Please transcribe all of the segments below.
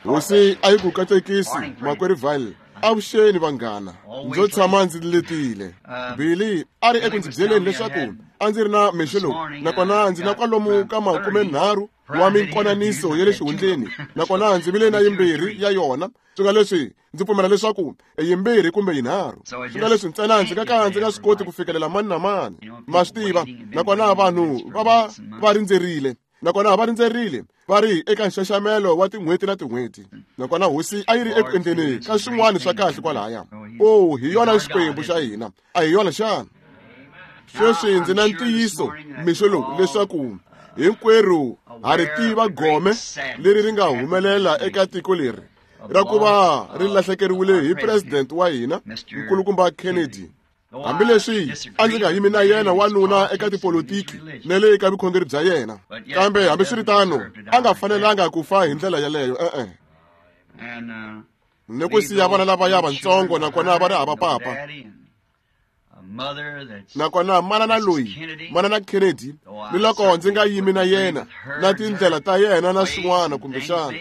Hosi a yi ku katekisi makwerhu Vale. Avuxeni vanghana, ndzo tshama ndzi letile. Billy a ri eku ndzi byeleni leswaku a ndzi ri na mixo lowu, nakona ndzi na kwalomu ka 30 wa minkonaniso ya le xihundleni, nakona ndzi vile na yimbirhi ya yona. Swi nga leswi ndzi pfumela leswaku i yimbirhi kumbe yinharhu. Swi nga leswi ntsena ndzi nga ka ndzi nga swi koti ku fikelela mani na mani, ma swi tiva, nakona vanhu va va va rindzerile. Nakona va rindzerile va ri eka nxaxamelo wa tin'hweti na tin'hweti, nakona hosi a yi ri eku endleni ka swin'wana swa kahle kwalaya. O, hi yona Xikwembu xa hina, a hi yona xana? Sweswi ndzi na ntiyiso mixo lowu leswaku hinkwerhu ha ri tiva gome leri ri nga humelela eka tiko leri ra ku va ri lahlekeriwile hi president wa hina Nkulukumba Kennedy. Hambileswi a ndzi nga yimi na yena wanuna eka tipolitiki na le ka vukhongeri bya yena, kambe hambiswiritano a nga fanelanga ku fa hi ndlela yeleyo, e-e. Ni ku siya vana lavaya vantsongo nakona va ri hava papa. Nakona manana loyi, manana Kennedy, ni loko ndzi nga yimi na yena na tindlela ta yena na swin'wana kumbexana,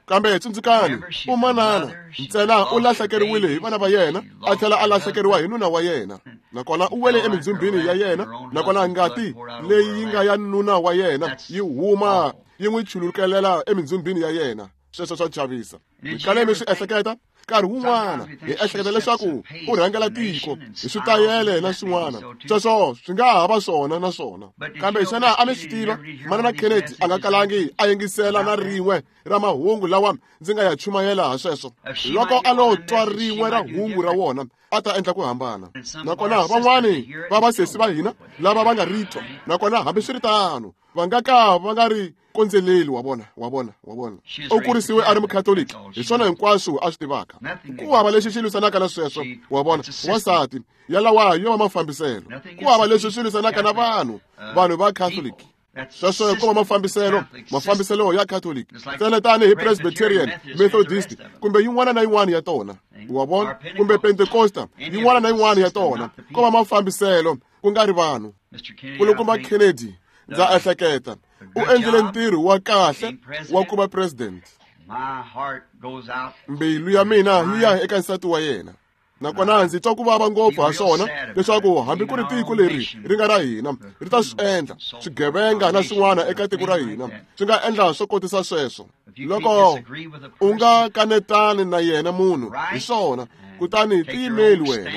kambe tsundzukani, u manana ntsena u lahlekeriwile hi vana va yena, a tlhela a lahlekeriwa hi nuna wa yena, nakona u wele emindzhumbini ya yena, nakona ngati leyi yi nga ya nuna wa yena yi huma yi n'wi chulukelela emindzhumbini ya yena. Sweswo swa chavisa. Mi kale mi swi ehleketa nkarhi wun'wana hi ehleketa leswaku u rhangela tiko hi switayele na swin'wana, sweswo swi nga ha va swona na swona, kambe xana a mi swi tiva manana Kennedy a nga kalangi a yingisela na rin'we ra mahungu lawa ndzi nga ya chumayela ha sweswo? Loko a lo twa rin'we ra hungu ra wona, a ta endla ku hambana. Nakona van'wani va vasesi va hina lava va nga ri twa, nakona hambiswiritano va nga ka va nga ri kondzeleli. Wa vona, wa vona, wa vona, u kurisiwe a ri mukhatoliki, hi swona hinkwaswo a swi tivaka. Ku hava lexi xi lwisanaka na sweswo, wa vona, wansati yalawa yo va mafambiselo. Ku hava leswi swi lwisanaka na vanhu, vanhu va Catholic. Sweswo ko va mafambiselo, mafambiselo ya Catholic ntsena tanihi Presbyterian, Methodist kumbe yin'wana na yin'wana ya tona, wa vona, kumbe Pentecosta, yin'wana na yin'wana ya tona. Ko va mafambiselo, ku nga ri vanhu. Nkulukumba Kennedy, ndza ehleketa, u endlile ntirho wa kahle wa ku va president. Mbilu ya mina yi ya eka nsati wa yena, nakona ndzi twa ku vava ngopfu ha swona leswaku hambi ku ri tiko leri ri nga ra hina ri ta swi endla swigevenga na swin'wana eka tiko ra hina swi nga endla swo kotisa sweswo. Loko u nga kanetani na yena munhu hi swona, kutani tiyimeli wena,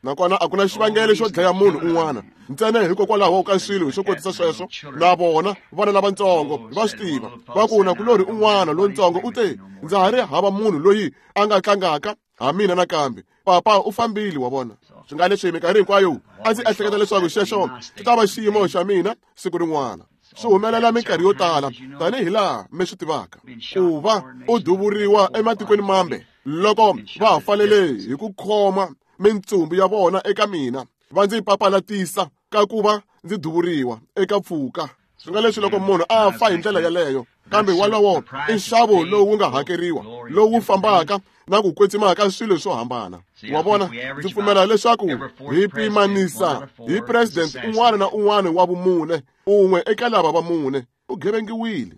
nakona a ku na xivangelo xo dlaya munhu un'wana ntsena hikokwalaho ka swilo swo kotisa sweswo. Na vona vana lavatsongo va swi tiva, va ku nakulorhi un'wana lontsongo u te, ndza ha ri hava munhu loyi a nga tlangaka ha mina nakambe, papa u fambile. Wa vona, swi nga leswi minkarhi hinkwayo a ndzi ehleketa leswaku xexo xi ta va xiyimo xa mina siku rin'wana. Swi humelela minkarhi yo tala tanihi laha mi swi tivaka, ku va u duvuriwa ematikweni mambe loko va ha fanele hi ku khoma mintsumbu ya vona eka mina, va ndzi papalatisa ka ku va ndzi duvuriwa eka pfuka. Swi nga leswi loko munhu a fa hi ndlela yeleyo, kambe walowo i nxavo lowu wu nga hakeriwa, lowu fambaka na ku kwetsima ka swilo swo hambana. Wa vona, ndzi pfumela leswaku hi pimanisa hi president un'wana na un'wana wa vumune, un'we eka lava va mune u gevengiwile.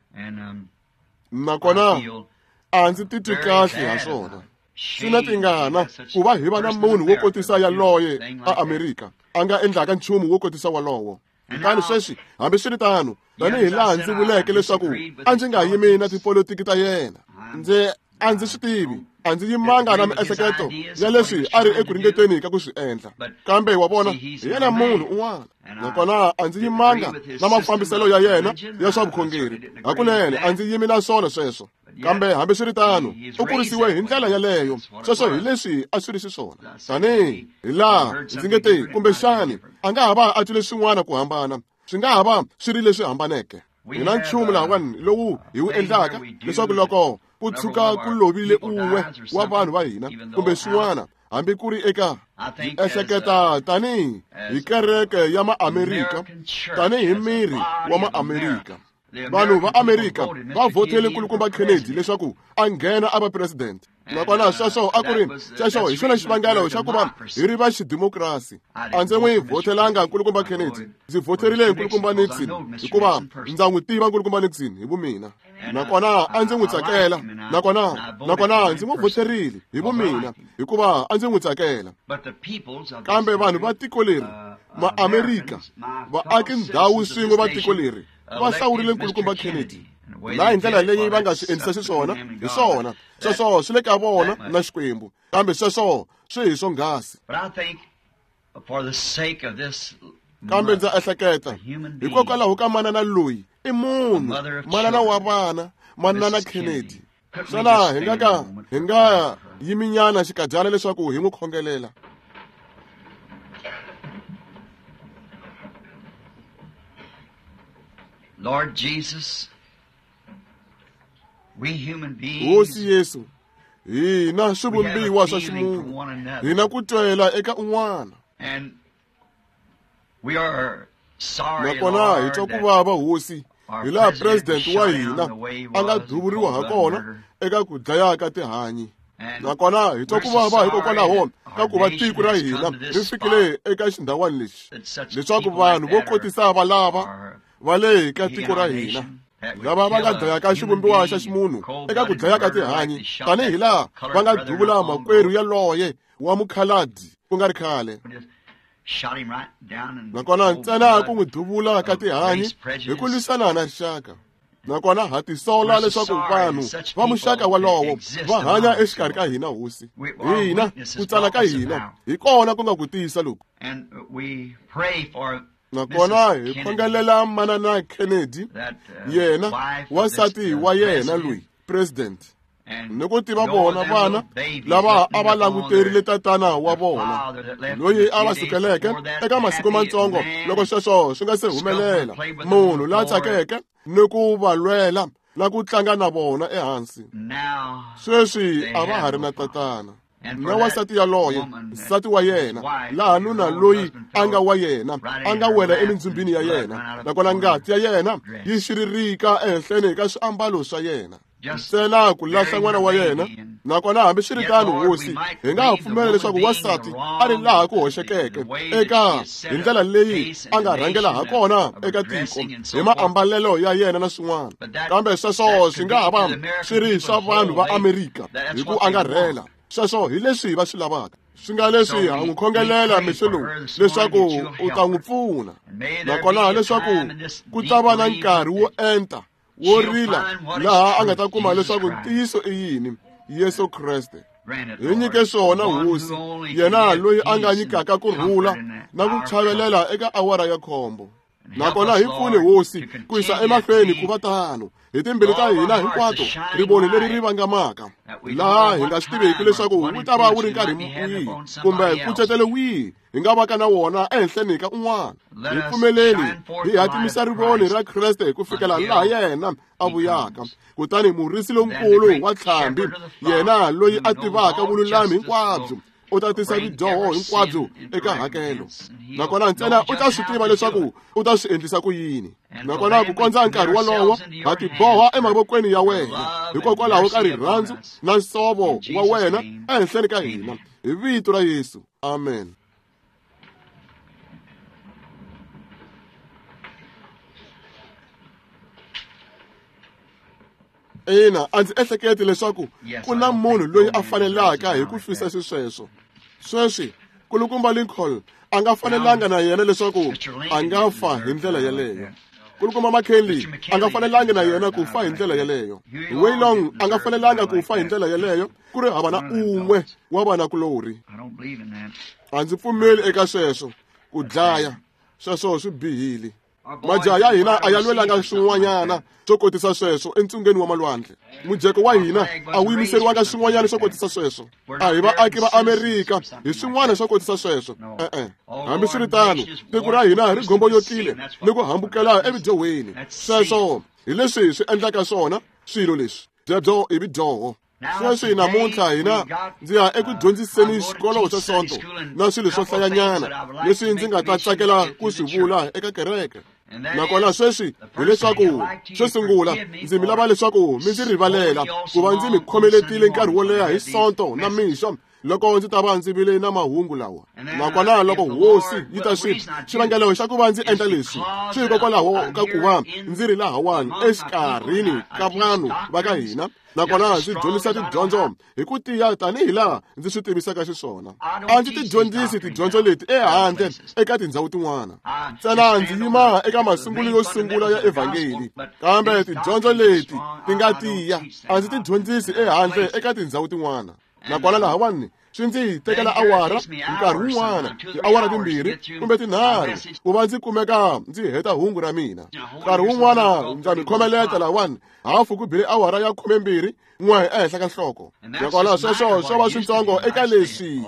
Nakona a ndzi titwi kahle ha swona. Swi na tingana ku va hi va na munhu wo kotisa yaloye a Amerika a nga endlaka nchumu wo kotisa walowo. Kutani sweswi, hambiswiritano, tanihi laha ndzi vuleke leswaku a ndzi nga yimi na tipolitiki ta yena, ndzi a ndzi swi tivi, a ndzi yimanga na miehleketo ya leswi a ri eku ringeteni ka ku swi endla, kambe wa vona, hi yena munhu un'wana, nakona a ndzi yimanga na mafambiselo ya yena ya swa vukhongeri. Hakunene a ndzi yimi na swona sweswo, kambe hambiswiritano u kurisiwe hi ndlela yaleyo. Sweswo hi leswi a swi ri xiswona, tanihi hi laha ndzi nge te kumbexani a nga ha va a twile swin'wana ku hambana, swi nga ha va swi ri leswi hambaneke. Hi na nchumu lahawani lowu hi wu endlaka leswaku loko ku tshuka ku lovile un'we wa vanhu va hina kumbe swin'wana, hambi ku ri eka ndzi ehleketa tanihi hi kereke ya Maamerika, tanihi miri wa Maamerika. Vanhu va Amerika va vhotele Nkulukumba Kennedy leswaku a nghena a va president, nakona sweswo a ku ri xexo hi xona xivangelo xa ku va hi ri va xidemokirasi. A ndzi n'wi vhotelanga Nkulukumba Kennedy, ndzi vhoterile Nkulukumba Nixon hikuva ndza n'wi tiva Nkulukumba Nixon hi vumina, nakona a ndzi n'wi tsakela. Nakona ndzi n'wi voterile hi vumina hikuva a ndzi n'wi tsakela. Kambe vanhu va tiko leri, Maamerika, vaaki ndhawu swin'we va tiko leri, va hlawurile nkulukumba Kennedy. Na hi ndlela leyi va nga swi endlisa xiswona, hi swona. Sweswo swi le ka vona na Xikwembu. Kambe sweswo swi hi swonghasi. Kambe ndza ehleketa hikokwalaho ka manana loyi i munhu, manana wa vana, manana Kennedy. Xana hi nga ka hi nga yiminyana xikadyana leswaku hi n'wi khongelela? Lord Jesus, we human beings, Hosi Yesu, hina swivumbiwa swa ximunhu, hina ku twela eka un'wana. And we are sorry, nakona hi twa ku vava, Hosi, hi laha president wa hina a nga duvuriwa ha kona eka ku dlaya ka tihanyi. Nakona hi twa ku vava hikokwalaho ka ku va tiko ra hina ri fikile eka xindhawani lexi, leswaku vanhu vo kotisa va lava va le ka tiko ra hina, lava va nga dlayaka xivumbiwa xa ximunhu eka ku dlaya ka tihanyi, tanihi laha va nga duvula makwerhu yaloye wa mukhaladi ku nga ri khale. Nakona ntsena ku n'wi duvula ka tihanyi hi ku lwisana na rixaka. Nakona ha tisola leswaku vanhu va muxaka walowo va hanya exikarhi ka hina, Hosi. Hina ku tsala ka hina hi kona ku nga ku tiyisa loku. Nakona hi khongelela manana Kennedy, yena wansati wa yena loyi president, ni ku tiva vona vana lava a va languterile tatana wa vona loyi a va sukeleke eka masiku matsongo loko sweswo swi nga se humelela, munhu la tsakeke ni ku va lwela na ku tlanga na vona ehansi. Sweswi a va ha ri na tatana. Na wansati yaloye, nsati wa yena, laha nuna loyi a nga wa yena a nga wela emindzhumbini ya yena, nakona ngati ya yena yi xiririka ehenhleni ka swiambalo swa yena, ntsena ku lahla n'wana wa yena. Nakona hambiswiritano, Hosi, hi nga ha pfumela leswaku wansati a ri laha ku hoxekeke eka hi ndlela leyi a nga rhangela ha kona eka tiko hi maambalelo ya yena na swin'wana, kambe sweswo swi nga ha va swi ri swa vanhu va Amerika hi ku angarhela. Sweswo hi leswi va swi lavaka. Swi nga leswi ha n'wi khongelela mixo lowu leswaku u ta n'wi pfuna, nakona leswaku ku ta va na nkarhi wo enta wo rila laha a nga ta kuma leswaku ntiyiso i yini, Yesu Kreste. Hi nyike swona, Hosi, yena loyi a nga nyikaka ku rhula na ku chavelela eka awara ya khombo. Nakona hi pfune, Hosi, ku yisa emahlweni ku va tano hi timbilu ta hina hinkwato, rivoni leri ri vangamaka, laha hi nga swi tiveki leswaku wu ta va wu ri nkarhi wihi kumbe nkucetelo wihi hi nga vaka na wona ehenhleni ka un'wana. Hi pfumeleli hi hatimisa rivoni ra Kreste ku fikela laha yena a vuyaka. Kutani murisi lonkulu wa ntlhambi, yena loyi a tivaka vululami hinkwabyo, u ta tisa vidyoho hinkwabyo eka hakelo. Nakona ntsena u ta swi tiva leswaku u ta swi endlisa ku yini. Nakona ku kondza nkarhi wolowo, ha tiboha emavokweni ya wena hikokwalaho ka rirhandzu na nsovo wa wena ehenhleni ka hina, hi vito ra Yesu. Amen. Ina, a ndzi ehleketi leswaku ku na munhu loyi a fanelaka hi ku fisa xisweswo. Sweswi Kulukumba Lincoln a nga fanelanga na yena leswaku a nga fa hi ndlela yeleyo. Kulukumba McKinley a nga fanelanga na yena ku fa hi ndlela yeleyo. Waylong a nga fanelanga ku fa hi ndlela yeleyo, ku ri hava na un'we wa vanakulorhi. A ndzi pfumeli eka sweswo, ku dlaya sweswo swi bihile. Majaha ya hina a ya lwelanga swin'wanyana swo kotisa sweswo entsungeni wa malwandle. Mujeko wa hina a wu yimiseriwanga swin'wanyana swo kotisa sweswo. A hi vaaki va Amerika hi swin'wana swo kotisa sweswo. E-e. Hambiswiritano, tiko ra hina ri gomboyokile ni ku hambukela evidyohweni. Sweswo hi leswi swi endlaka swona swilo leswi. Byebyo i vidyoho. Sweswi namuntlha hina ndzi ya eku dyondziseni xikolo xa Sonto na swilo swo hlayanyana leswi ndzi nga ta tsakela ku swi vula eka kereke. Nakona sweswi hileswaku xo sungula ndzi mi lava leswaku mi ndzi rivalela ku va ndzi mi khomeletile nkarhi wo leha hi Sonto na mixo loko ndzi ta va ndzi vile na mahungu lawa. Nakona loko hosi yi ta swi xivangelo xa ku va ndzi endla leswi swi hikokwalaho ka ku va ndzi ri lahawani exikarhini ka vanhu va ka hina, nakona ndzi dyondzisa tidyondzo hi ku tiya tanihi laha ndzi swi tivisaka xiswona. A ndzi ti dyondzisi tidyondzo leti ehandle eka tindhawu tin'wana, ntsena ndzi yima eka masungulo yo sungula ya evhangeli, kambe tidyondzo leti ti nga tiya a ndzi ti dyondzisi ehandle eka tindhawu tin'wana. Nakona lahawani swi ndzi tekela awara nkarhi wun'wana, tiawara 2 kumbe 3 ku va ndzi kumeka ndzi heta hungu ra mina. Nkarhi wun'wana ndza mi khomeleta lahawani hafu ku bile awara ya 12 ehenhla ka nhloko. Nakona sweswo swo va switsongo eka leswi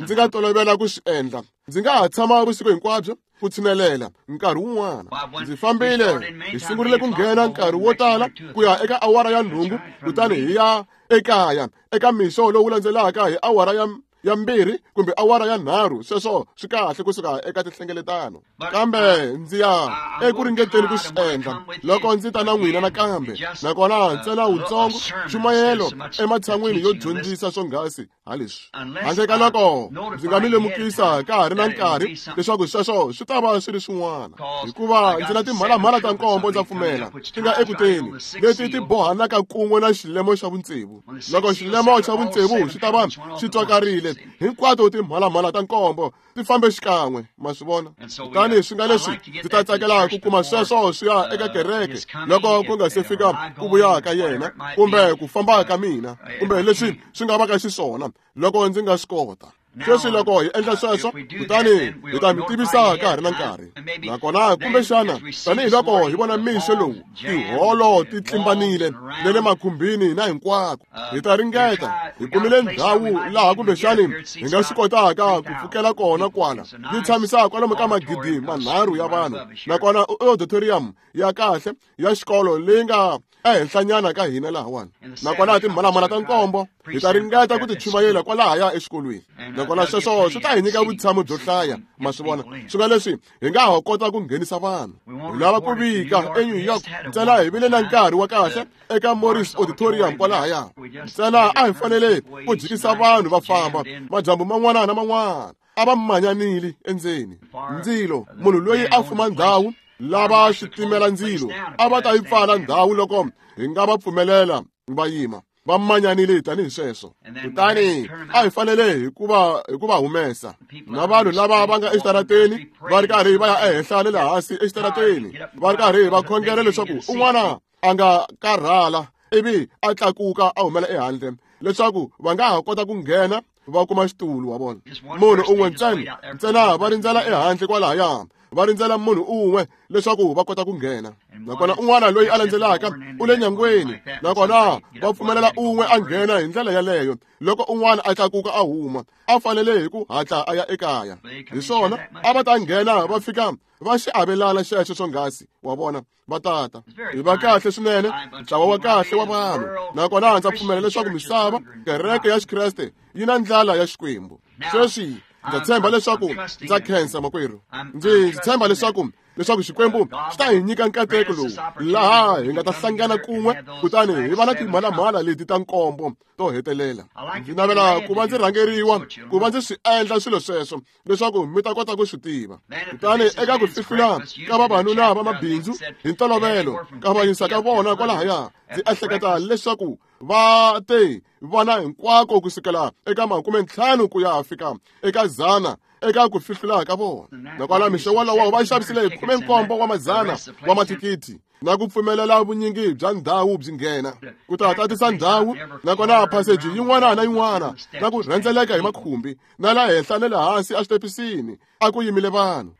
ndzi nga tolovela ku swi endla. Ndzi nga ha tshama vusiku hinkwabyo ku tshinelela nkarhi wun'wana. Ndzi fambile, hi sungurile ku nghena nkarhi wo tala ku ya eka awara ya 8, kutani hi ya ekaya eka mixo lowu landzelaka hi awara ya 2 kumbe awara ya 3. Sweswo swi kahle kusuka eka tinhlengeletano, kambe ndzi ya eku ringeteni ku swi endla loko ndzi ta na n'wina nakambe. Nakona ntsena wutsongo nchumayelo ematshan'wini yo dyondzisa swonghasi ha leswi, handle ka loko ndzi nga mi lemukisa ka ha ri na nkarhi leswaku sweswo swi ta va swi ri swin'wana, hikuva ndzi na timhalamhala ta 7 ndza pfumela ti nga ekuteni leti ti bohanaka kun'we na xilemo xa vutsevu. Loko xilemo xa vutsevu xi ta va xi twakarile, hinkwato timhalamhala ta 7 ti fambe xikan'we, ma swi vona. Kutani swi nga leswi ndzi ta tsakela ku kuma sweswo swi ya eka kereke loko ku nga se fika ku vuya ka yena kumbe ku famba ka mina kumbe leswi swi nga vaka xiswona loko ndzi nga swi kota. Sweswi loko hi endla sweswo, kutani hi ta mi tivisa ka ha ri na nkarhi. Nakona kumbexana tanihiloko hi vona mixo lowu tiholo ti tlimbanile na le makhumbini na hinkwako, hi ta ringeta hi kumile ndhawu laha kumbexani hi nga swi kotaka ku pfukela kona kwala, yi tshamisa kwalomu ka 3,000 ya vanhu. Nakona auditorium ya kahle ya xikolo leyi nga ehenhlanyana ka hina lahawani. Nakona timhalamhala ta 7 hi ta ringeta ku ti chumayela kwalahaya exikolweni. Nakona sweswo swi ta hi nyika vutshamo byo hlaya, ma swi vona. Swi nga leswi hi nga ha kota ku nghenisa vanhu. Hi lava ku vika eNew York ntsena hi vile na nkarhi wa kahle eka Morris Auditorium kwalahaya. Ntsena a hi fanele ku jikisa vanhu va famba madyambu man'wana na man'wana, a va manyanile endzeni. Ndzilo, munhu loyi a fuma ndhawu lava switimela ndzilo a va ta yi pfala ndhawu loko hi nga va pfumelela va yima, va manyanile tanihi sweswo. Kutani a hi fanele hi ku va humesa na vanhu lava va nga exitarateni va ri karhi va ya ehenhla na le hansi exitarateni, va ri karhi va khongela leswaku un'wana a nga karhala ivi a tlakuka a humela ehandle leswaku va nga ha kota ku nghena va kuma xitulu wa vona. Munhu un'we ntsena va rindzela ehandle kwalahaya, va rindzela munhu un'we leswaku va kota ku nghena. Nakona un'wana loyi a landzelaka u le nyangweni, nakona va pfumelela un'we a nghena hi ndlela yaleyo. Loko un'wana a tlakuka a huma, a fanele hi ku hatla a ya ekaya. Hi swona a va ta nghena va fika va xi avelana xexo swonghasi, wa vona, va tata. Hi va kahle swinene, ntlawa wa kahle wa vanhu. Nakona ndza pfumela leswaku misava, kereke ya Xikreste, yi na ndlala ya Xikwembu. Sweswi ndza tshemba leswaku ndza khensa makwerhu. Ndzi tshemba leswaku Xikwembu xi ta hi nyika nkateko lowu laha hi nga ta hlangana kun'we kutani hi va na timhalamhala leti ta 7 to hetelela. Ndzi navela ku va ndzi rhangeriwa ku va ndzi swi endla swilo sweswo leswaku mi ta kota ku swi tiva. Kutani eka ku fihlula ka vavanuna va mabindzu hi ntolovelo ka vanyisa ka vona kwalahaya, ndzi ehleketa leswaku va te vona hinkwako kusukela eka 50 ku ya fika eka 100 eka ku fihlula ka vona. Nakona mixo wolowo va xavisile 17 wa madzana wa mathikithi na ku pfumelela vunyingi bya ndhawu byi nghena ku ta tatisa ndhawu. Nakona phaseji yin'wana na yin'wana na ku rhendzeleka hi makhumbi na la henhla na le hansi exitepisini a ku yimile vanhu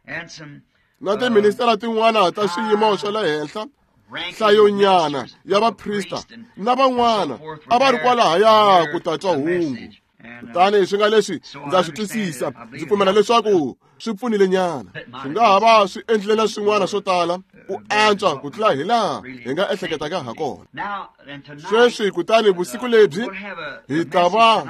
na tiministara tin'wana ta swiyimo swa le henhla, hlayonyana ya vaprista na van'wana a va ri kwalahaya ku ta twa hungu. Kutani swi nga leswi ndza swi twisisa, ndzi pfumela leswaku swi pfunile nyana. Swi nga ha va swi endlile na swin'wana swo tala ku antswa ku tlula hi laha hi nga ehleketaka ha kona. Sweswi kutani vusiku lebyi hi ta va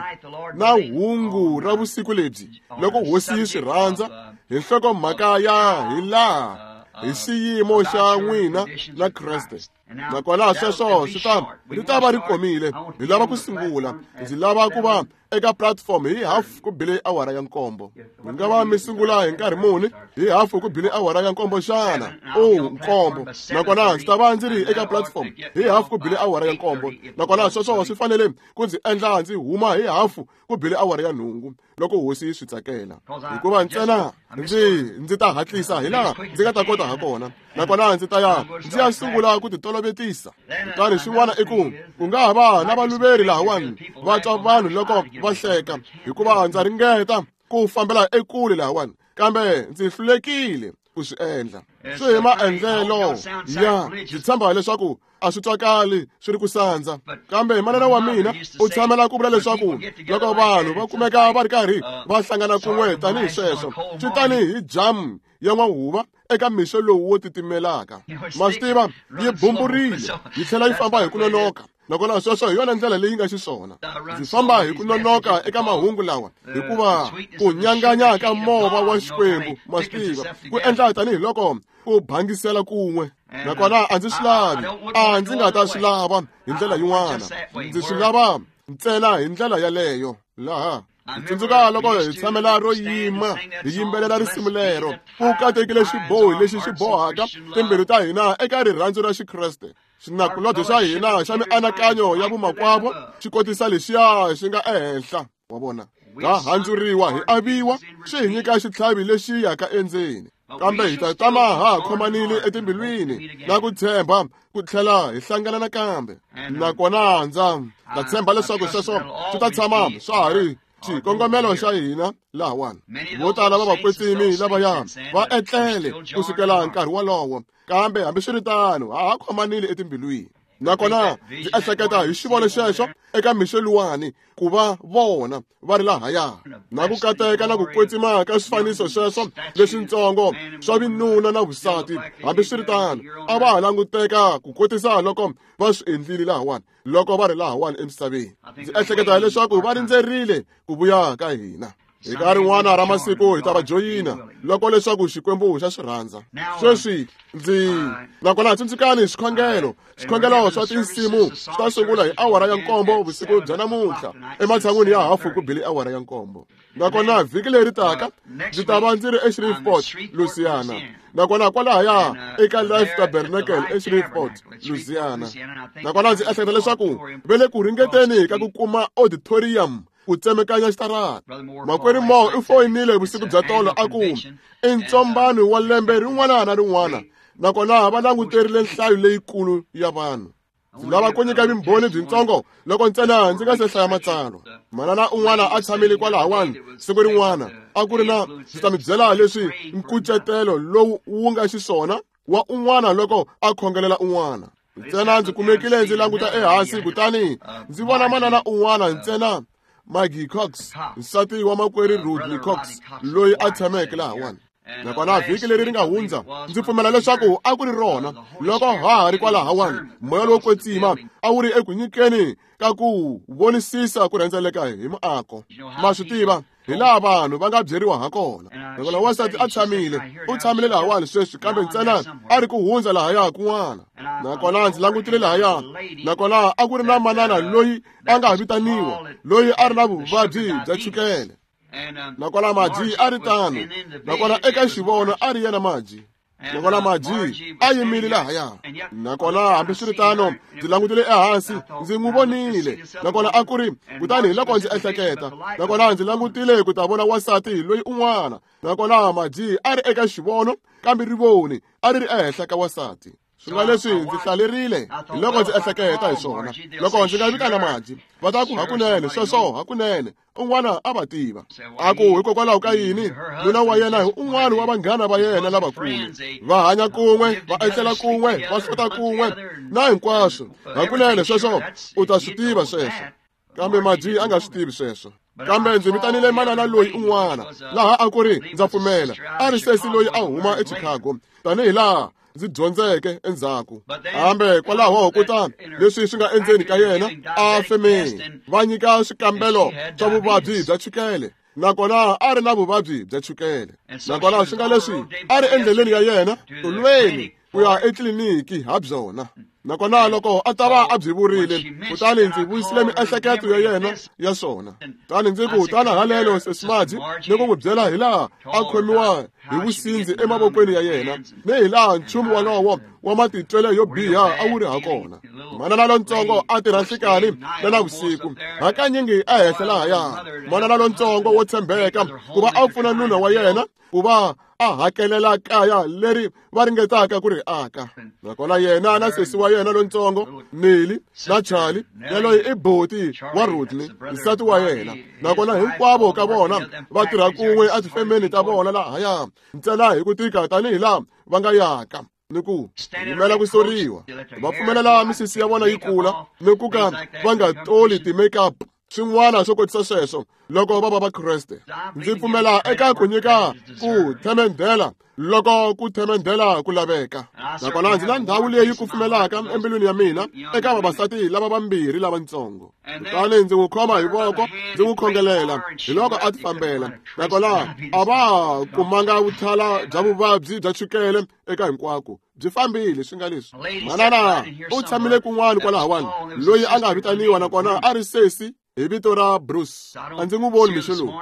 na hungu ra vusiku lebyi loko hosi yi swi rhandza, hi nhlokomhaka ya hi laha hi xiyimo xa n'wina na Kreste. Nakona sweswo swi ta ri ta va ri komile. Hi lava ku sungula. Ndzi lava ku va eka platform hi 7:30. Mi nga va mi sungula hi nkarhi muni? Hi 7:30 xana? 7. Nakona ndzi ta va ndzi ri eka platform hi 7:30. Nakona sweswo swi fanele ku ndzi endla ndzi huma hi 8:30 loko hosi yi swi tsakela. Hikuva ntsena ndzi ta hatlisa hi laha ndzi nga ta kota ha kona. Nakona ndzi ta ya ndzi ya sungula ku titolovetisa. Kutani xin'wana i ku nga ha va na valuveri lahawani va twa vanhu loko va hleka, hikuva ndza ringeta ku fambela ekule lahawani, kambe ndzi hlulekile ku swi endla. Swi hi maendlelo ya ndzi tshemba leswaku a swi twakali swi ri ku sandza, kambe manana wa mina u tshamela ku vula leswaku loko vanhu va kumeka va ri karhi va hlangana kun'we tanihi sweswo, swi tanihi jamu ya n'wahuva eka mixo lowu wo titimelaka. Ma swi tiva, yi bumburile yi tlhela yi famba hi ku nonoka. Nakona sweswo hi yona ndlela leyi nga xiswona. Ndzi famba hi ku nonoka eka mahungu lawa, hikuva ku nyanganya ka mova wa Xikwembu, ma swi tiva, ku endla tanihiloko ku bangisela kun'we. Nakona a ndzi swi lavi, a ndzi nga ta swi lava hi ndlela yin'wana. Ndzi swi lava ntsena hi ndlela yaleyo. Laha hi tsundzuka loko hi tshamela ro yima hi yimbelela risimu lero, ku katekile xibohi lexi xi bohaka timbilu ta hina eka rirhandzu ra Xikreste. Xinakulobye xa hina xa mianakanyo ya vumakwavo xi kotisa lexiya xi nga ehenhla. Wa vona, ha handzuriwa hi aviwa, swi hi nyika xitlhavi lexi yaka endzeni. Kambe hi ta tama ha khomanile etimbilwini na ku tshemba ku tlhela hi hlangana nakambe. Nakona ndza tshemba leswaku sweswo swi ta tshama swa ha ri xikongomelo xa hina lahawani. Vo tala va vakwetsimi lavaya va etlele ku sukela nkarhi wolowo, kambe hambiswiritano ha ha khomanile etimbilwini. Nakona ndzi ehleketa hi xivono xexo eka mixo luwani ku va vona va ri lahaya, na ku kateka na ku kwetsima ka swifaniso sweswo leswintsongo swa vinuna na vusati. Hambiswiritano a va ha languteka ku kotisa loko va swi endlile lahawani loko va ri lahawani emisaveni. Ndzi ehleketa leswaku va rindzerile ku vuya ka hina. Hi ka rin'wana ra masiku hi ta va joyina loko leswaku Xikwembu xa swi rhandza. Sweswi ndzi nakona tsundzukani swikhongelo. Swikhongelo swa tinsimu swi ta sungula hi 7:00 vusiku bya namuntlha ematshan'wini ya 7:30. Nakona vhiki leri taka ndzi ta va ndzi ri eShreveport, Louisiana. Nakona kwalahaya eka Life Tabernacle eShreveport, Louisiana. Nakona ndzi ehleketa leswaku va le ku ringeteni ka ku kuma auditorium ku tsemekanya xitarata. Makwerhu Moore u foyinile vusiku bya tolo a ku i ntsombano wa lembe rin'wana na rin'wana, nakona va languterile nhlayo leyikulu ya vanhu. Ndzi lava ku nyika vumbhoni byintsongo loko ntsena ndzi nga se hlaya matsalwa. Manana un'wana a tshamile kwalahawani siku rin'wana, a ku ri na ndzi ta mi byela leswi nkucetelo lowu wu nga xiswona wa un'wana loko a khongelela un'wana. Ntsena ndzi kumekile ndzi languta ehansi, kutani ndzi vona manana un'wana ntsena, Maggie Cox, nsati wa makwerhu Rodney Cox, loyi a tshameke lahawani. Nakona vhiki leri ri nga hundza ndzi pfumela leswaku a ku ri rona loko ha ha ri kwalahawani, moya lowo kwetsima a wu ri eku nyikeni ka ku vonisisa ku rhendzeleka hi muako. Ma swi tiva hi laha vanhu va nga byeriwa ha kona. Nakona wansati a tshamile, u tshamile lahawani sweswi, kambe ntsena a ri ku hundza lahaya kun'wana. Nakona ndzi langutile lahaya, nakona a ku ri na manana loyi a nga vitaniwa, loyi a ri na vuvabyi bya chukele. Nakona Maji a ri tano. Nakona eka xivono a ri yena Maji. Nakona Maji a yimile lahaya. Nakona hambiswiritano ndzi langutile ehansi, ndzi n'wi vonile. Nakona a ku ri, kutani hi loko ndzi ehleketa, nakona ndzi langutile ku ta vona wansati loyi un'wana. Nakona Maji a ri eka xivono, kambe rivoni a ri ri ehenhla ka wansati. Swi nga leswi ndzi hlalerile hi loko ndzi ehleketa hi swona. Loko ndzi nga vitana Maji, va ta ku hakunene sweswo, hakunene un'wana a va tiva. A ku hikokwalaho ka yini nuna wa yena hi un'wana wa vanghana va yena lavakulu, va hanya kun'we, va etlela kun'we, va hlota kun'we na hinkwaswo. Hakunene sweswo u ta swi tiva sweswo, kambe Maji a nga swi tivi sweswo. Kambe ndzi vitanile manana loyi un'wana laha a ku ri, ndza pfumela a ri sesi loyi a huma eChicago, tanihi laha ndzi dyondzeke endzhaku. Kambe kwalaho kutani leswi swi nga endzeni ka yena a femeni va nyika swikambelo swa vuvabyi bya chukele, nakona a ri na vuvabyi bya chukele. Nakona swi nga leswi a ri endleleni ya yena tolweni ku ya etliliniki ha byona. Nakona loko a ta va a byi vurile, kutani ndzi vuyisile miehleketo ya yena ya swona. Kutani ndzi ku, tana haleno Sesi Margie, ni ku n'wi byela hilaha a khomiwa hi vusindzi emavokweni ya yena, ni hilaha nchumu wolowo wa matitwelo yo biha a wu ri hakona. Manana lontsongo a tirha nhlikani na navusiku, hakanyingi ehenhla lahaya. Manana lontsongo wo tshembeka ku va a pfuna nuna wa yena ku va a hakelela kaya leri va ringetaka ku ri aka. Nakona yena na sesi wa yena lontsongo Nelly na Charlie, yaloye i boti wa Rodney, nsati wa yena. Nakona hinkwavo ka vona va tirha kun'we etifemeni ta vona lahaya, ntsena hi ku tika tanihi laha va nga yaka ni ku yimela ku soriwa. Va pfumelela misisi ya vona yi kula ni ku ka va nga toli ti-makeup, swin'wana swo kotisa sweswo loko va va Vakreste. Ndzi pfumela eka ku nyika ku themendhela loko ku themendhela ku laveka. Nakona ndzi na ndhawu leyi kufumelaka embilwini ya mina eka vavasati lava vambirhi lavatsongo. Kutani ndzi n'wi khoma hi voko, ndzi n'wi khongelela, hi loko a ti fambela. Nakona a va kumanga vuthala bya vuvabyi bya chukele eka hinkwako, byi fambile swi nga leswi. Manana u tshamile kun'wana kwalahawani, loyi a nga vitaniwa nakona a ri sesi hi vito ra Bruce. A ndzi n'wi voni mixo lowu,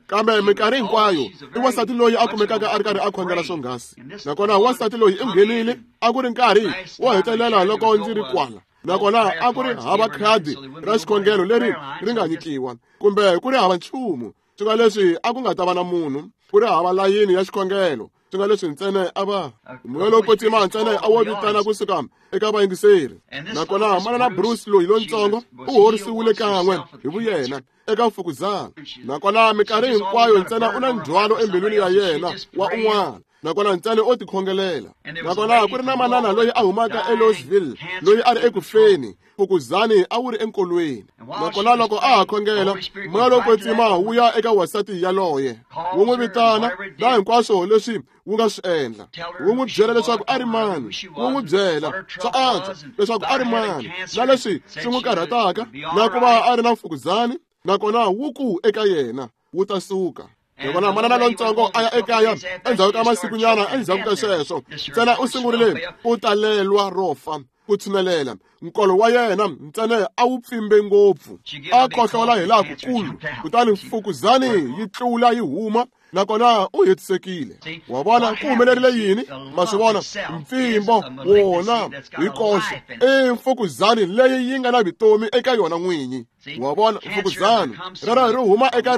kambe minkarhi hinkwayo i wansati loyi a kumekaka a ri karhi a khongela swonghasi. Nakona wansati loyi i nghenile, a ku ri nkarhi wo hetelela loko ndzi ri kwala. Nakona a ku ri hava khadi ra xikhongelo leri ri nga nyikiwa, kumbe ku ri hava nchumu. Swi nga leswi a ku nga ta va na munhu, ku ri hava layini ya xikhongelo. Swi nga leswi ntsena a va moya lowo kwetsima ntsena a wo vitana kusuka eka vayingiseri. Nakona manana Bruce loyi lontsongo u horisiwile kan'we hi vuyena eka mfukuzana. Nakona minkarhi hinkwayo ntsena u na ndzhwalo embilwini ya yena wa un'wana. Nakona ntsena o tikhongelela. Nakona ku ri na manana loyi a humaka eLouisville, loyi a ri ekufeni, mfukuzani a wu ri enkolweni. Nakona loko a ha khongela, moya lowo kwetsima wu ya eka wansati yaloye, wu n'wi vitana na hinkwaswo leswi wu nga swi endla. Wu n'wi byela leswaku a ri mani, wu n'wi byela swa antswa leswaku a ri mani, na leswi swi n'wi karhataka, na ku va a ri na mfukuzani. Nakona wu ku eka yena, wu ta suka. Nakona manana lontsongo a ya ekaya endzhaku ka masikunyana endzhaku ka sweswo, ntsena u sungurile ku talelwa ro fa, ku tshinelela. Nkolo wa yena ntsena a wu pfimbe ngopfu, a khohlola hi laha kukulu, kutani mfukuzani yi tlula yi huma. Nakona u hetisekile. Wa vona ku humelerile yini? Ma swi vona, mpfimbo wona hi koxe i mfukuzani leyi yi nga na vutomi eka yona n'winyi. Wa vona, mfukuzani rero ri huma eka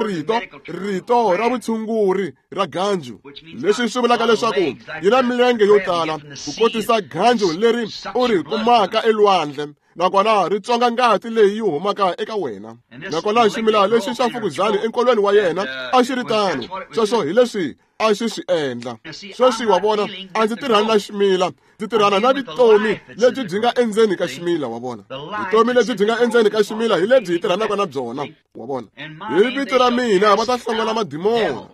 rito ra vutshunguri ra ganju, leswi swi vulaka leswaku yi na milenge yo tala ku kotisa ganju leri u ri kumaka elwandle. Nakona ri tswonga ngati leyi yi humaka eka wena. Nakona ximila lexi xa mfukuzani enkolweni wa yena a xi ri tano. Sweswo hi leswi a xi swi endla. Sweswi wa vona, a ndzi tirhani na ximila, ndzi tirhana na vutomi lebyi byi nga endzeni ka ximila. Wa vona, vutomi lebyi byi nga endzeni ka ximila hi lebyi hi tirhanaka na byona. Wa vona, hi vito ra mina va ta hlongola madimona.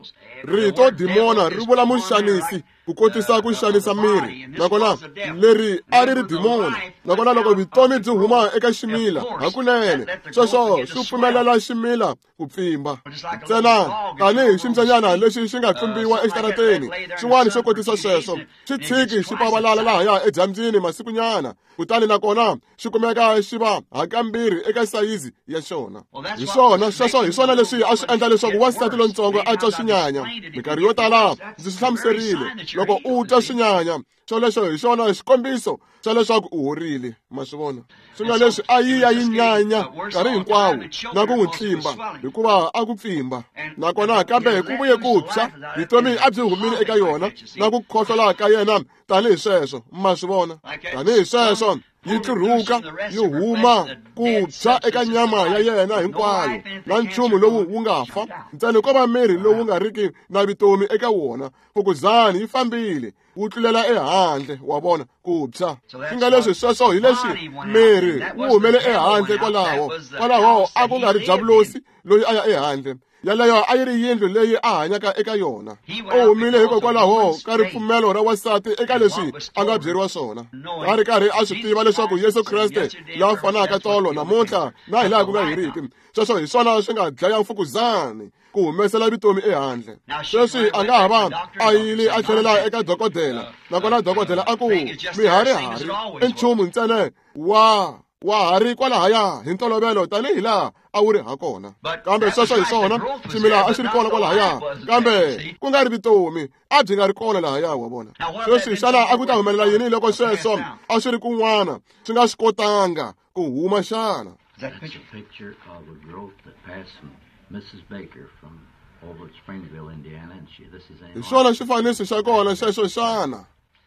Rito dimona ri vula muxanisi, ku kotisa ku xanisa miri. Nakona leri a ri ri dimona. Nakona loko vutomi byi huma eka ximila hakunene, sweswo swi pfumelela ximila ku pfimba. Ntsena tanihi ximbyanyana lexi xi nga pfimbiwa exitarateni, xin'wana xo kotisa sweswo, xi tshiki xi pavalala lahaya edyambyini masikunyana, kutani nakona xi kumeka xi va hakambirhi eka sayizi ya xona. Hi swona sweswo, hi swona leswi a swi endla leswaku wansati lontsongo a twa swinyanya. Minkarhi yo tala ndzi swi hlamuserile, loko u twa swinyanya, xolexo hi xona xikombiso xa leswaku u horile. Ma swi vona, swi nga leswi a yi ya yi nyanya nkarhi hinkwawo na ku n'wi tlimba, hikuva a ku pfimba. Nakona kambe ku vuye ku tshwa, vutomi a byi humile eka yona na ku khohlola ka yena tanihi sweswo. Ma swi vona, tanihi sweswo yi tlurhuka yi huma ku tshwa eka nyama ya yena hinkwayo, na nchumu lowu wu nga fa ntsena ko va miri lowu nga riki na vutomi eka wona. Mfukuzani yi fambile, wu tlulela ehandle. Wa vona, ku tshwa. Swi nga leswi sweswo hi leswi miri wu humele ehandle kwalaho. Kwalaho a ku nga ri Diabulosi loyi a ya ehandle. Yaleyo a yi ri yindlu leyi a hanyaka eka yona. U humile hikokwalaho ka ripfumelo ra wansati eka leswi a nga byeriwa swona. A ri karhi a swi tiva leswaku Yesu Kreste la fanaka tolo namuntlha na hilaha ku nga heriki. Sweswo hi swona swi nga dlaya mfukuzani ku humesela vutomi ehandle. Sweswi a nga ha va a yile a tlhelela eka dokodela, nakona dokodela a ku miharihari i nchumu ntsena wa ha ri kwalahaya hi ntolovelo tanihi laha a wu ri ha kona. Kambe sweswo hi swona, ximila a xi ri kona kwalahaya, kambe ku nga ri vutomi a byi nga ri kona lahaya, wa vona. Sweswi xana a ku ta humelela yini loko sweswo a swi ri kun'wana swi nga swi kotanga ku huma xana? That's a picture of a growth that passed from Mrs. Baker from over at Springville, Indiana, and she, this is Hi swona xifaniso xa kona xexo xana?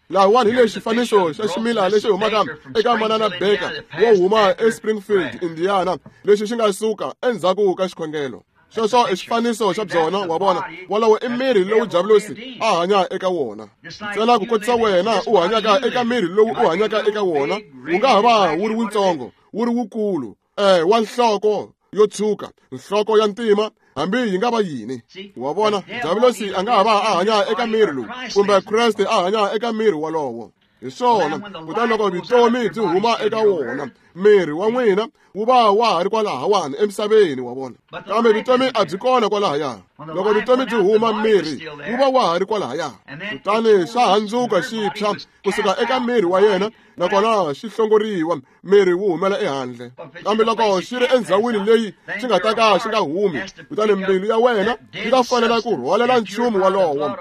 Lahawani hi lexi xifaniso xa ximila lexi humaka eka Manana Baker wo huma eSpringfield, Indiana, lexi xi nga suka endzhaku ka xikhongelo. Sweswo i xifaniso xa byona, wa vona. Wolowo i miri lowu Diabolosi a hanya eka wona. Ntsena ku kotisa wena u hanyaka eka miri lowu u hanyaka eka wona, wu nga ha va wu ri wutsongo, wu ri wukulu, wa nhloko yo tshuka, nhloko ya ntima, hambi yi nga va yini. Wa vona, Diabolosi a nga ha va a hanya eka miri lowu, kumbe Kreste a hanya eka miri wolowo. Hi swona, kutani loko vutomi byi huma eka wona, miri wa n'wina wu va wa ha ri kwalahawani emisaveni, wa vona. Kambe vutomi a byi kona kwalahaya. Loko vutomi byi huma, miri wu va wa ha ri kwalahaya. Kutani xa handzuka xi tshwa kusuka eka miri wa yena, nakona xi hlongoriwa, miri wu humela ehandle. Kambe loko xi ri endzhawini leyi xi nga ta ka xi nga humi, kutani mbilu ya wena yi ta fanela ku rhwalela nchumu wolowo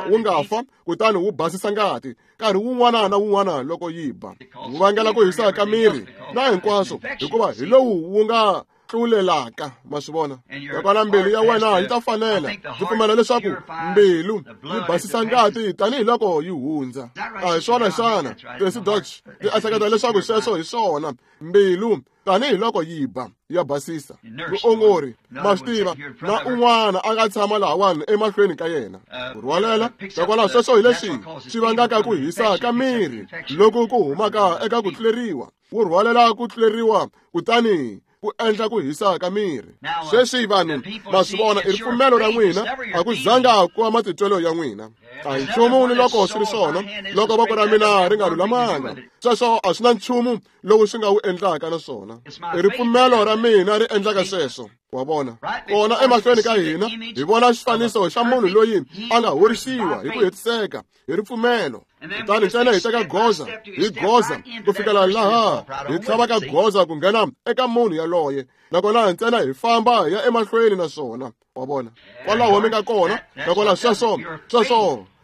wu nga fa, kutani wu basisa ngati nkarhi wun'wana na wun'wana loko yi ba. Wu vangela ku hisa ka miri na hinkwaswo, hikuva hi lowu wu nga tlulelaka, ma swi vona. Nakona mbilu ya wena yi ta fanela. Ndzi pfumela leswaku mbilu yi basisa ngati tanihiloko yi hundza. A hi swona xana? Tracy Dodge, ndzi ehleketa leswaku sweswo hi swona. Mbilu tanihiloko yi ba, ya basisa. Muongori, ma swi tiva, na un'wana a nga tshama lahawani emahlweni ka yena. Ku rhwalela, nakwalaho sweswo hi leswi swi vangaka ku hisa ka miri loku ku humaka eka ku tluleriwa. Wu rhwalela ku tluleriwa kutani ku endla ku hisa ka miri. Sweswi vanhu ma swi vona, i ripfumelo ra n'wina, a ku zanga ku va matitwelo ya n'wina. A hi nchumu ni loko swi ri swona, loko voko ra mina ri nga lulamanga, sweswo a swi na nchumu lowu swi nga wu endlaka na swona. I ripfumelo ra mina ri endlaka sweswo, wa vona. Kona emahlweni ka hina hi vona xifaniso xa munhu loyi a nga horisiwa hi ku hetiseka hi ripfumelo. Kutani ntsena hi teka goza hi goza ku fikela laha hi tlhavaka goza ku nghena eka munhu yaloye, nakona ntsena hi famba hi ya emahlweni na swona, wa vona. Kwalaho mi nga kona, nakona sweswo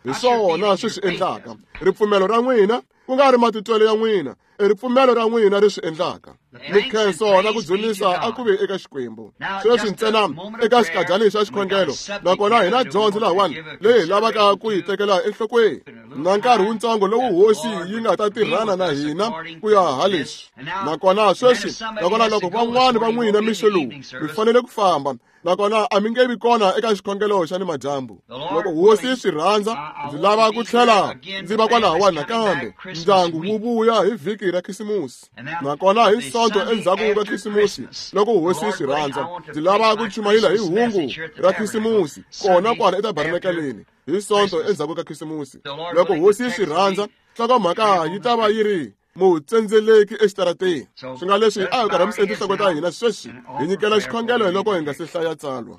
hi swona swi swi endlaka. Ripfumelo ra n'wina, ku nga ri matitwelo ya n'wina, i ripfumelo ra n'wina ri swi endlaka. Mikhenso na ku dzunisa a ku ve eka Xikwembu. Sweswi ntsena eka xikadyani xa xikhongelo, nakona hi na dyondzo lahawani leyi hi lavaka ku yi tekela enhlokweni, na nkarhi wutsongo lowu hosi yi nga ta tirhana na hina ku ya ha leswi. Nakona sweswi, nakona loko van'wani va n'wina mixo lowu mi fanele ku famba, nakona a mi nge vi kona eka xikhongelo xa nimadyambu. Loko hosi yi swi rhandza, ndzi lava ku tlhela ndzi va kwalahawani nakambe. Ndyangu wu vuya hi vhiki ra Khisimusi, nakona hi Sonto endzhaku ka Khisimusi, loko hosi yi swi rhandza, ndzi lava ku chumayela hi hungu ra Khisimusi kona kwala etabernakeleni hi Sonto endzhaku ka Khisimusi. Loko hosi yi swi rhandza, nhlokomhaka yi ta va yi ri mutsendzeleki exitarateni. Swi nga leswi a hi karhamiseni tinhloko ta hina sweswi, hi nyikela xikhongelo loko hi nga se hlaya tsalwa.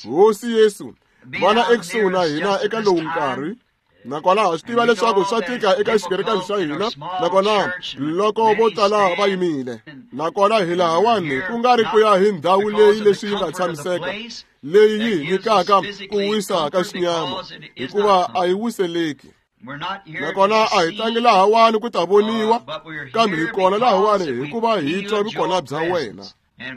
Hosi Yesu, vana ekusuhi na hina eka lowu nkarhi, nakona ha swi tiva leswaku swa tika eka xikerekani xa hina, nakona loko vo tala va yimile, nakona hi lahawani ku nga ri ku ya hi ndhawu leyi leswi yi nga tshamiseka, leyi yi hi nyikaka ku wisa ka xinyama, hikuva a yi wiseleki. Nakona a hi tlangi lahawani ku ta voniwa, kambe hi kona lahawani hikuva hi twa vukona bya wena.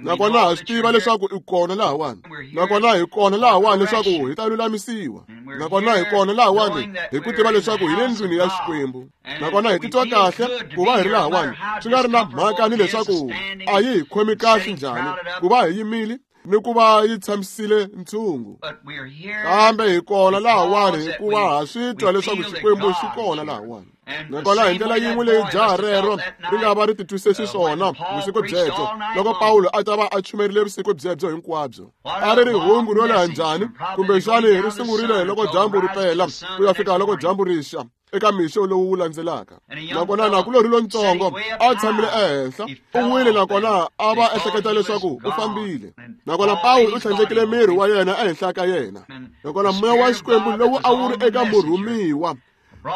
Nakona ha swi tiva leswaku i kona lahawani, nakona hi kona lahawani leswaku hi ta lulamisiwa, nakona hi kona lahawani hi ku tiva leswaku hi le ndlwini ya Xikwembu, nakona hi titwa kahle ku va hi ri lahawani, swi nga ri na mhaka ni leswaku a yi hi khomi kahle njhani ku va hi yimile ni ku va yi tshamisile ntshungu. Kambe hi kona lahawani hikuva ha swi twa leswaku Xikwembu xi kona lahawani. Nakona hi ndlela yin'we leyi jaha rero ri nga va ri titwise xiswona vusiku byebyo loko Pawulo a ta va a chumerile vusiku byebyo hinkwabyo. A ri ri hungu ro leha njhani, kumbexani ri sungurile loko dyambu ri pela ku ya fika loko dyambu ri xa eka mixo lowu wu landzelaka. Nakona nakulorhi lontsongo a tshamile ehenhla u wile, nakona a va ehleketa leswaku u fambile. Nakona Pawulo u tlhandlekile miri wa yena ehenhla ka yena. Nakona moya wa Xikwembu lowu a wu ri eka murhumiwa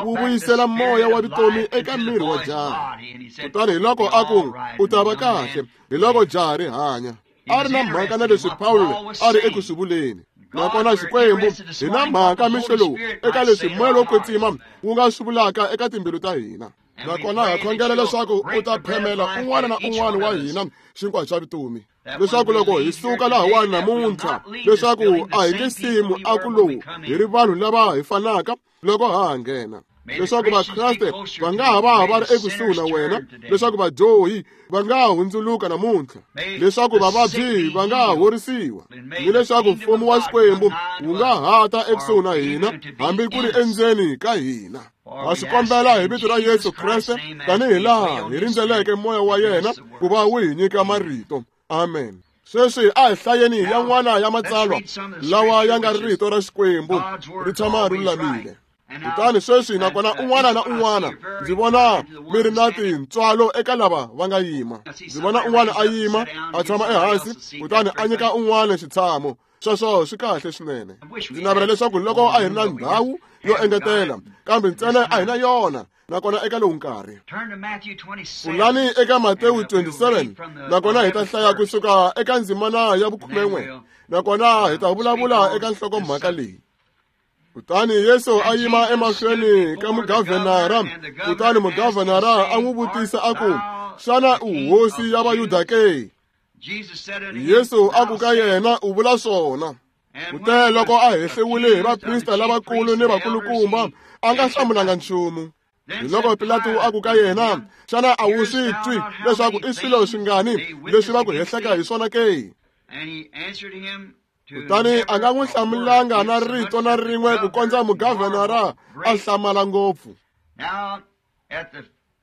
wu vuyisela moya wa vutomi eka miri wa jaha. Kutani hi loko a ku u ta va kahle, hi loko jaha ri hanya. A ri na mhaka na leswi Pawulo a ri eku swi vuleni. Nakona Xikwembu hi na mhaka mixo lowu eka leswi moya lowo kwetsima wu nga swi vulaka eka timbilu ta hina. Nakona ha khongela leswaku u ta phemela un'wana na un'wana wa hina xinkwa xa vutomi, leswaku loko hi suka lahawani namuntlha, leswaku a hi nge simu a ku lowu hi ri vanhu lava hi fanaka loko ha ha nghena, leswaku Vakreste va nga ha va va ri ekusuhi na wena, leswaku vadyohi va nga ha hundzuluka namuntlha, leswaku vavabyi va nga ha horisiwa, ni leswaku mfumo wa Xikwembu wu nga ha ta ekusuhi na hina hambi ku ri endzeni ka hina. Ha swi kombela hi vito ra Yesu Kreste, tanihi laha hi rindzeleke moya wa yena ku va wu hi nyika marito. Amen. Sweswi a hi hlayeni yan'wana ya matsalwa lawa ya nga rito ra Xikwembu ri tshama ri lulamile. Kutani sweswi nakona un'wana na un'wana ndzi vona mi ri na tintswalo eka lava va nga yima. Ndzi vona un'wana a yima a tshama ehansi, kutani a nyika un'wana xitshamo. Sweswo swi kahle swinene. Ndzi navela leswaku loko a hi ri na ndhawu yo engetela, kambe ntsena a hi na yona. Nakona eka lowu nkarhi pfulani eka Matewu 27, nakona hi ta hlaya kusuka eka ndzimana ya 11, nakona hi ta vulavula eka nhlokomhaka leyi. Kutani Yesu a yima emahlweni ka mugavhenara, kutani mugavhenara a n'wi vutisa a ku, xana u hosi ya Vayuda ke? Yesu a ku ka yena, u vula swona. Kute loko a hehliwile hi vaprista lavakulu ni vakulukumba, a nga hlamulanga nchumu. Hi loko Pilato a ku ka yena, xana a wu swi twi leswaku i swilo swingani leswi va ku hehleka hi swona ke? Kutani a nga n'wi hlamulanga na rito na rin'we ku kondza mugavhenara a hlamala ngopfu.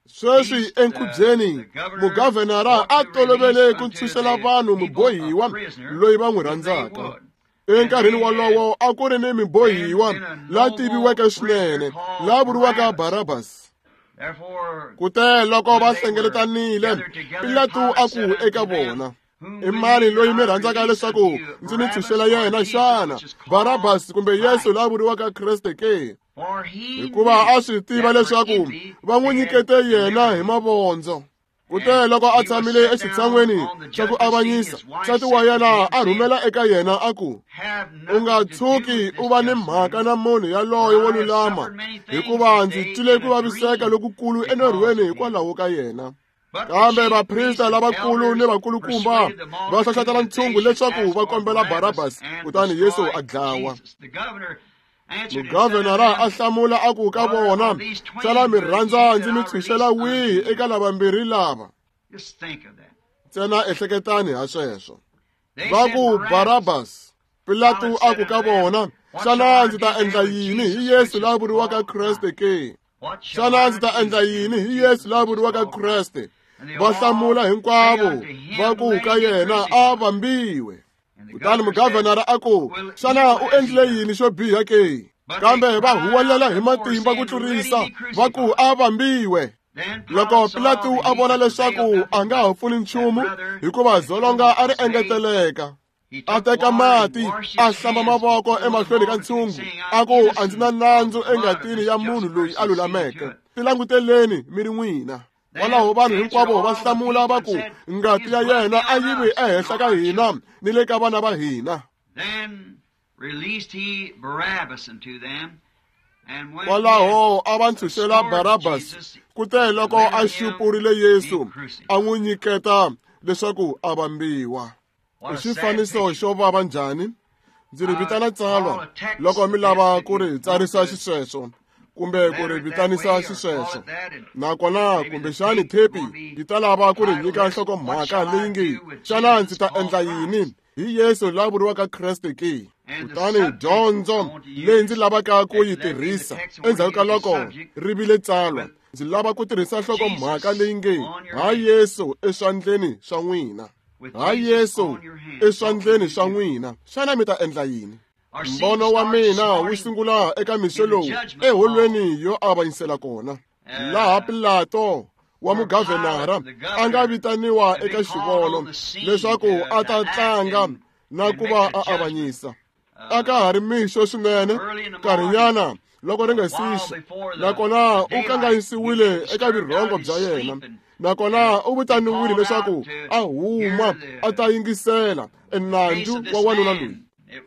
Sweswi enkhubyeni mugavhenara a tolovele ku ntshunxela vanhu mubohiwa loyi va n'wi rhandzaka. Enkarhini wolowo a ku ri ni mubohiwa la tiviweke swinene la vuriwaka Barabas. Kute loko va hlengeletanile, Pilato a ku eka vona, i mani loyi mi rhandzaka leswaku ndzi mi ntshunxela yena xana, Barabas kumbe Yesu la vuriwaka Kreste ke? Hikuva a swi tiva leswaku va n'wi nyikete yena hi mavondzo. Kute loko a tshamile exitshan'weni xa ku avanyisa, nsati wa yena a rhumela eka yena a ku, u nga tshuki u va ni mhaka na munhu yaloye wo lulama, hikuva ndzi twile ku vaviseka lokukulu enorhweni hikwalaho ka yena. Kambe vaprista lavakulu ni vakulukumba va hlohlotela ntshungu leswaku va kombela Barabas, kutani Yesu a dlawa. Mugavhenara a hlamula a ku ka vona, xana mi rhandza ndzi mi ntshunxela wihi eka lavambirhi lava? Ntsena ehleketani ha sweswo. Va ku Barabas. Pilato a ku ka vona, xana ndzi ta endla yini hi Yesu la vuriwaka Kreste ke? Xana ndzi ta endla yini hi Yesu la vuriwaka Kreste? Va hlamula hinkwavo va ku ka yena, a vambiwe. Kutani mugavhenara a ku, xana u endlile yini xo biha ke? Kambe va huwelela hi matimba ku tlurisa, va ku a vambiwe. Loko Pilato a vona leswaku a nga ha pfuni nchumu, hikuva dzolonga a ri engeteleka, a teka mati a hlamba mavoko emahlweni ka ntshungu, a ku, a ndzi na nandzu engatini ya munhu loyi a lulameke, tilanguteleni mi ri n'wina. Kwalaho vanhu hinkwavo va hlamula va ku, ngati ya yena a yi vi ehenhla ka hina ni le ka vana va hina. Kwalaho a va ntshunxela Barabas, kute loko a xupurile Yesu, a n'wi nyiketa leswaku a vambiwa. I xifaniso xo vava njhani? Ndzi ri vitana tsalwa loko mi lava ku ri tsarisa xisweswo kumbe ku ri vitanisa xisweswo. Nakona kumbexani thepi yi ta lava ku ri nyika nhlokomhaka leyi nge, xana ndzi ta endla yini hi Yesu la vuriwaka Kreste ke? Kutani dyondzo leyi ndzi lavaka ku yi tirhisa endzhaku ka loko ri vile tsalwa, ndzi lava ku tirhisa nhlokomhaka leyi nge ha Yesu eswandleni swa n'wina. Ha Yesu eswandleni swa n'wina. Xana mi ta endla yini? Mbono wa mina wu sungula eka mixo lowu eholweni yo avanyisela kona, laha Pilato wa mugavhenara a nga vitaniwa eka xivono leswaku a ta tlanga na ku va a avanyisa. A ka ha ri mixo swinene, nkarhinyana loko ri nga sixa, nakona u kanganyisiwile eka vurhongo bya yena, nakona u vitaniwile leswaku a huma a ta yingisela enandzu wa wanuna loyi.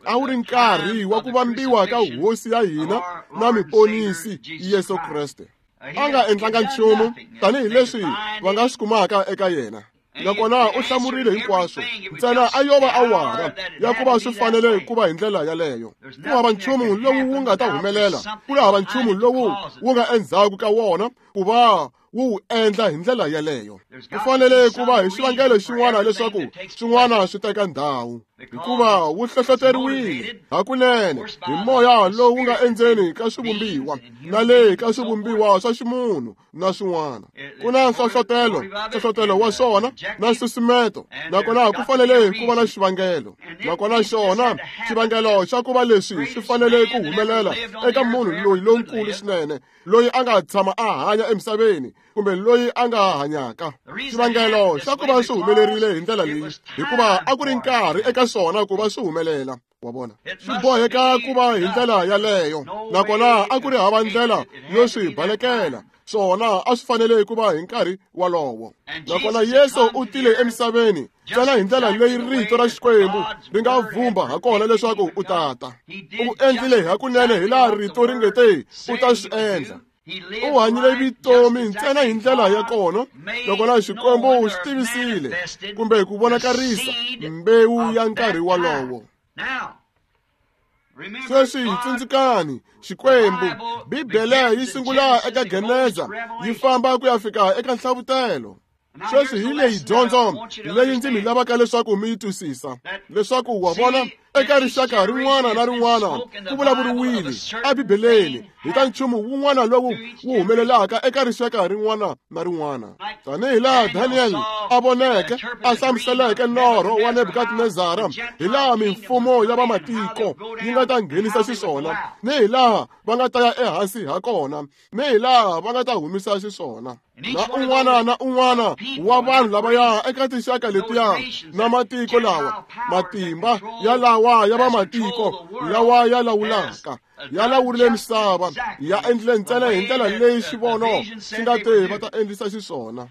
A wu ri nkarhi wa ku vambiwa ka hosi ya hina na muponisi Yesu Kreste. A nga endlanga nchumu tanihileswi va nga swi kumaka eka yena, nakona u hlamurile hinkwaswo. Ntsena a yo va awara ya ku va swi fanele ku va hi ndlela yaleyo. Ku hava nchumu lowu wu nga ta humelela, ku hava nchumu lowu wu nga endzhaku ka wona ku va wu wu endla hi ndlela yaleyo. Ku fanele ku va hi xivangelo xin'wana leswaku swin'wana swi teka ndhawu, hikuva wu hlohloteriwile hakunene hi moya lowu nga endzeni ka swivumbiwa na le ka swivumbiwa swa ximunhu na swin'wana. Ku na nhlohlotelo wa swona na nsusumeto, nakona ku fanele ku va na xivangelo. Nakona xona xivangelo xa ku va leswi swi fanele ku humelela eka munhu loyi lonkulu swinene, loyi a nga tshama a hanya emisaveni kumbe loyi a nga hanyaka. Xivangelo xa ku va swi humelerile hi ndlela leyi, hikuva a ku ri nkarhi eka swona ku va swi humelela. Wa vona, swi boheka ku va hi ndlela yaleyo, nakona a ku ri hava ndlela yo swi balekela. Swona a swi fanele ku va hi nkarhi walowo. Nakona Yesu u tile emisaveni ntsena hi ndlela leyi rito ra Xikwembu ri nga vhumba hakona leswaku u ta ta. U endlile hakunene hi laha rito ri nge te u ta swi endla. U hanyile vutomi ntsena hi ndlela ya kona, nakona Xikwembu xi tivisile kumbe ku vonakarisa mbewu ya nkarhi walowo. Sweswi tsundzukani, Xikwembu, Bibele yi sungula eka Geneza yi famba ku ya fika eka Nhlavutelo. Sweswi hi leyi dyondzo leyi ndzi mi lavaka leswaku mi yi twisisa, leswaku wa vona eka rixaka rin'wana na rin'wana ku vulavuriwile eBibeleni hi ta nchumu wun'wana lowu wu humelelaka eka rixaka rin'wana na rin'wana. Tanihi laha Daniel a voneke a hlamuseleke norho wa Nebukadnezara, hi laha mimfumo ya vamatiko yi nga ta nghenisa xiswona, ni hi laha va nga ta ya ehansi ha kona, ni hi laha va nga ta humisa xiswona. Na un'wana na un'wana wa vanhu lavaya eka tinxaka letiya na matiko lawa, matimba ya lawa ya vamatiko lawa ya lawulaka ya lawurile misava, ya endlile ntsena hi ndlela leyi xivono xi nga te va ta endlisa xiswona.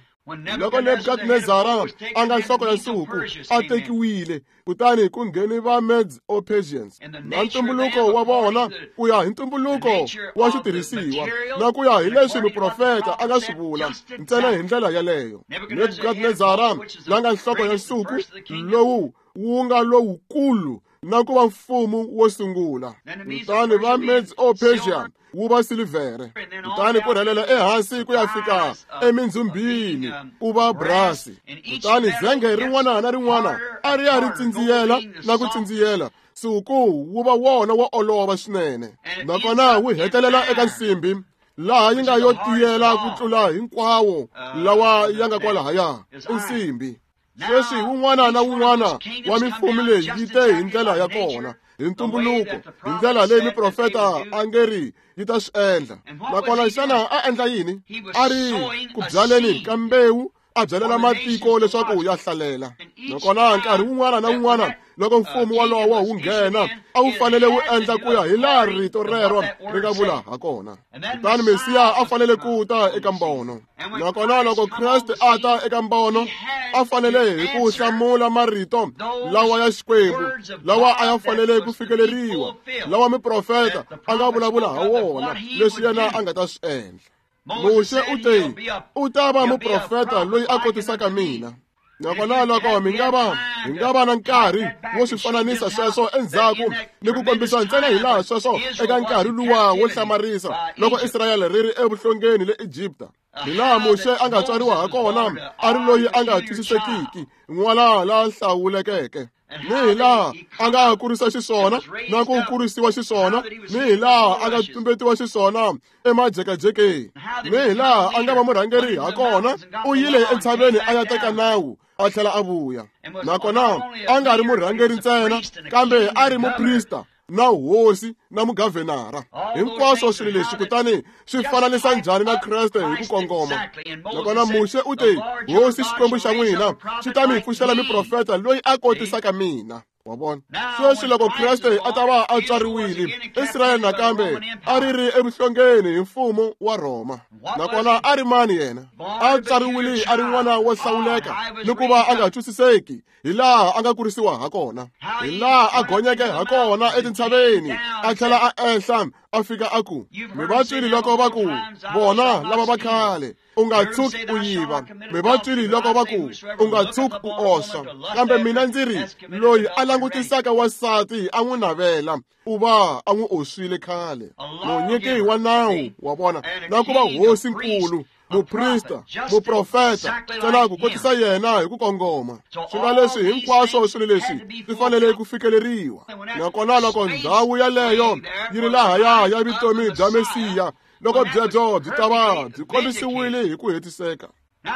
Loko Nebukadnezara a nga nhloko ya nsuku a tekiwile, kutani ku ngheni va Medes o Persians na ntumbuluko wa vona ku ya hi ntumbuluko wa switirhisiwa na ku ya hi leswi muprofeta a nga swi vula ntsena hi ndlela yaleyo. Nebukadnezara la nga nhloko ya nsuku lowu wu nga lowukulu na ku va mfumo wo sungula, kutani va Medes o Persia wu va silivhere, kutani ku rhelela ehansi ku ya fika emindzhumbini ku va brasi, kutani zenge rin'wana na rin'wana a ri ya ri tsindziyela na ku tsindziyela, nsuku wu va wona wo olova swinene, nakona wu hetelela eka nsimbi laha yi nga yo tiyela ku tlula hinkwawo lawa ya nga kwalahaya, i nsimbi. Sweswi wun'wana na wun'wana wa mimfumo leyi yi te hi ndlela ya kona, hi ntumbuluko, hi ndlela leyi miprofeta a nge ri yi ta swi endla. Nakona xana a endla yini? A ri ku byaleni ka mbewu, a byalela matiko leswaku ya hlalela. Nakona nkarhi wun'wana na wun'wana loko mfumo walowo wu nghena, a wu fanele wu endla ku ya hi laha rito rero ri nga vula ha kona. Kutani Mesiya a fanele ku ta eka mbono. Nakona loko Kreste a ta eka mbono, a fanele hi ku hlamula marito lawa ya Xikwembu, lawa a ya fanele ku fikeleriwa, lawa miprofeta a nga vulavula ha wona, leswi yena a nga ta swi endla. Muxe u te, u ta va muprofeta loyi a kotisaka mina. Nakona loko mi nga va hi nga va na nkarhi wo swi fananisa sweswo endzhaku ni ku kombisa ntsena hi laha sweswo eka nkarhi luwa wo hlamarisa loko Israyele ri ri evuhlongeni le Egipta, hi laha Muxe a nga tswariwa ha kona a ri loyi a nga twisisekiki, n'wana la hlawulekeke. Ni hi laha a nga kurisa xiswona na ku kurisiwa xiswona, ni hi laha a nga tumbetiwa xiswona emajekajekeni, ni hi laha a nga va murhangeri ha kona. U yile entshaveni a ya teka nawu a tlhela a vuya. Nakona a nga ri murhangeri ntsena, kambe a ri muprista na hosi na mugavhenara. Hinkwaswo swilo leswi kutani swi fananisa njhani na Kreste hi ku kongoma. Nakona Muxe u te, Hosi Xikwembu xa n'wina xi ta mi pfuxela miprofeta loyi a kotisaka mina. Wa vona? Sweswi loko Kreste a ta va a tswariwile, Israyele nakambe a ri ri evuhlongeni hi mfumo wa Rhoma. Nakona a ri mani yena? A tswariwile a ri n'wana wo hlawuleka ni ku va a nga twisiseki hi laha a nga kurisiwa ha kona, hi laha a gonyeke ha kona etintshaveni, a tlhela a ehla a fika a ku, mi va twile loko va ku, vona lava va khale, u nga tshuki u yiva. Mi va twile loko va ku, u nga tshuki u oswa. Kambe mina ndzi ri, loyi a langutisaka wansati a n'wi navela, u va a n'wi oswile khale. Munyiki wa nawu, wa vona, na ku va hosi nkulu, muprista, muprofeta, ntsena ku kotisa yena hi ku kongoma. Swi nga leswi hinkwaswo swilo leswi swi fanele ku fikeleriwa. Nakona loko ndhawu yaleyo yi ri lahaya ya vutomi bya Mesiya, loko byebyo byi ta va byi kombisiwile hi ku hetiseka.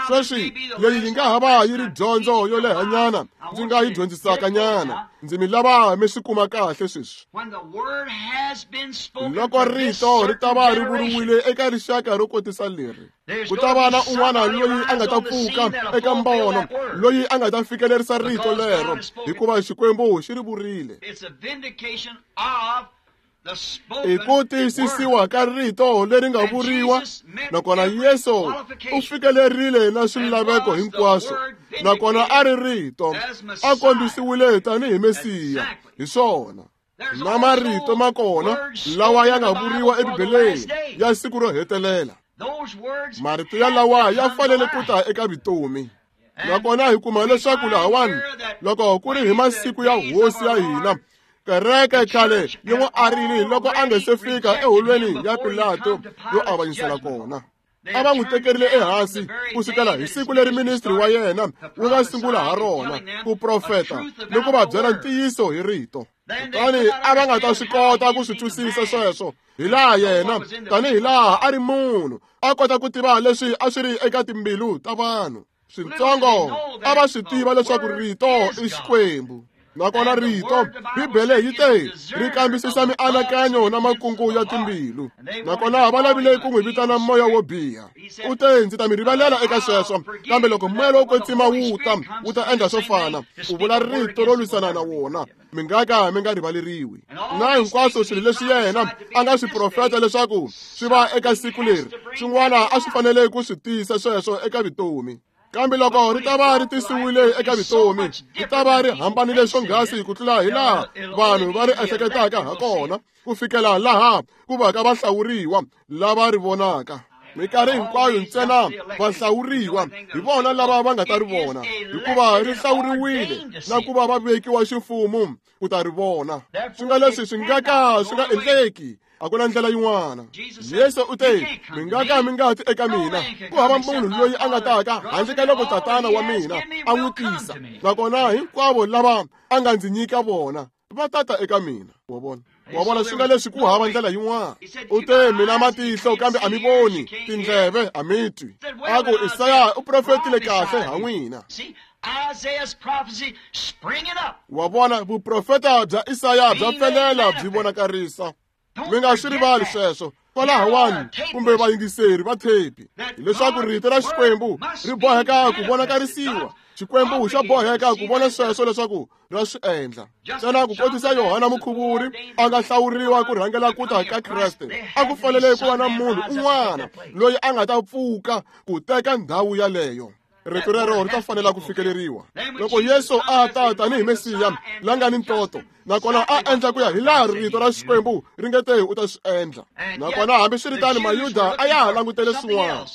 Sweswi leyi yi nga ha va yi ri dyondzo yo lehanyana ndzi nga yi dyondzisaka nyana. Ndzi mi lava mi swi kuma kahle sweswi. Loko rito ri ta va ri vuriwile eka rixaka ro kotisa leri, ku ta va na un'wana loyi a nga ta pfuka eka mbono, loyi a nga ta fikelerisa rito lero, hikuva Xikwembu xi ri vurile. I ku tiyisisiwa ka rito leri nga vuriwa. Nakona Yesu u fikelerile na swilaveko hinkwaswo, nakona a ri rito, a kombisiwile tanihi Mesiya. Hi swona na marito ma kona lawa ya nga vuriwa eBibeleni ya siku ro hetelela. Marito ya lawa ya fanele ku ta eka vutomi. Nakona hi kuma leswaku lahawani, loko ku ri hi masiku ya hosi ya hina, kereke khale yi n'wi arile loko a nga se fika eholweni ya Pilato yo avanyisela kona. A va n'wi tekerile ehansi ku sukela hi siku leri ministri wa yena wu nga sungula ha rona ku profeta ni ku va byela ntiyiso hi rito. Kutani a va nga ta swi kota ku swi twisisa sweswo, hi laha yena tanihi laha a ri munhu a kota ku tiva leswi a swi ri eka timbilu ta vanhu. Switsongo a va swi tiva leswaku rito i Xikwembu. Nakona rito, Bibele yi te, ri kambisisa mianakanyo na makungu ya timbilu. Nakona va lavile ku n'wi vitana moya wo biha. U te, ndzi ta mi rivalela eka sweswo, kambe loko moya lowo kwetsima wu ta, wu ta endla swo fana, ku vula rito ro lwisana na wona, mi nga ka mi nga rivaleriwi. Na hinkwaswo swilo leswi yena a nga swi profeta leswaku swi va eka siku leri, swin'wana a swi fanele ku swi tiyisa sweswo eka vutomi. Kambe loko ri ta va ri tisiwile eka vutomi, ri ta va ri hambanile swonghasi ku tlula hi laha vanhu va ri ehleketaka ha kona, ku fikela laha ku va ka vahlawuriwa lava ri vonaka. Minkarhi hinkwayo ntsena vahlawuriwa hi vona lava va nga ta ri vona, hikuva ri hlawuriwile na ku va va vekiwa ximfumo ku ta ri vona. Swi nga leswi swi nga ka swi nga endleki, a ku na ndlela yin'wana. Yesu u te, mi nga ka mi nga ti eka mina, ku hava munhu loyi a nga taka handle ka loko Tatana wa mina a n'wi tisa. Nakona hinkwavo lava a nga ndzi nyika vona va tata eka mina. Wa vona? Wa vona, swi nga leswi ku hava ndlela yin'wana. U te, mina matihlo kambe a mi voni, tindleve a mi twi. A ku, Isaya u profetile kahle ha n'wina. Wa vona, vuprofeta bya Isaya bya pfelela byi vonakarisa. Mi nga swi rivali sweswo. Kwalahawani kumbe vayingiseri va thepi, hileswaku rito ra Xikwembu ri boheka ku vonakarisiwa. Xikwembu xa boheka ku vona sweswo leswaku ra swi endla. Ntsena ku kotisa Yohana Mukhuvuri a nga hlawuriwa ku rhangela ku ta ka Kreste, a ku fanele ku va na munhu un'wana loyi a nga ta pfuka ku teka ndhawu yaleyo. Rito rero ri ta fanela ku fikeleriwa. Loko Yesu a ta tanihi Mesiya la nga ni ntoto, Nakona a endla ku ya hi laha rito ra Xikwembu ri nge te u ta swi endla. Nakona hambiswiritano Mayuda a ya ha langutele swin'wana.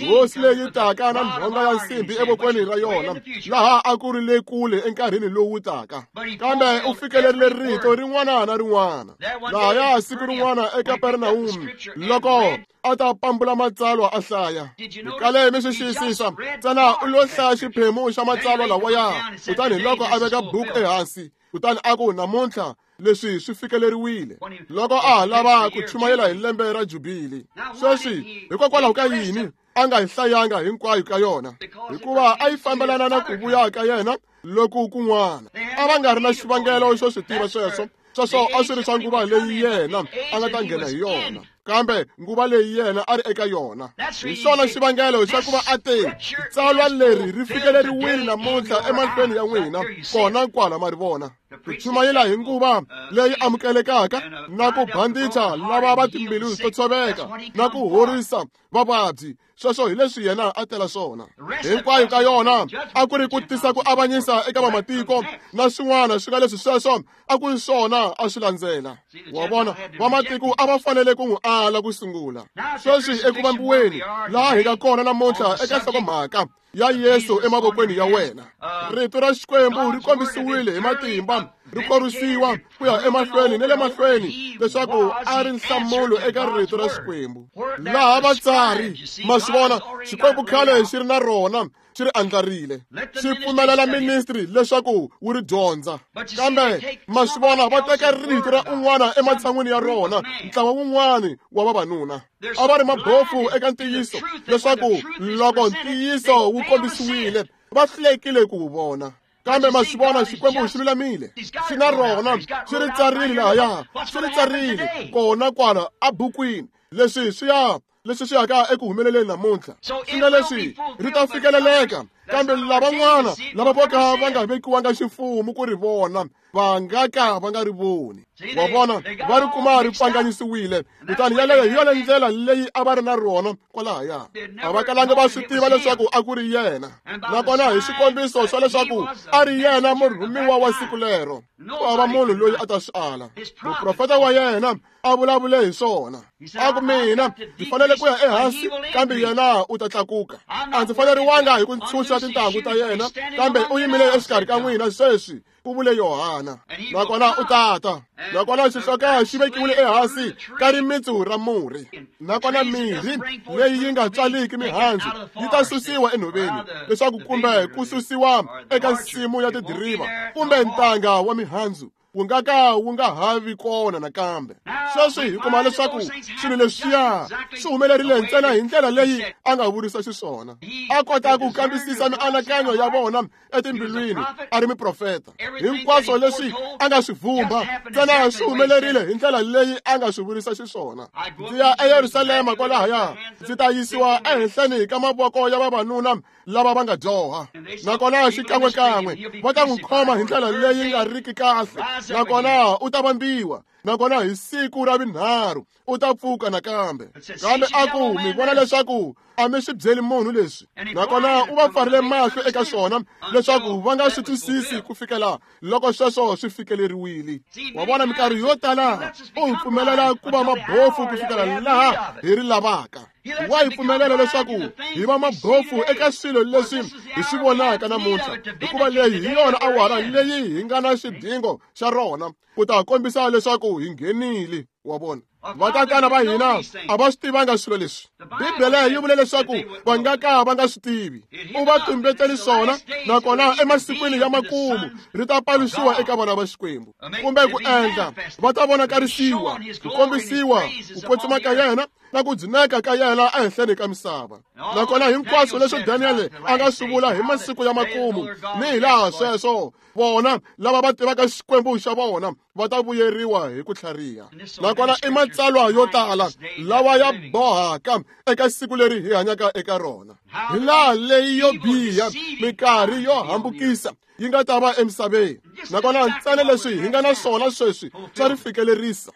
Hosi leyi taka na nhonga ya nsimbhi evokweni ra yona, laha a ku ri le kule enkarhini lowu taka. Kambe u fikelerile rito rin'wana na rin'wana. Lahaya siku rin'wana eKapernawume, loko a ta pambula matsalwa a hlaya. Kale mi swi xiyisisa, ntsena u lo hlaya xiphemu xa matsalwa lawaya, kutani loko a veka buku ehansi, kutani a ku namuntlha leswi swi fikeleriwile. Loko a ha lava ku chumayela hi lembe ra Jubili. Sweswi hikokwalaho ka yini a nga yi hlayanga hinkwayo ka yona? Hikuva a yi fambelana na ku vuya ka yena loku kun'wana. A va nga ri na xivangelo xo swi tiva sweswo. Sweswo a swi ri swa nguva leyi yena a nga ta nghena hi yona, kambe nguva leyi yena a ri eka yona. Hi xona xivangelo xa ku va a te, tsalwa leri ri fikeleriwile namuntlha emahlweni ya n'wina, kona kwala ma ri vona. Ku chumayela hi nguva leyi amukelekaka na ku bandicha lava va timbilu to tshoveka na ku horisa vavabyi, sweswo hi leswi yena a tela swona. Hinkwayo ka yona a ku ri ku tisa ku avanyisa eka vamatiko na swin'wana swi nga leswi sweswo a ku ri swona a swi landzela. Wa vona, vamatiko a va fanele ku n'wi ala ku sungula. Sweswi eku vambiweni laha hi nga kona namuntlha eka nhlokomhaka ya Yesu emavokweni ya wena, rito ra Xikwembu ri kombisiwile hi matimba, ri korisiwa ku ya emahlweni ni le mahlweni leswaku a ri nhlamulo eka rito ra Xikwembu. Laha vatsari, ma swi vona, Xikwembu khale xi ri na rona, xi ri andlarile, xi pfumelela ministry leswaku wu ri dyondza. Kambe ma swi vona, va teka rito ra un'wana ematshan'wini ya rona, ntlawa wun'wana wa vavanuna. A va ri mabofu eka ntiyiso, leswaku loko ntiyiso wu kombisiwile, va hlulekile ku wu vona. Kambe ma swi vona, Xikwembu xi lulamile, xi na rona, xi ri tsarile lahaya, xi ri tsarile kona kwala abukwini. Leswi swi ya leswi swi yaka eku humeleleni namuntlha, swi nga leswi ri ta fikeleleka, kambe lavan'wana lava vo ka va nga vekiwanga ximfumo ku ri vona, va nga ka va nga ri voni. Wa vona, va ri kuma ri pfanganyisiwile. Kutani yaleyo hi yona ndlela leyi a va ri na rona kwalahaya. A va kalanga va swi tiva leswaku a ku ri yena. Nakona hi xikombiso swa leswaku a ri yena murhumiwa wa siku lero, ku hava munhu loyi a ta swi ala. Muprofeta wa yena a vulavule hi swona, a ku mina ndzi fanele ku ya ehansi, kambe yena u ta tlakuka. A ndzi faneriwanga hi ku ntshunxa tintangu ta yena, kambe u yimile exikarhi ka n'wina sweswi, ku vule Yohana. Nakona u tata. Nakona xihloka xi vekiwile ehansi ka rimitsu ra murhi. Nakona mirhi leyi yi nga tswaliki mihandzu yi ta susiwa enhoveni, leswaku kumbe ku susiwa eka nsimu ya tidiriva kumbe ntanga wa mihandzu, wu nga ka wu nga ha vi kona nakambe. Sweswi hi kuma leswaku swilo leswiya swi humelerile ntsena hi ndlela leyi a nga vurisa xiswona. A kota ku kambisisa mianakanyo ya vona etimbilwini, a ri muprofeta. Hinkwaswo leswi a nga swi vhumba ntsena swi humelerile hi ndlela leyi a nga swi vurisa xiswona. Ndzi ya eYerusalema kwalahaya, ndzi ta yisiwa ehenhleni ka mavoko ya vavanuna lava va nga dyoha. Nakona xikan'wekan'we va ta n'wi khoma hi ndlela leyi nga riki kahle, nakona u ta vambiwa. Nakona hi siku ra vunharhu u ta pfuka nakambe. Kambe a ku, mi vona leswaku a mi swi byeli munhu leswi. Nakona u va pfarile mahlo eka swona leswaku va nga swi twisisi ku fikela loko sweswo swi fikeleriwile. Wa vona, minkarhi yo tala u hi pfumelela ku va mabofu ku fikela laha hi ri lavaka. Wa hi pfumelela leswaku hi va mabofu eka swilo leswi hi swi vonaka namuntlha, hikuva leyi hi yona awara leyi hi nga na xidingo xa rona ku ta kombisa leswaku hi nghenile. Wa vona, vatatana va hina a va swi tivanga swilo leswi. Bibele yi vule leswaku va nga ka va nga swi tivi. U va tumbeteli swona, nakona emasikwini ya makumu ri ta paluxiwa eka vana va Xikwembu, kumbe ku endla va ta vonakarisiwa, ku kombisiwa ku kwetsima ka yena na ku dzuneka ka yena ehenhleni ka misava. Nakona hinkwaswo leswi Daniele a nga swi vula hi masiku ya makumu, ni hi laha sweswo vona lava va tivaka Xikwembu xa vona va ta vuyeriwa hi ku tlhariha. Nakona i matsalwa yo tala lawa ya bohaka eka siku leri hi hanyaka eka rona, hi laha leyi yo biha minkarhi yo hambukisa yi nga ta va emisaveni. Nakona ntsena leswi hi nga na swona sweswi swa ri fikelerisa.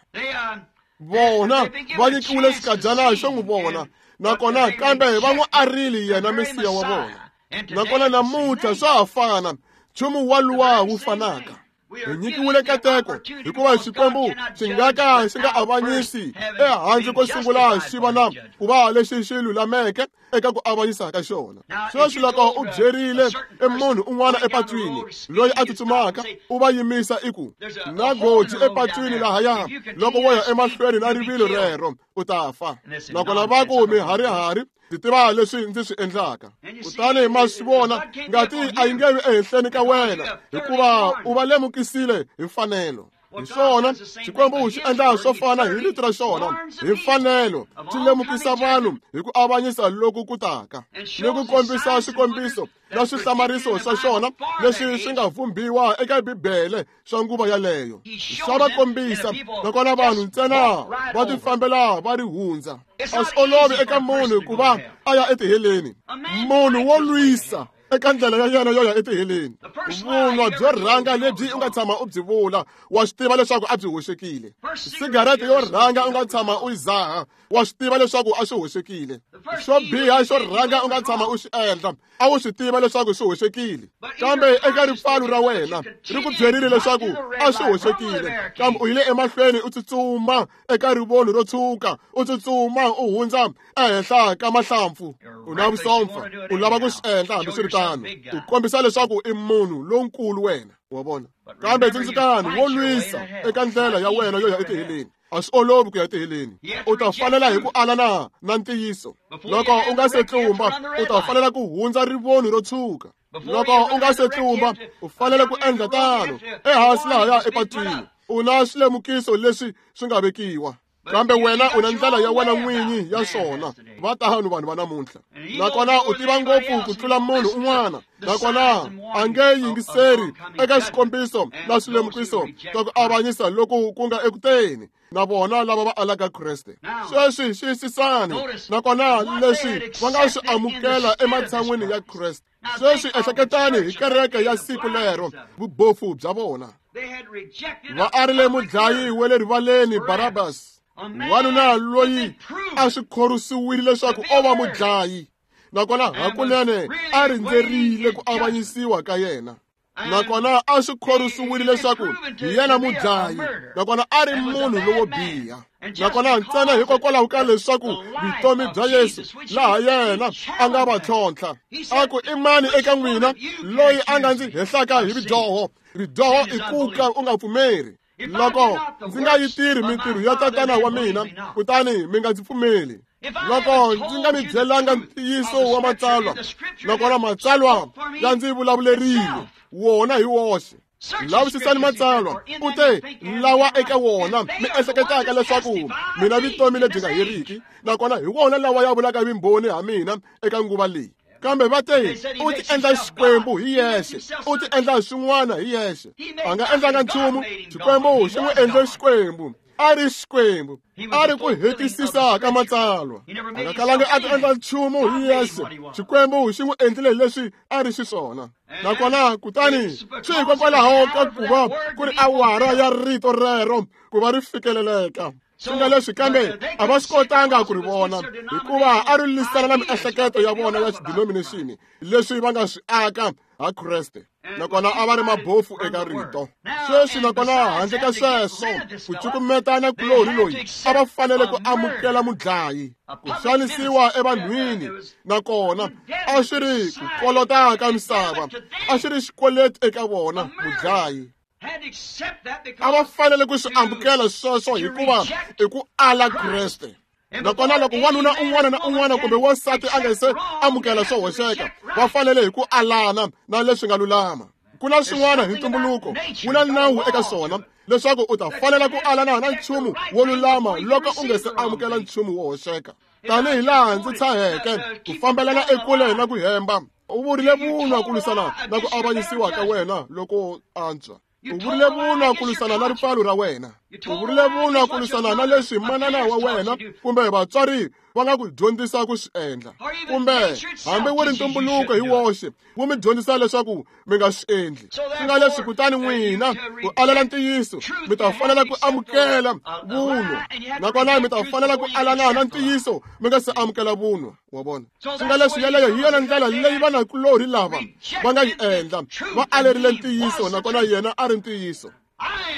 Vona va nyikiwile xikadyana xo n'wi vona, nakona kambe va n'wi arile yena Mesiya wa vona. Nakona namuntlha swa ha fana, nchumu waluwa wu fanaka. Hi nyikiwile nkateko hikuva Xikwembu xi nga ka xi nga avanyisi ehandle ko sungula xi va na ku va lexi xi lulameke eka ku avanyisa ka xona. Sweswi loko u byerile munhu un'wana epatwini loyi a tsutsumaka, u va yimisa i ku na goji epatwini lahaya, loko wo ya emahlweni na rivilo rero u ta fa. Nakona va ku miharihari, ndzi tiva leswi ndzi swi endlaka. Kutani ma swi vona, ngati a yi nge vi ehenhleni ka wena hikuva u va lemukisile hi mfanelo. Hi swona Xikwembu xi endla swo fana hi rito ra xona hi mfanelo, xi lemukisa vanhu hi ku avanyisa loku ku taka ni ku kombisa swikombiso na swihlamariso swa xona leswi swi nga vumbiwa eka Bibele swa nguva yaleyo. Swa va kombisa, nakona vanhu ntsena va tifambela va ri hundza. A swi olovi eka munhu ku va a ya etiheleni. Munhu wo lwisa eka ndlela ya yena yo ya etiheleni. Vunwa byo rhanga lebyi u nga tshama u byi vula, wa swi tiva leswaku a byi hoxekile. Sigarete yo rhanga u nga tshama u yi zaha, wa swi tiva leswaku a swi hoxekile. Xo biha xo rhanga u nga tshama u xi endla, a wu swi tiva leswaku swi hoxekile. Kambe eka ripfalo ra wena ri ku byerile leswaku a swi hoxekile, kambe u yile emahlweni u tsutsuma eka rivoni ro tshuka, u tsutsuma u hundza ehenhla ka mahlampfu. U na vusompfa, u lava ku swi endla hambiswiritano, u kombisa leswaku i munhu lonkulu wena, wa vona. Kambe tsundzukani, wo lwisa eka ndlela ya wena yo ya etiheleni. A swi olovi ku ya etiheleni. U ta fanela hi ku alana na ntiyiso. Loko u nga se tlumba, u ta fanela ku hundza rivoni ro tshuka. Loko u nga se tlumba, u fanele ku endla tano ehansi lahaya epatwini. U na swilemukiso leswi swi nga vekiwa, kambe wena u na ndlela ya wena n'winyi ya swona. Va tano vanhu va namuntlha. Nakona u tiva ngopfu ku tlula munhu un'wana, nakona a nge yingiseri eka swikombiso na swilemukiso swa ku avanyisa loku ku nga ekuteni na vona lava va alaka Kreste. Sweswi xiyisisani, nakona leswi va nga swi amukela ematshan'wini ya Kreste. Sweswi ehleketani hi kereke ya siku lero, vubofu bya vona. Va arile mudlayi wa le rivaleni Barabas, wanuna loyi a swi khorwisiwile leswaku o va mudlayi, nakona hakunene a rindzerile ku avanyisiwa ka yena. Nakona a swi khorwisiwile leswaku hi yena mudlayi, nakona a ri munhu lowo biha. Nakona ntsena hikokwalaho ka leswaku vutomi bya Yesu laha yena a nga va tlhontlha, a ku i mani eka n'wina loyi a nga ndzi hehlaka hi vudyoho? Ridyoho i ku ka u nga pfumeri. Loko ndzi nga yi tirhi mintirho ya tatana wa mina, kutani mi nga ndzi pfumeli. Loko ndzi nga mi byelanga ntiyiso wa matsalwa, nakona matsalwa ya ndzi vulavulerile wona hi woxe. Lavisisani matsalwa, u te lawa eka wona mi ehleketaka leswaku mina vutomi lebyi nga heriki, nakona hi wona lawa ya vulaka vumbhoni ha mina eka nguva leyi. Kambe va te u ti endla Xikwembu hi yexe, u ti endla swin'wana hi yexe. A nga endlanga nchumu, Xikwembu xi n'wi endle Xikwembu. A ri Xikwembu, a ri ku hetisisa ka matsalwa. A nga kalanga a ti endla nchumu hi yexe, Xikwembu xi n'wi endlile leswi a ri xiswona. Nakona kutani swi hikokwalaho ka ku va ku ri awara ya rito rero ku va ri fikeleleka. Swi nga leswi, kambe a va swi kotanga ku ri vona hikuva a ri lwisana na miehleketo ya vona ya xidenomination leswi va nga swi aka ha Kreste. Nakona a va ri mabofu eka rito. Sweswi nakona handle ka sweswo, ku cukumetana kulorhi loyi a va fanele ku amukela mudlayi, ku xanisiwa evanhwini, nakona a swi ri ku kolota ka misava, a swi ri xikweleti eka vona mudlayi. A va fanele ku swi amukela sweswo hikuva i ku ala Kreste. Nakona loko wanuna un'wana na un'wana kumbe wansati a nga se amukela swo hoxeka, va fanele hi ku alana na leswi nga lulama. Ku na swin'wana hi ntumbuluko, wu na nawu eka swona leswaku u ta fanela ku alana na nchumu wo lulama loko u nga se amukela nchumu wo hoxeka. Tanihi laha ndzi tshaheke ku fambelana ekule na ku hemba, u vurile vunwa ku lwisana na ku avanyisiwa ka wena loko antswa. U vurile vunwa ku lwisana na ripfalo ra wena. U vurile vunwa ku lwisana na leswi manana wa wena kumbe vatswari va nga ku dyondzisa ku swi endla, kumbe hambi wu ri ntumbuluko hi woxe wu mi dyondzisa leswaku mi nga swi endli. Swi nga leswi kutani n'wina ku alela ntiyiso mi ta fanela ku amukela vunwa, nakona mi ta fanela ku alana na ntiyiso mi nga se amukela vunwa. Wa vona? Swi nga leswi yeleyo hi yona ndlela leyi vanakulorhi lava va nga yi endla, va alerile ntiyiso, nakona yena a ri ntiyiso.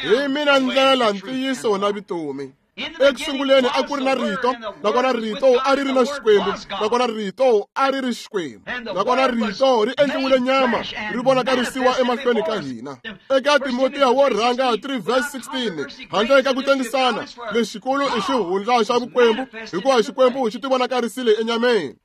Hi mina ndlela, ntiyiso na vutomi. Eku sunguleni a ku ri na rito, nakona rito a ri ri na Xikwembu, nakona rito a ri ri Xikwembu, nakona rito ri endliwile nyama ri vonakarisiwa emahlweni ka hina. Eka Timotiya wo rhanga 3 verse 16, handle ka ku tengisana, lexikulu i xihundla xa vukwembu, hikuva Xikwembu xi tivonakarisile enyameni.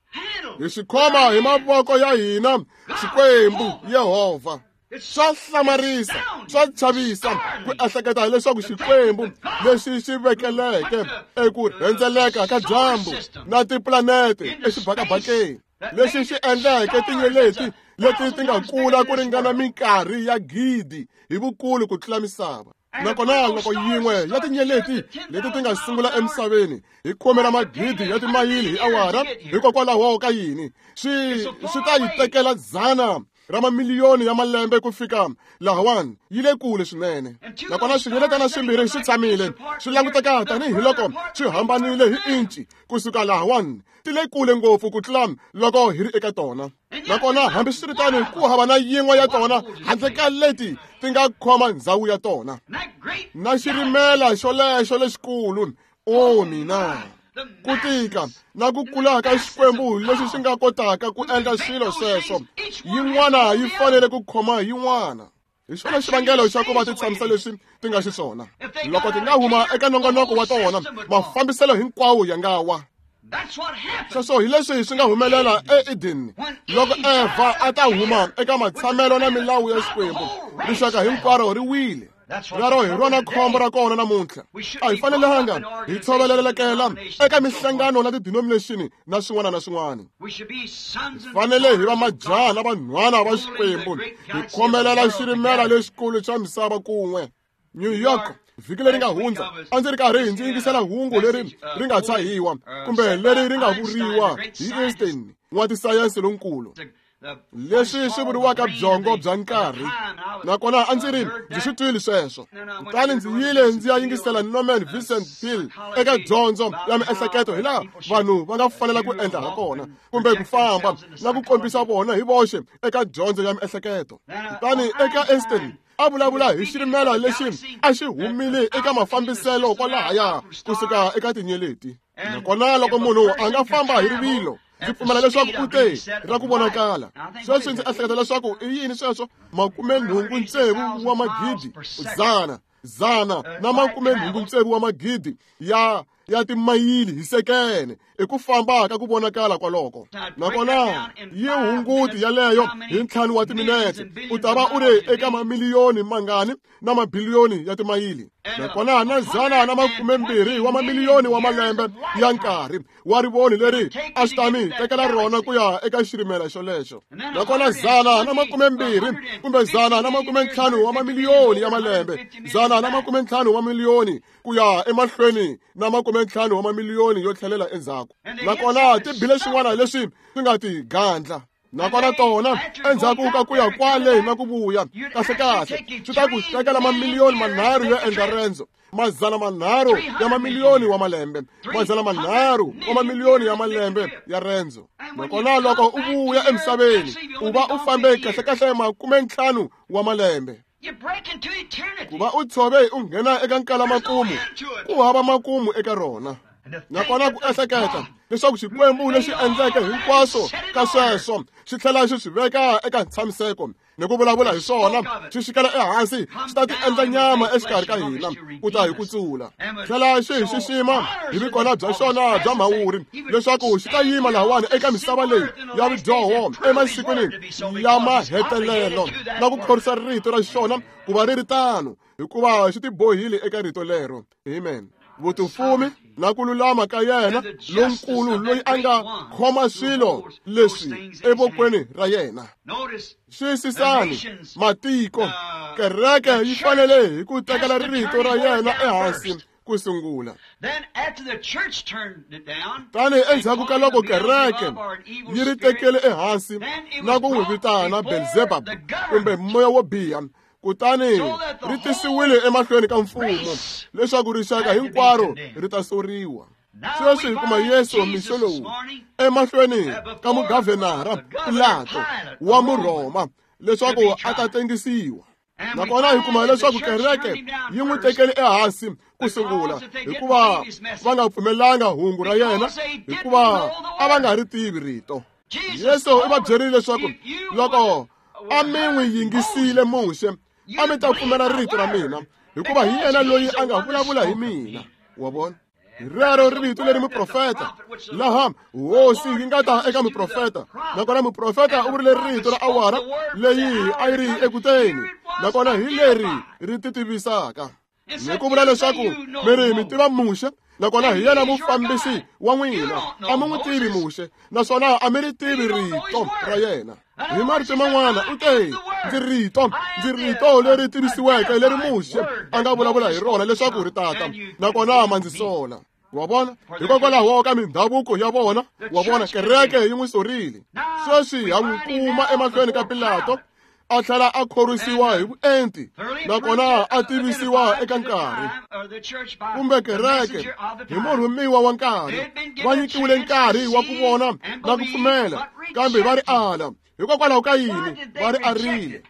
Hi xi khoma hi mavoko ya hina, Xikwembu Yehovha. Swa hlamarisa, swa chavisa ku ehleketa hileswaku Xikwembu lexi xi vekeleke eku rhendzeleka ka dyambu na tipulanete exibakabakeni, lexi xi endleke tinyeleti leti ti nga kula ku ringana minkarhi ya gidi hi vukulu ku tlula misava, nakona loko yin'we ya tinyeleti leti ti nga sungula emisaveni hi khume ra magidi ya timayili hi awara, hikokwalaho ka yini swi ta yi tekela 100 ra mamiliyoni ya malembe ku fika lahawani? Yi le kule swinene. Nakona swinyeletana swimbirhi swi tshamile swi languteka tanihiloko swi hambanile hi inci kusuka lahawani, ti le kule ngopfu ku tlula loko hi ri eka tona. Nakona hambiswiritano ku hava na yin'we ya tona handle ka leti ti nga khoma ndzhawu ya tona. Na xirimela xolexo lexikulu, o mina, ku tika na ku kula ka Xikwembu lexi xi nga kotaka ku endla swilo sweswo, yin'wana yi fanele ku khoma yin'wana. Hi xona xivangelo xa ku va ti tshamisa leswi ti nga xiswona. Loko ti nga huma eka nongonoko wa tona, mafambiselo hinkwawo ya nga wa. Sweswo hi leswi swi nga humelela eEden loko Eva a ta huma eka matshamelo na milawu ya Xikwembu, rixaka hinkwaro ri wile. Rero hi rona khombo ra kona namuntlha. A hi fanelanga hi tshovelelekela eka mihlangano na ti-denomination na swin'wana na swin'wana. Fanele hi va majaha na vanhwana va Xikwembu, hi khomelela xirimela lexikulu xa misava kun'we. New York, vhiki leri nga hundza a ndzi ri karhi ndzi yingisela hungu leri ri nga tshahiwa kumbe leri ri nga vuriwa hi Einstein, n'watisayense lonkulu, leswi swi vuriwaka byongo bya nkarhi. Nakona a ndzi ri ndzi swi twile sweswo, kutani ndzi yile ndzi ya yingisela Norman Vincent Peale eka dyondzo ya miehleketo hi laha vanhu va nga fanela ku endla ha kona kumbe ku famba na ku kombisa vona hi voxe eka dyondzo ya miehleketo. Kutani eka Einstein a vulavula hi xirimela lexi a xi humile eka mafambiselo kwalahaya kusuka eka tinyeleti. Nakona loko munhu a nga famba hi rivilo, ndzi pfumela leswaku u te ra ku vonakala. Sweswi ndzi ehleketa leswaku i yini sweswo, 86 wa magidi, 186 wa magidi ya timayili hi sekene i ku famba ka ku vonakala kwaloko. Nakona yi hunguti yaleyo hi 5 wa timinete, u ta va u ri eka mamiliyoni mangani na mabiliyoni ya timayili. Nakona na 120 wa mamiliyoni wa malembe ya nkarhi wa rivoni leri a swi ta mi tekela rona ku ya eka xirimela xolexo. Nakona 120 kumbe 150 wa mamiliyoni ya malembe, 150 wa mamiliyoni ku ya emahlweni na 50 wa mamiliyoni yo tlhelela endzhaku. Nakona ti bile swin'wana leswi swi nga ti gandla. Nakona tona endzhaku ka ku ya kwale na ku vuya, kahlekahle swi ta ku tekela mamiliyoni 3 yo endla rendzo, 300 ya mamiliyoni wa malembe, 300 wa mamiliyoni ya malembe ya rendzo. Nakona loko u vuya emisaveni, u va u fambe kahlekahle 50 wa malembe. Ku va u tshove u nghena eka nkala makumu, ku hava makumu eka rona. Nakona ku ehleketa leswaku Xikwembu lexi endleke hinkwaswo ka sweswo xi tlhela xi swi veka eka ntshamiseko ni ku vulavula hi swona, xi xikela ehansi, xi ta ti endla nyama exikarhi ka hina ku ta hi kutsula. Tlhela xi hi xixima hi vikona bya xona bya mhawuri, leswaku xi ta yima lahawani eka misava leyi ya vudyoho emasikwini ya mahetelelo na ku khorwisa rito ra xona ku va ri ri tano, hikuva xi tibohile eka rito lero. Amen. Vutifumi na ku lulama ka yena lonkulu loyi a nga khoma swilo leswi evokweni ra yena. Xiyisisani matiko, kereke yi fanele hi ku tekela rito ra yena ehansi ku sungula. Tani endzhaku ka loko kereke yi ri tekele ehansi na ku n'wi vitana Belzebub kumbe moya wo biha, kutani ri tisiwile emahlweni ka mfumo leswaku rixaka hinkwaro ri ta soriwa. Sweswi hi kuma Yesu mixo lowu emahlweni ka mugavhenara Pilato wa Murhoma leswaku a ta tengisiwa. Nakona hi kuma leswaku kereke yi n'wi tekele ehansi ku sungula hikuva va nga pfumelanga hungu ra yena, hikuva a va nga ri tivi rito. Yesu u va byerile leswaku loko a mi n'wi yingisile Muxe, a mi ta pfumela rito ra mina, hikuva hi yena loyi a nga vulavula hi mina. Wa vona? Rero rito leri muprofeta, laha hosi yi nga ta eka muprofeta, nakona muprofeta u vurile rito ra awara leyi a yi ri ekuteni, nakona hi leri ri ti tivisaka. Ni ku vula leswaku mi ri mi tiva Muxe, nakona hi yena mufambisi wa n'wina. A mi n'wi tivi Muxe, naswona a mi ri tivi rito ra yena. Hi marito man'wana u te, ndzi rito, ndzi rito leri tivisiweke leri Muxe a nga vulavula hi rona leswaku ri tata, nakona ma ndzi sola. Wa vona? Hikokwalaho ka mindhavuko ya vona, wa vona, kereke yi n'wi sorile. Sweswi ha n'wi kuma emahlweni ka Pilato, a tlhela a khorwisiwa hi vuenti, nakona a tivisiwa eka nkarhi kumbe kereke hi murhumiwa wa nkarhi. Va nyikiwile nkarhi wa ku vona na ku pfumela, kambe va ri ala. Hikokwalaho ka yini va ri arile?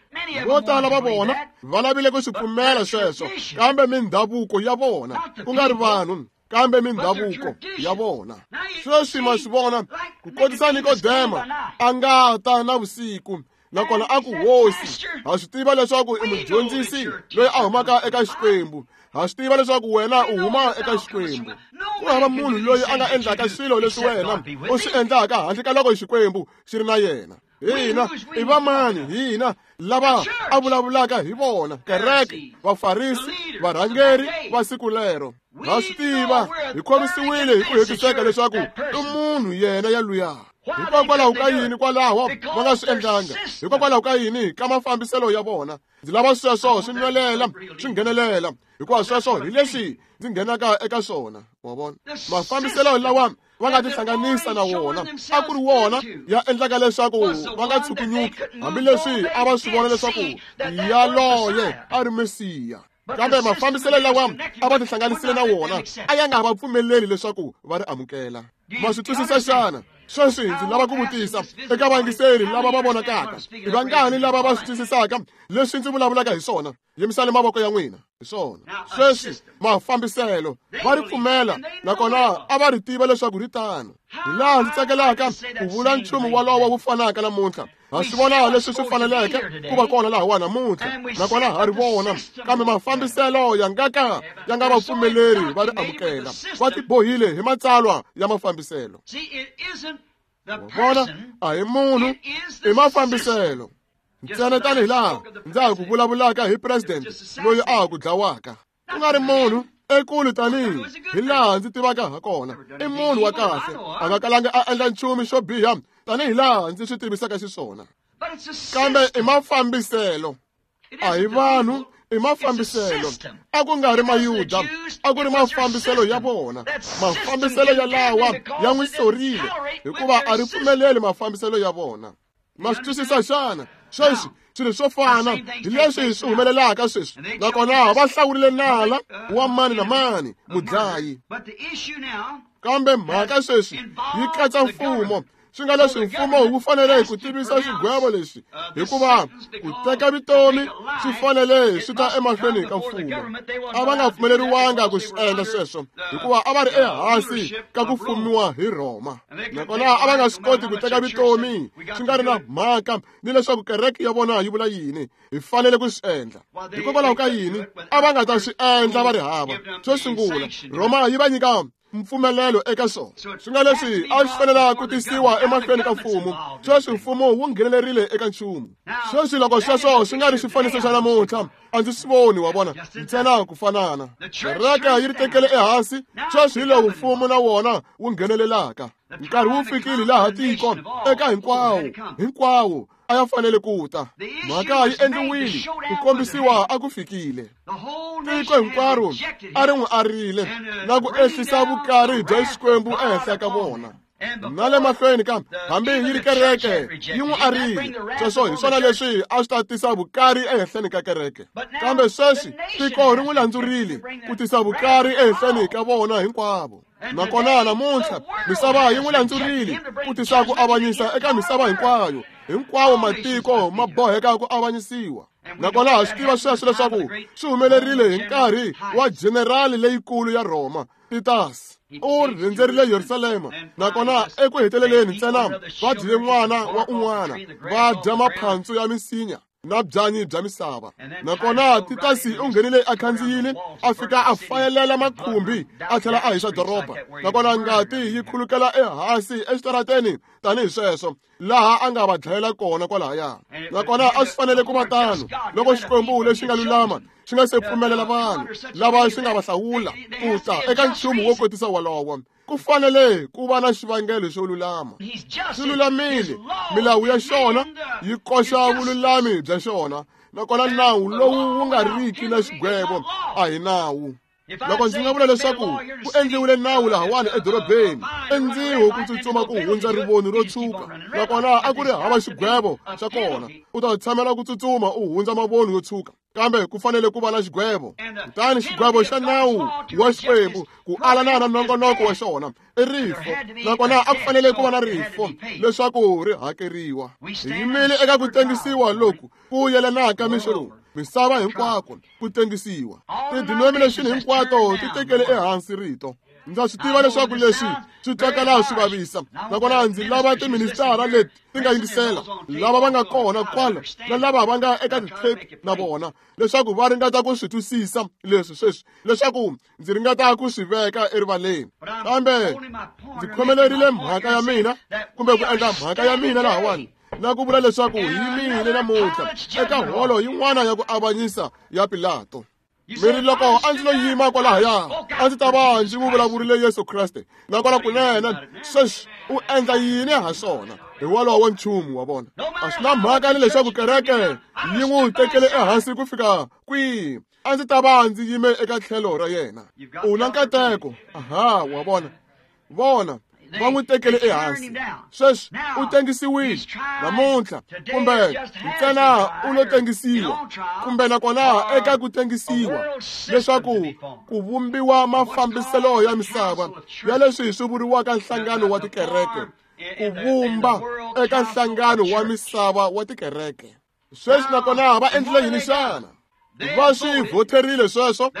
Vo tala va vona va lavile ku swi pfumela sweswo, kambe mindhavuko ya vona, ku nga ri vanhu, kambe mindhavuko ya vona. Sweswi ma swi vona, ku kotisa Nikodema a nga ta na vusiku, nakona a ku, Hosi, ha swi tiva leswaku i mudyondzisi loyi a humaka eka Xikwembu. Ha swi tiva leswaku wena u huma eka Xikwembu. Ku hava munhu loyi a nga endlaka swilo leswi wena u swi endlaka handle ka loko Xikwembu xi ri na yena. Hina i vamani hina lava a vulavulaka hi vona? Kereke, Vafarisi, varhangeri va siku lero. Ha swi tiva, hi khorwisiwile hi ku hetiseka leswaku i munhu yena yaluya. Hikokwalaho ka yini kwalaho va nga swi endlanga? Hikokwalaho ka yini ka mafambiselo ya vona? Ndzi lava sweswo swi nwelela, swi nghenelela, hikuva sweswo hi leswi ndzi nghenaka eka swona. Wa vona? Mafambiselo lawa va nga tihlanganisa na wona a ku ri wona ya endlaka leswaku va nga tshukunyuki, hambileswi a va swi vona leswaku yaloye a ri Mesiya. Kambe mafambiselo lawa a va tihlanganisile na wona a ya nga va pfumeleli leswaku va ri amukela. Ma swi twisisa xana? Sweswi ndzi lava ku vutisa eka vayingiseri lava va vonakaka, i vangani lava va swi twisisaka leswi ndzi vulavulaka hi swona? Yimisani mavoko ya n'wina. Hi swona. Sweswi mafambiselo va ri pfumela, nakona a va ri tiva leswaku ri tano. Hi laha ndzi tsakelaka ku vula nchumu walowo wu fanaka namuntlha. Ha swi vona leswi swi faneleke ku va kona lahawa namuntlha, nakona ha ri vona, kambe mafambiselo ya nga ka ya nga va pfumeleri va ri amukela. Va tibohile hi matsalwa ya mafambiselo. Vona, a hi munhu, i mafambiselo. Ntsena tanihi laha ndza ha ku vulavulaka hi president loyi a ha ku dlawaka, ku nga ri munhu ekulu tanihi hi laha ndzi tivaka ha kona, i munhu wa kahle, a nga kalanga a endla nchumu xo biha tanihi laha ndzi swi tivisaka xiswona. Kambe i mafambiselo, a hi vanhu, i mafambiselo. A ku nga ri Mayuda, a ku ri mafambiselo ya vona. Mafambiselo yalawa ya n'wi sorile hikuva a ri pfumeleli mafambiselo ya vona. Ma swi twisisa xana? Sweswi swilo swo fana hi leswi swi humelelaka sweswi, nakona va hlawurile nala wa mani na mani mudlayi. Kambe mhaka sweswi yi katsa mfumo, swi nga leswi mfumo wu fanele ku tivisa xigwevo lexi, hikuva ku teka vutomi swi fanele swi ta emahlweni ka mfumo. A va nga pfumeleriwanga ku swi endla sweswo hikuva a va ri ehansi ka ku fumiwa hi Rhoma, nakona a va nga swi koti ku teka vutomi swi nga ri na mhaka ni leswaku kereke ya vona yi vula yini. Hi fanele ku swi endla. Hikokwalaho ka yini a va nga ta swi endla va ri hava? Xo sungula, Rhoma yi va nyika mpfumelelo eka swona. Swi nga leswi a swi fanela ku tisiwa emahlweni ka mfumo. Sweswi mfumo wu nghenelerile eka nchumu. Sweswi loko sweswo swi nga ri xifaniso xa namuntlha, a ndzi swi voni, wa vona, ntsena ku fanana. Kereke yi ri tekele ehansi, sweswi hi lowu mfumo na wona wu nghenelelaka. Nkarhi wu fikile laha tiko eka hinkwawo a ya fanele ku ta. Mhaka yi endliwile ku kombisiwa a ku fikile. Tiko hinkwaro a ri n'wi arile na ku ehlisa vukari bya Xikwembu ehenhla ka vona. Na le mahlweni ka hambi yi ri kereke yi n'wi arile. Sweswo hi swona leswi a swi ta tisa vukari ehenhleni ka kereke. Kambe sweswi tiko ri n'wi landzurile ku tisa vukari ehenhleni ka vona hinkwavo. Nakona namuntlha misava yi n'wi landzurile ku tisa ku avanyisa eka misava hinkwayo. Hinkwawo matiko ma boheka ku avanyisiwa. Nakona ha swi tiva sweswo leswaku swi humelerile hi nkarhi wa jenerali leyikulu ya Rhoma, Titus. U rhendzerile Yerusalema, nakona eku heteleleni ntsena va dyile n'wana wa un'wana, va dya maphantsu ya misinya na byanyi bya misava. Nakona Titus u nghenile a khandziyile, a fika a fayelela makhumbi, a tlhela a hisa doroba. Nakona ngati yi khulukela ehansi exitarateni tanihi sweswo, laha a nga va dlayela kona kwalahaya. Nakona a swi fanele ku va tano loko Xikwembu lexi nga lulama xi nga se pfumelela vanhu lava xi nga va hlawula ku ta eka nchumu wo kotisa wolowo. Ku fanele ku va na xivangelo xo lulama. Swi lulamile, milawu ya xona yi koxa vululami bya xona. Nakona nawu lowu wu nga riki na xigwevo a hi nawu. Loko ndzi nga vula leswaku ku endliwile nawu lahawani edorobeni, endziho ku tsutsuma ku hundza rivoni ro tshuka, nakona a ku ri hava xigwevo xa kona, u ta tshamela ku tsutsuma u hundza mavoni yo tshuka. Kambe ku fanele ku va na xigwevo. Kutani xigwevo xa nawu wa Xikwembu ku alana na nongonoko wa xona i rifo. Nakona a ku fanele ku va na rifo leswaku ri hakeriwa. Hi yimile eka ku tengisiwa loku ku yelanaka mixo lowu. Misava hinkwako ku tengisiwa. Ti-denomination hinkwato ti tekele ehansi rito. Ndza swi tiva leswaku leswi swi twakala swi vavisa. Nakona ndzi lava tiministara leti ti nga yingisela, lava va nga kona kwala na lava va nga eka ti-tape na vona, leswaku va ringeta ku swi twisisa leswi sweswi, leswaku ndzi ringeta ku swi veka erivaleni. Kambe ndzi khomelerile mhaka ya mina, kumbe ku endla mhaka ya mina lahawani, na ku vula leswaku hi yimile namuntlha eka holo yin'wana ya ku avanyisa ya Pilato. Mi ri loko a ndzi lo yima kwalahaya, a ndzi ta va ndzi n'wi vulavurile Yesu Kreste. Nakona kunene sweswi u endla yini ha swona? Hi wolowo nchumu wa vona. A swi na mhaka ni leswaku kereke yi n'wi tekele ehansi ku fika kwihi, a ndzi ta va ndzi yime eka tlhelo ra yena. U na nkateko. Aha, wa vona. Vona, va n'wi tekele ehansi. Sweswi u tengisiwile namuntlha, kumbe ntsena u lo tengisiwa, kumbe nakona eka ku tengisiwa, leswaku ku vumbiwa mafambiselo ya misava ya leswi swi vuriwaka nhlangano wa tikereke, ku vumba eka nhlangano wa misava wa tikereke. Sweswi nakona va endlile yini xana? Va swi vhoterile sweswo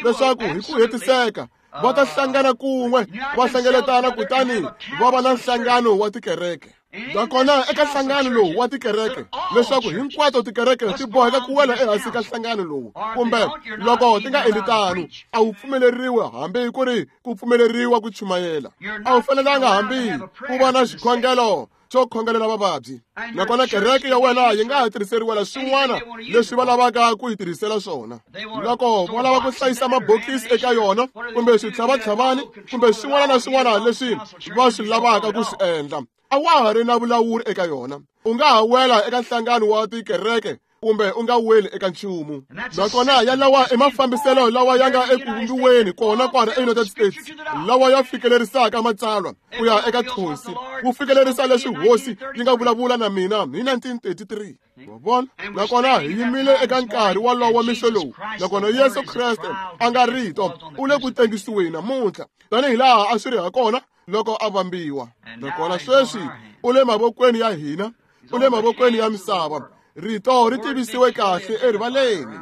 leswaku hi ku hetiseka va ta hlangana kun'we, va hlengeletana kutani va va na nhlangano wa tikereke. Nakona eka nhlangano lowu wa tikereke, leswaku hinkwato tikereke ti boheka ku wela ehansi ka nhlangano lowu, kumbe loko ti nga endli tano, a wu pfumeleriwi hambi ku ri ku pfumeleriwa ku chumayela. A wu fanelanga hambi ku va na xikhongelo xo khongelela vavabyi. Nakona kereke ya wena yi nga ha tirhiseriwela swin'wana leswi va lavaka ku yi tirhisela swona. Loko va lava ku hlayisa mabokisi eka yona, kumbe switlhavatlhavani, kumbe swin'wana na swin'wana leswi va swi lavaka ku swi endla, a wa ha ri na vulawuri eka yona. U nga ha wela eka nhlangano wa tikereke kumbe u nga weli eka nchumu. Nakona ya lawa i mafambiselo lawa ya nga eku vumbiweni kona kwala eUnited States, lawa ya fikelerisaka matsalwa ku ya eka thonsi, ku fikelerisa leswi hosi yi nga vulavula na mina hi 1933. Wa vona? Nakona hi yimile eka nkarhi wolowo mixo lowu. Nakona Yesu Kreste a nga rito u le ku tengisiweni namuntlha, tanihi laha a swi ri hakona loko a vambiwa. Nakona sweswi u le mavokweni ya hina, u le mavokweni ya misava. Rito ri tivisiwe kahle erivaleni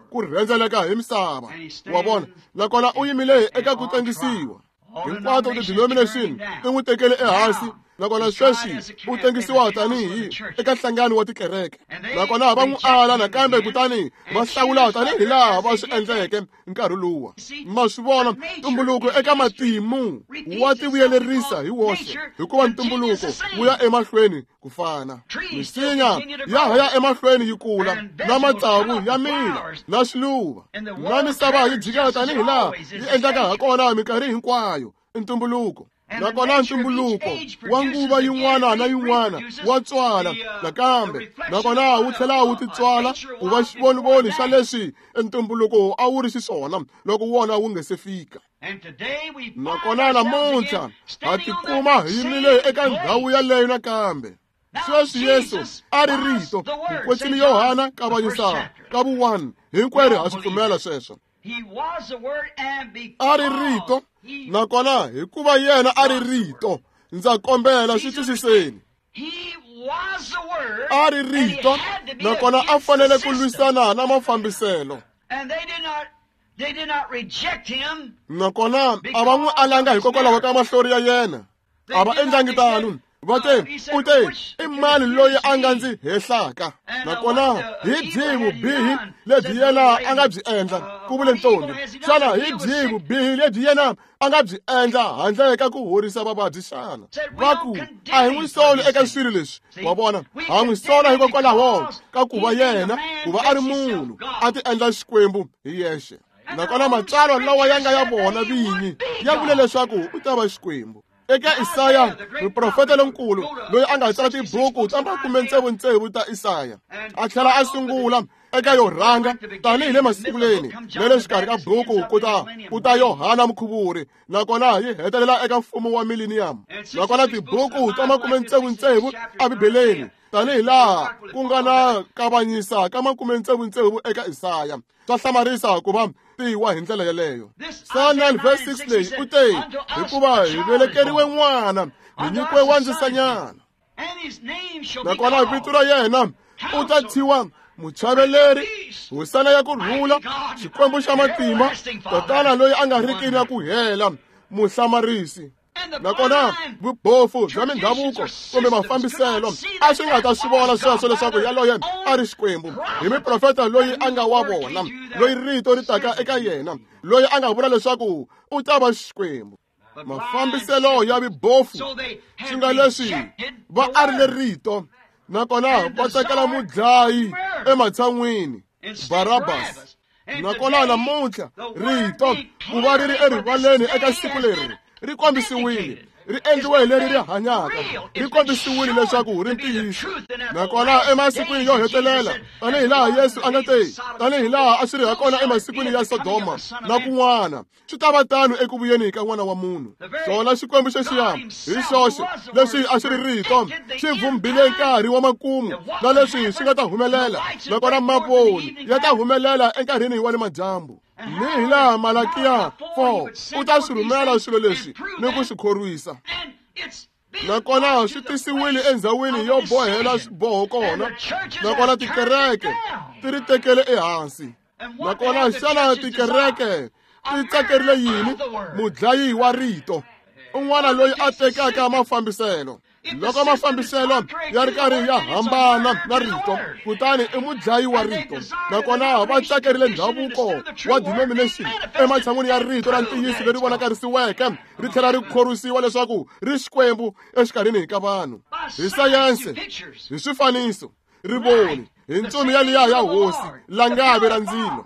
ku rhendzeleka hi misava. Wa vona? Nakona u yimile eka ku tengisiwa. Hinkwato ti-denomination ti n'wi tekele ehansi, Nakona sweswi u tengisiwa tanihi eka nhlangano wa tikereke. Nakona va n'wi ala nakambe kutani va hlawula tanihi laha va swi endleke nkarhi luwa. Ma swi vona, ntumbuluko eka matimu wa tivuyelerisa hi woxe, hikuva ntumbuluko wu ya emahlweni ku fana. Misinya ya ha ya emahlweni yi kula, na matsavu ya mila, na swiluva, na misava yi jikela tanihi laha yi endlaka hakona minkarhi hinkwayo. Ntumbuluko. Nakona ntumbuluko wa nguva yin'wana na yin'wana wa tswala nakambe, nakona wu tlhela wu titswala ku va xivonivoni xa leswi ntumbuluko a wu ri xiswona loko wona wu nge se fika. Nakona namuntlha ha tikuma hi yimile eka ndhawu yaleyo nakambe. Sweswi Yesu a ri Rito, Mukwetsimi Yohana kavanyisa ka vu 1, hinkwerhu ha swi pfumela sweswo. A ri Rito, nakona hikuva yena a ri Rito, ndza kombela swi twisiseni. A ri Rito, nakona a fanele ku lwisana na mafambiselo. Nakona a va n'wi alanga hikokwalaho ka mahlori ya yena. A va endlangi tano. Va te, u te, i mani loyi a nga ndzi hehlaka? Nakona hi byihi vubihi lebyi yena a nga byi endla? Ku vule ntombi. Xana hi byihi vubihi lebyi yena a nga byi endla handle ka ku horisa vavabyi xana? Va ku, a hi n'wi soli eka swilo leswi. Wa vona, ha n'wi sola hikokwalaho ka ku va yena, ku va a ri munhu, a ti endla Xikwembu hi yexe. Nakona matsalwa lawa ya nga ya vona vinyi ya vule leswaku u ta va Xikwembu. Eka Isaya, muprofeta lonkulu loyi a nga tsala tibuku ta 66 ta Isaya, a tlhela a sungula eka yo rhanga tanihi le masunguleni na le xikarhi ka buku ku ta Yohana Mukhuvuri, nakona yi hetelela eka mfumo wa millennium. Nakona tibuku ta 66 eBibeleni tanihi laha ku nga na kavanyisa ka 66 eka Isaya. Swa hlamarisa ku va tiwa hi ndlela yeleyo. Psalm 9 verse 6 leyi u te, hikuva hi velekeriwe n'wana, hi nyikiwe wandzisanyana. Nakona vito ra yena u ta thyiwa Muchaveleri, Hosana ya ku rhula, Xikwembu xa matimba, Tatana loyi a nga riki na ku hela, Muhlamarisi. Nakona vubofu bya mindhavuko kumbe mafambiselo a swi nga ta swi vona sweswo leswaku yaloye a ri Xikwembu hi muprofeta loyi a nga wa vona, loyi rito ri taka eka yena, loyi a nga vula leswaku u ta va Xikwembu. Mafambiselo ya vibofu swi nga leswi va arile rito, nakona va tsakela mudlayi ematshan'wini Barabas. Nakona namuntlha rito ku va ri ri erivaleni eka siku leri ri kombisiwile, ri endliwe hi leri ri hanyaka, ri kombisiwile leswaku ri ntiyiso. Nakona emasikwini yo hetelela, tanihi laha Yesu a nga te, tanihi laha a swi ri hakona emasikwini ya Sodoma na kun'wana, swi ta va tano eku vuyeni ka N'wana wa Munhu. Xona Xikwembu xexiya hi xoxe leswi a xi ri rito xi vumbile nkarhi wa makumu na leswi swi nga ta humelela, nakona mavoni ya ta humelela enkarhini wa le madyambu. Ni hi laha Malakiya 4 u ta swi rhumela swilo leswi ni ku swi khorwisa. Nakona swi tisiwile endzhawini yo bohela swiboho kona, nakona tikereke ti ri tekele ehansi. Nakona xana tikereke ti tsakerile yini? Mudlayi wa rito, un'wana loyi a tekaka mafambiselo. Loko mafambiselo ya ri karhi ya hambana na rito, kutani i mudlayi wa rito. Nakona va tsakerile ndhavuko wa denomination ematshan'wini ya rito ra ntiyiso leri vonakarisiweke ri tlhela ri khorwisiwa leswaku ri Xikwembu exikarhini ka vanhu. Hi sayense, hi swifaniso, rivoni, hi ntsumi yaliya ya Hosi, langavi ra ndzilo.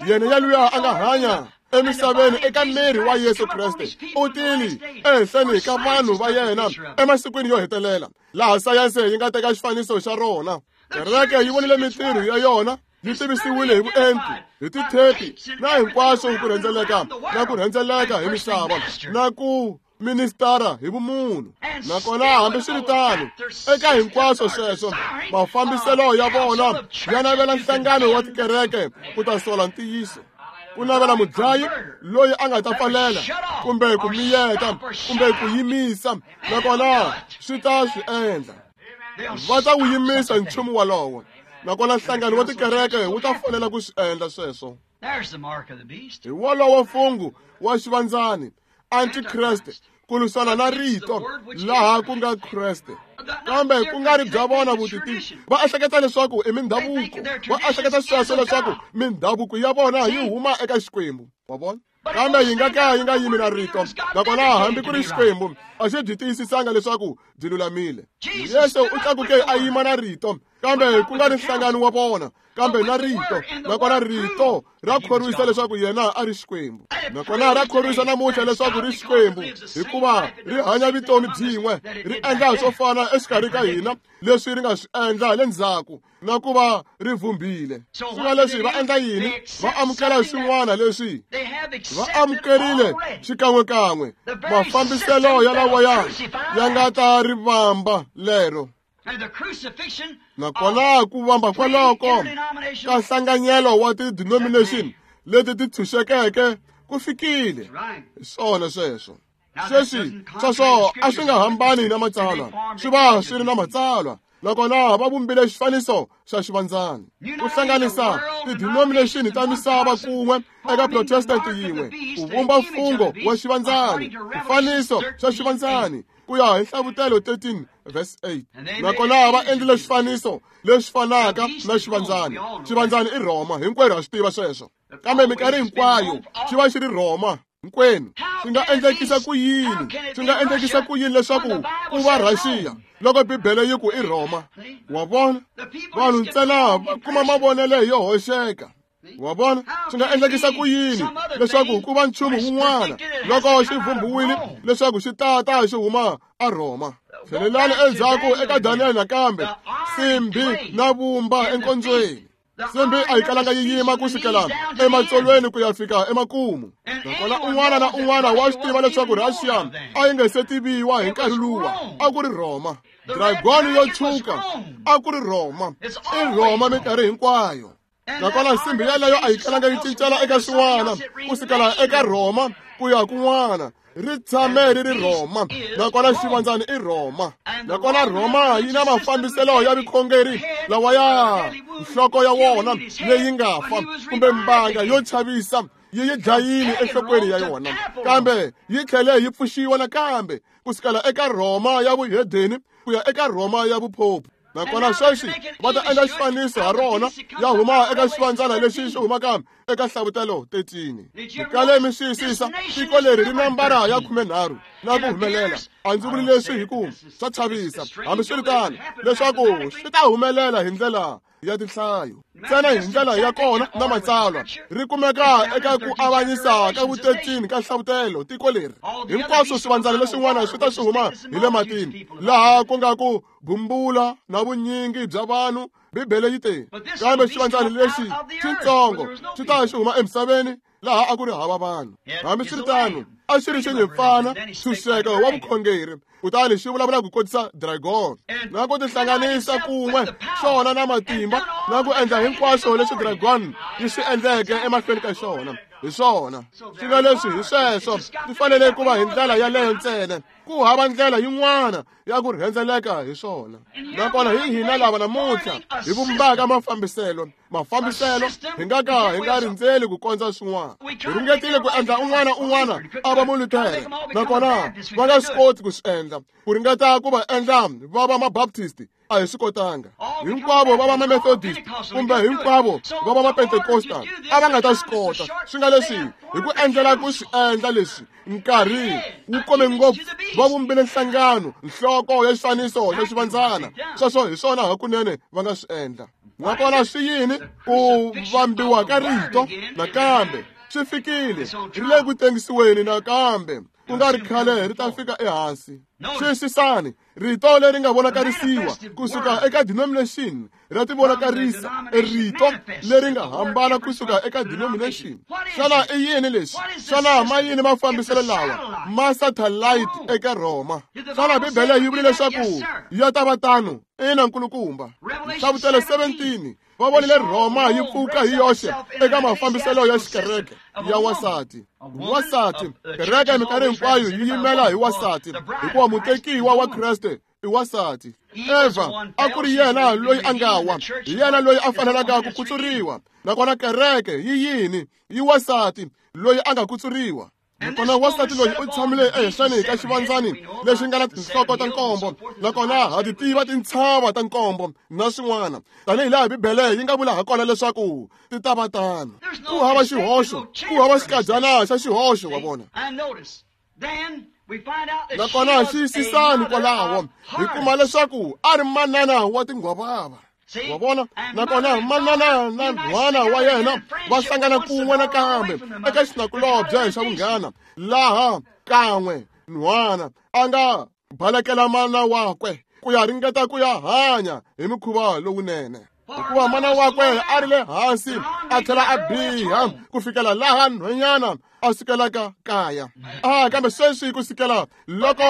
Yena yaluya a nga hanya emisaveni eka miri wa Yesu Kreste u tile ehenhleni ka vanhu va yena emasikwini yo hetelela, laha sayense yi nga teka xifaniso xa rona. Kereke yi vonile mintirho ya yona yi tivisiwile hi vuenti, hi tithepi na hinkwaswo ku rhendzeleka na ku rhendzeleka hi misava na ku ministara hi vumunhu. Nakona hambiswiritano, eka hinkwaswo sweswo, mafambiselo ya vona ya navela nhlangano wa tikereke ku ta sola ntiyiso, ku navela mudlayi loyi a nga ta pfalela kumbe ku miyeta kumbe ku yimisa, nakona swi ta swi endla. Va ta wu yimisa nchumu walowo, nakona nhlangano wa tikereke wu ta fanela ku swi endla sweswo. Hi wolowo mfungho wa xivandzani, Antikreste, ku lwisana na rito laha ku nga Kreste. Kambe ku nga ri bya vona vutitivi, va ehleketa leswaku i mindhavuko, va ehleketa sweswo leswaku mindhavuko ya vona yi huma eka Xikwembu. Wa vona? Kambe yi nga ka yi nga yimi na rito, nakona hambi ku ri Xikwembu a xi byi tiyisisanga leswaku byi lulamile. Yesu u tlakuke a yima na rito, kambe ku nga ri nhlangano wa vona, kambe na rito, nakona rito ra khorwisa leswaku yena a ri Xikwembu. Nakona ra khorwisa namuntlha leswaku ri Xikwembu, hikuva ri hanya vutomi byin'we, ri endla swo fana exikarhi ka hina leswi ri nga swi endla le ndzhaku, na ku va ri vumbile. Swi nga leswi va endla yini? Va amukela swin'wana leswi va amukerile xikan'wekan'we mafambiselo ya lawaya ya nga ta ri vamba lero. Nakona ku vamba kwaloko ka nhlanganyelo wa ti-denomination leti ti tshunxekeke ku fikile. Hi swona sweswo. Sweswi sweswo a swi nga hambani na matsalwa, swi va swi ri na matsalwa. Nakona va vumbile xifaniso xa xivandzana ku hlanganisa ti-denomination ta misava kun'we eka Protestant yin'we ku vumba mfungho wa xivandzani, xifaniso xa xivandzani ku ya hi Nhlavutelo 13 verse 8. Nakona va endlile xifaniso lexi fanaka na xivandzani. Xivandzani i Rhoma, hinkwerhu ha swi tiva sweswo. Kambe minkarhi hinkwayo xi va xi ri Rhoma hinkwenu. Swi nga endlekisa ku yini? Swi nga endlekisa ku yini leswaku ku va Rhaxiya loko Bibele yi ku i Rhoma? Wa vona? Vanhu ntsena va kuma mavonelo yo hoxeka. Wa vona? Swi nga endlekisa ku yini leswaku ku va nchumu wun'wana loko xi vhumbiwile leswaku xi tata xi huma a Rhoma? Tlhelelani endzhaku eka Daniel nakambe, simbi na vumba enkondzweni. Simbi a yi kalanga yi yima ku sukela ematsolweni ku ya fika emakumu. Nakona un'wana na un'wana wa swi tiva leswaku Rhaxiya a yi nga se tiviwa hi nkarhi luwa, a ku ri Rhoma. Dragoni yo tshwuka a ku ri Rhoma. I Rhoma minkarhi hinkwayo. Nakona nsimbi yeleyo a yi kalanga yi cincela eka swin'wana ku sukela eka Rhoma ku ya kun'wana. Ri tshame ri ri Rhoma, nakona xivandzani i Rhoma. Nakona Rhoma yi na mafambiselo ya vukhongeri lawa ya nhloko ya wona leyi nga fa kumbe mbanga yo chavisa yi yi dlayile enhlokweni ya yona, kambe yi tlhele yi pfuxiwa nakambe ku sukela eka Rhoma ya vuhedeni ku ya eka Rhoma ya vuphophu. Nakona sweswi va ta endla xifaniso ha rona ya huma eka xivandzana lexi xi humaka eka Nhlavutelo 13. Kale mi xiyisisa, tiko leri ri nambara ya 13 na ku humelela. A ndzi vuli leswi hi ku swa chavisa, hambiswiritano, leswaku swi ta humelela hi ndlela ya tinhlayo ntsena, hi ndlela ya kona na matsalwa. Ri kumeka eka ku avanyisa ka vu-13 ka Nhlavutelo. Tiko leri hinkwaswo swivandzana leswin'wana swi ta swi huma hi le matini, laha ku nga ku bumbula na vunyingi bya vanhu. Bibele yi te, kambe xivandzana lexi xitsongo xi ta xi huma emisaveni laha a ku ri hava vanhu. Hambiswiritano, a xi ri xinyimpfana ntshunxeko wa vukhongeri, kutani xi vulavula ku kotisa dragon na ku tihlanganisa kun'we xona na matimba na ku endla hinkwaswo leswi dragon yi swi endleke emahlweni ka xona. Hi swona swi nga leswi, hi sweswo swi fanele ku va hi ndlela yaleyo ntsena. Ku hava ndlela yin'wana ya ku rhendzeleka hi swona. Nakona hi hina lava namuntlha hi vumbaka mafambiselo hi nga ka hi nga rindzeli ku kondza swin'wana. Hi ringetile ku endla un'wana un'wana a va Muluthere, nakona va nga swi koti ku swi endla. Ku ringeta ku va endla va va Mabaptist a hi swi kotanga. Hinkwavo va va Mamethodist kumbe hinkwavo va va Mapentecostal a va nga ta swi kota. Swi nga leswi hi ku endlela ku swi endla leswi nkarhi wu kome ngopfu, va vumbile nhlangano, nhloko ya xifaniso xa xivandzana. Sweswo hi swona hakunene va nga swi endla. Nakona swi yini? Ku vambiwa ka rito nakambe swi fikile, ri le ku tengisiweni nakambe. Ku nga ri khale ri ta fika ehansi. Xiyisisani, rito leri nga vonakarisiwa kusuka eka denomination ra tivonakarisa, rito leri nga hambana kusuka eka denomination. Xana i yini leswi? Xana ma yini mafambiselo lawa ma satellite eka Rhoma? Xana Bibele yi vule leswaku ya ta va tano? Ina, nkulukumba. Nhlavutelo 17 va vonile Rhoma yi pfuka hi yoxe eka mafambiselo ya xikereke ya wansati. Wansati, kereke minkarhi hinkwayo yi yimela hi wansati, hikuva mutekiwa wa Kreste i wansati. Eva a ku ri yena loyi a nga wa, hi yena loyi a fanelaka ku kutsuriwa. Nakona kereke yi yini? Yi wansati loyi a nga kutsuriwa. Nakona wansati loyi u tshamile ehenhleni ka xivandzani lexi nga na tinhloko ta nkombo, nakona ha ti tiva tintshava ta nkombo na swin'wana, tanihi laha Bibele yi nga vula hakona leswaku ti ta va tano. Ku hava xihoxo, ku hava xikadyana xa xihoxo, wa vona. Nakona xiyisisani kwalaho, hi kuma leswaku a ri manana wa tinghwavava. Wa vona? Nakona manana na nhwana wa yena va hlangana kun'we nakambe eka xinakulobye xa vunghana, laha kan'we nhwana a nga balekela mana wakwe ku ya ringeta ku ya hanya hi mukhuva lowunene, hikuva mana wakwe a ri le hansi a tlhela a biha ku fikela laha nhwanyana a sukelaka kaya. Kambe sweswi ku sukela loko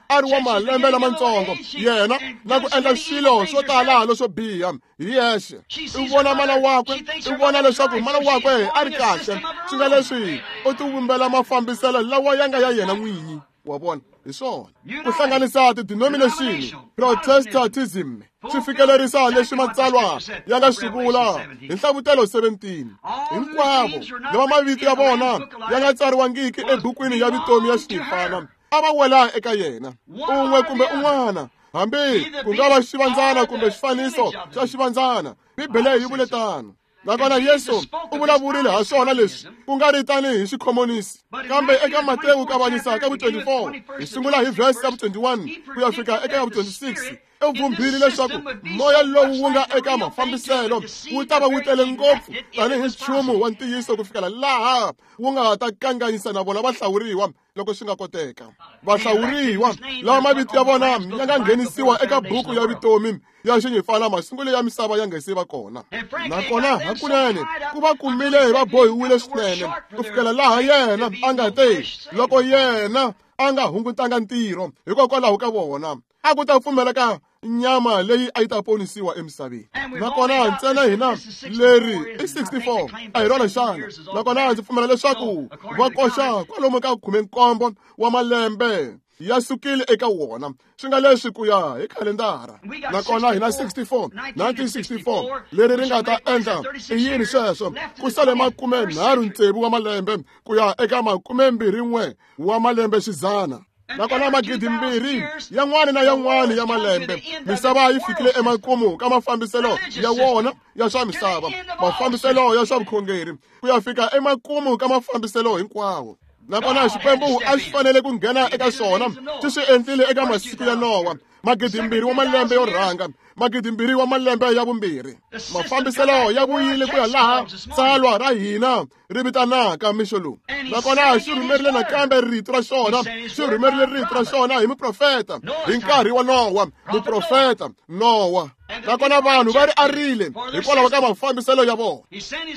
a ri wa malembe lamatsongo, yena na ku endla swilo swo tala leswo biha hi yexe. U vona mana wakwe, u vona leswaku mana wakwe a ri kahle, swi nga leswi u tivumbela mafambiselo lawa ya nga ya yena n'winyi. Wa vona? Hi swona. Ku hlanganisa ti-denomination, Protestantism, swi fikelerisa leswi matsalwa ya nga swi vula hi Nhlavutelo 17. Hinkwavo lava mavito ya vona ya nga tsariwangiki ebukwini ya vutomi ya Xifana a va wela eka yena, un'we kumbe un'wana, hambi ku nga va xivandzana kumbe xifaniso xa xivandzana. Bibele yi vule tano. Nakona Yesu u vulavurile ha swona leswi, ku nga ri tanihi xikhomonisi, kambe eka Matewu kavanyisa ka vu-24, hi sungula hi vhesi ya vu-21 ku ya fika eka ya vu-26, u vhumbhile leswaku moya lowu wu nga eka mafambiselo wu ta va wu tele ngopfu tanihi nchumu wa ntiyiso ku fikela laha wu nga ta kanganyisa na vona vahlawuriwa loko swi nga koteka. Vahlawuriwa lava mavito ya vona ya nga nghenisiwa eka buku ya vutomi ya xinyifana masungulo ya misava ya nga se va kona. Nakona hakunene ku va kumile va bohiwile swinene ku fikela laha yena a nga te loko yena a nga hungutanga ntirho hikokwalaho ka vona, a ku ta pfumeleka nyama leyi a yi ta ponisiwa emisaveni. Nakona ntsena hina leri i 64, a hi rona xana? Nakona ndzi pfumela leswaku va koxa kwalomu ka 17 wa malembe ya sukile eka wona, swi nga leswi ku ya hi khalendara. Nakona hina 64, 1964 leri ri nga ta endla i yini sweswo? Ku sale 36 wa malembe ku ya eka 21 wa malembe xidzana. Nakona 2000 yan'wana na yan'wana ya malembe, misava yi fikile emakumu ka mafambiselo ya wona ya swa misava, mafambiselo ya swa vukhongeri, ku ya fika emakumu ka mafambiselo hinkwawo. Nakona Xikwembu a xi fanele ku nghena eka swona, xi swi endlile eka masiku ya Nowa, 2000 wa malembe yo rhanga, 2000 wa malembe ya vumbirhi. Mafambiselo ya vuyile ku ya laha tsalwa ra hina ri vitanaka mixo lowu. Nakona xi rhumerile nakambe rito ra xona, xi rhumerile rito ra xona hi muprofeta hi nkarhi wa Nowa, muprofeta Nowa. Nakona vanhu va ri arile hikwalaho ka mafambiselo ya vona.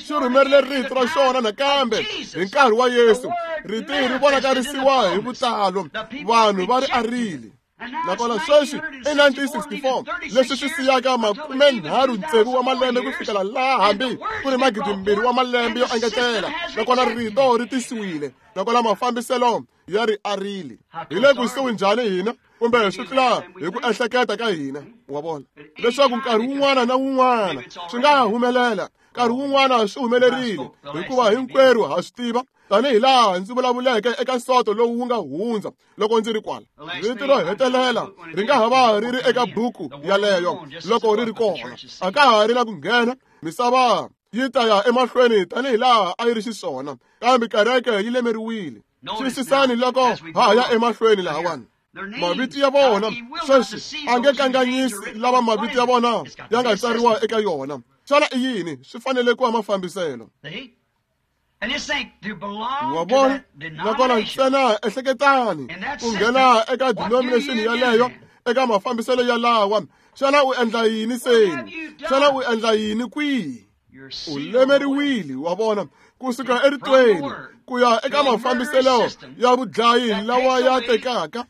Xi rhumerile rito ra xona nakambe hi nkarhi wa Yesu, rito ri vonakarisiwa hi vutalo, vanhu va ri arile. Nakona sweswi i 1964, leswi swi siyaka 36 wa malembe ku fikela laha hambi ku ri 2000 wa malembe yo engetela. Nakona rito ri tisiwile, nakona mafambiselo ya ri arile. Hi le kusuhi njhani hina, kumbe swi tlula hi ku ehleketa ka hina, wa vona, leswaku nkarhi wun'wana na wun'wana swi nga humelela, nkarhi wun'wana swi humelerile, hikuva hinkwerhu ha swi tiva, tanihi laha ndzi vulavuleke eka nsoto lowu wu nga hundza loko ndzi ri kwala. Rito ro hetelela ri nga ha va ri ri eka buku yaleyo loko ri ri kona, a ka ha ri na ku nghena. Misava yi ta ya emahlweni tanihi laha a yi ri xiswona, kambe kereke yi lemeriwile. Xiyisisani loko ha ha ya emahlweni lahawani. Mavito ya vona sweswi a nge kanganyisi lava mavito ya vona ya nga tsariwa eka yona. Xana i yini? Swi fanele ku va mafambiselo. Wa vona? Nakona ntsena ehleketani ku nghena eka denomination yaleyo, eka mafambiselo yalawa. Xana u endla yini seni? Xana u endla yini kwihi? U lemeriwile, wa vona, kusuka eritweni ku ya eka mafambiselo ya vudlayi lawa ya tekaka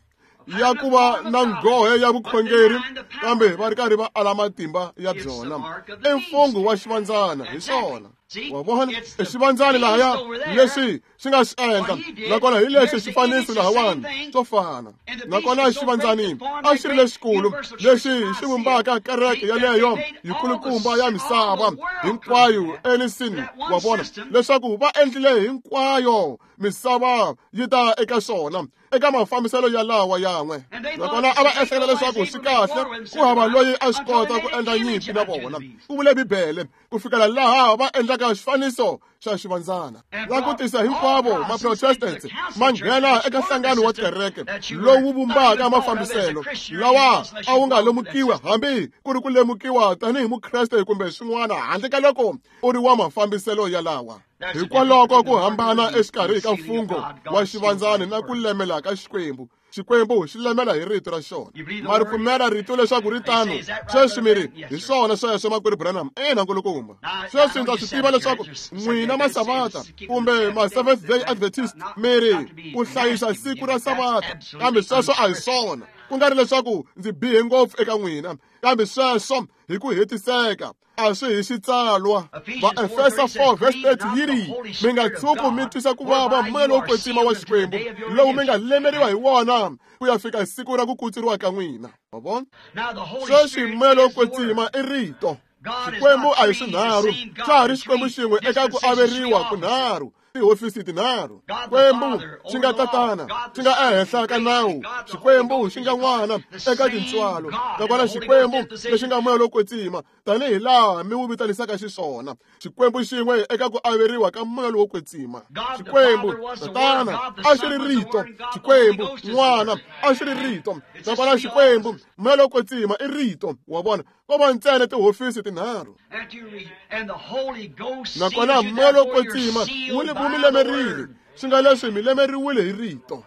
ya ku va na nghohe ya vukhongeri, kambe va ri karhi va ala matimba ya byona. I mfungho wa xivandzana, hi swona. Wa vona i xivandzani lahaya leswi xi nga xi endla, nakona hi lexi xifaniso lahawani swo fana. Nakona xivandzani a xi ri lexikulu lexi xi vumbaka kereke yaleyo yikulukumba ya misava hinkwayo enisini. Wa vona leswaku va endlile hinkwayo misava yi ta eka xona eka mafambiselo ya lawa yan'we. Nakona a va ehleketa leswaku swi kahle ku hava loyi a swi kota ku endla nyimpi na vona. Ku vule Bibele ku fikela laha va endlaka xifaniso xa xivandzana. Va ku tisa hinkwavo ma-Protestants ma nghena eka nhlangano wa kereke lowu vumbaka mafambiselo lawa a wu nga lemukiwa hambi ku ri ku lemukiwa tanihi Mukreste kumbe swin'wana handle ka loko u ri wa mafambiselo ya lawa. Hikwalaho ku hambana exikarhi ka mfungho wa xivandzani na ku lemela ka Xikwembu. Xikwembu xi lemela hi rito ra xona. Ma ri pfumela rito leswaku ri tano? Sweswi mi ri hi swona sweswo, makwerhu Branham? Ina, nkulukumba. Sweswi ndza swi tiva leswaku n'wina Masavata kumbe ma Seventh Day Adventist mi ri ku hlayisa siku ra Savata, kambe sweswo a hi swona. Ku nga ri leswaku ndzi bihe ngopfu eka n'wina, kambe sweswo hi ku hetiseka a swi hi xitsalwa. Vaefesa 4 verse 30 yi ri, mi nga tshuki mi twisa ku vava moya lowo kwetsima wa Xikwembu lowu mi nga lemeriwa hi wona ku ya fika siku ra ku kutsuriwa ka n'wina. Wa vona? Sweswi moya lowo kwetsima i rito. Xikwembu a hi swinharhu, xa ha ri Xikwembu xin'we eka ku averiwa kunharhu, tihofisi tinharhu. Xikwembu xi nga Tatana, xi nga ehenhla ka nawu, Xikwembu xi nga N'wana eka tintswalo, nakona Xikwembu lexi nga moya lowo kwetsima tanihi laha mi wu vitanisaka xiswona. Xikwembu xin'we eka ku averiwa ka moya lowo kwetsima. Xikwembu Tatana a xi ri rito, Xikwembu N'wana a xi ri rito, nakona Xikwembu moya lowo kwetsima i rito. Wa vona, ko va ntsena tihofisi tinharhu. Nakona moya lowo kwetsima wu mi lemerile, swi nga leswi mi lemeriwile hi rito.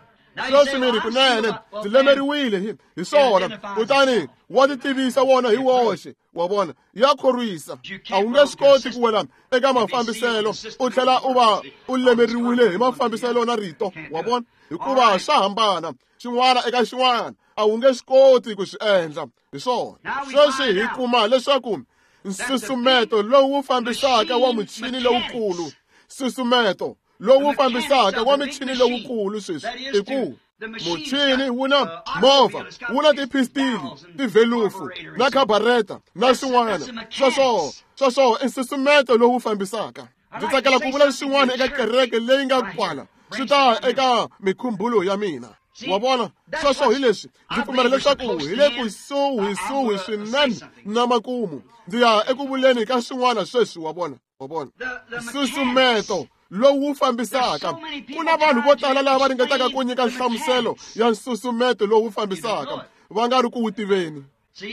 Sweswi mi ri kunene ndzi lemeriwile hi swona, kutani wa ti tivisa wona hi woxe. Wa vona, ya khorwisa. A wu nge swi koti ku wela eka mafambiselo u tlhela u va u lemeriwile hi mafambiselo na rito. Wa vona, hikuva swa hambana xin'wana eka xin'wana, a wu nge swi koti ku swi endla hi swona. Sweswi hi kuma leswaku nsusumeto lowu fambisaka wa muchini lowukulu, nsusumeto lowu fambisaka wa michini lowukulu sweswi i ku muchini wu na movha, wu na tiphistili, tivelufu na khabareta na swin'wana. Sweswo i nsusumeto lowu fambisaka. Ndzi tsakela ku vula swin'wana eka kereke leyi nga kwala, swi ta eka mikhumbulo ya mina. Wa vona, sweswo hi leswi ndzi pfumela leswaku hi le kusuhisuhi swinene na makumu. Ndzi ya eku vuleni ka swin'wana sweswi. Wa vona, wa vona nsusumeto lowu fambisaka. Ku na vanhu vo tala lava ringetaka ku nyika nhlamuselo ya nsusumeto lowu fambisaka va nga ri ku wu tiveni.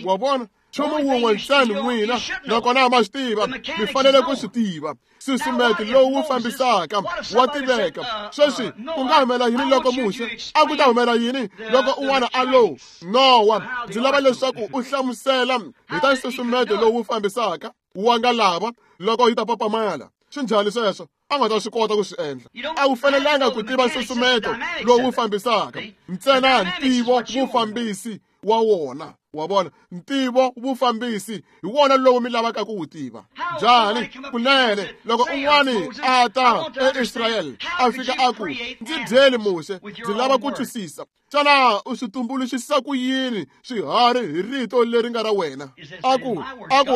Wa vona, nchumu wun'we ntsena n'wina nakona ma swi tiva, mi fanele ku swi tiva. Nsusumeto lowu fambisaka wa tiveka. Sweswi ku nga humela yini loko Muxe a ku ta humela yini loko un'wana a lo Nowa? Ndzi lava leswaku u hlamusela hi ta nsusumeto lowu fambisaka wa nga lava loko yi ta papamala. Swi njhani sweswo? A nga ta swi kota ku swi endla. A wu fanelanga ku tiva nsusumeto lowu fambisaka ntsena, ntivo vufambisi wa wona. Wa vona, ntivo vufambisi hi wona lowu mi lavaka ku wu tiva. Njhani? Kunene loko un'wani a ta eIsrayele a fika a ku, ndzi byeli Muxe, ndzi lava ku twisisa, xana u swi tumbuluxisa ku yini swiharhi hi rito leri nga ra wena? A ku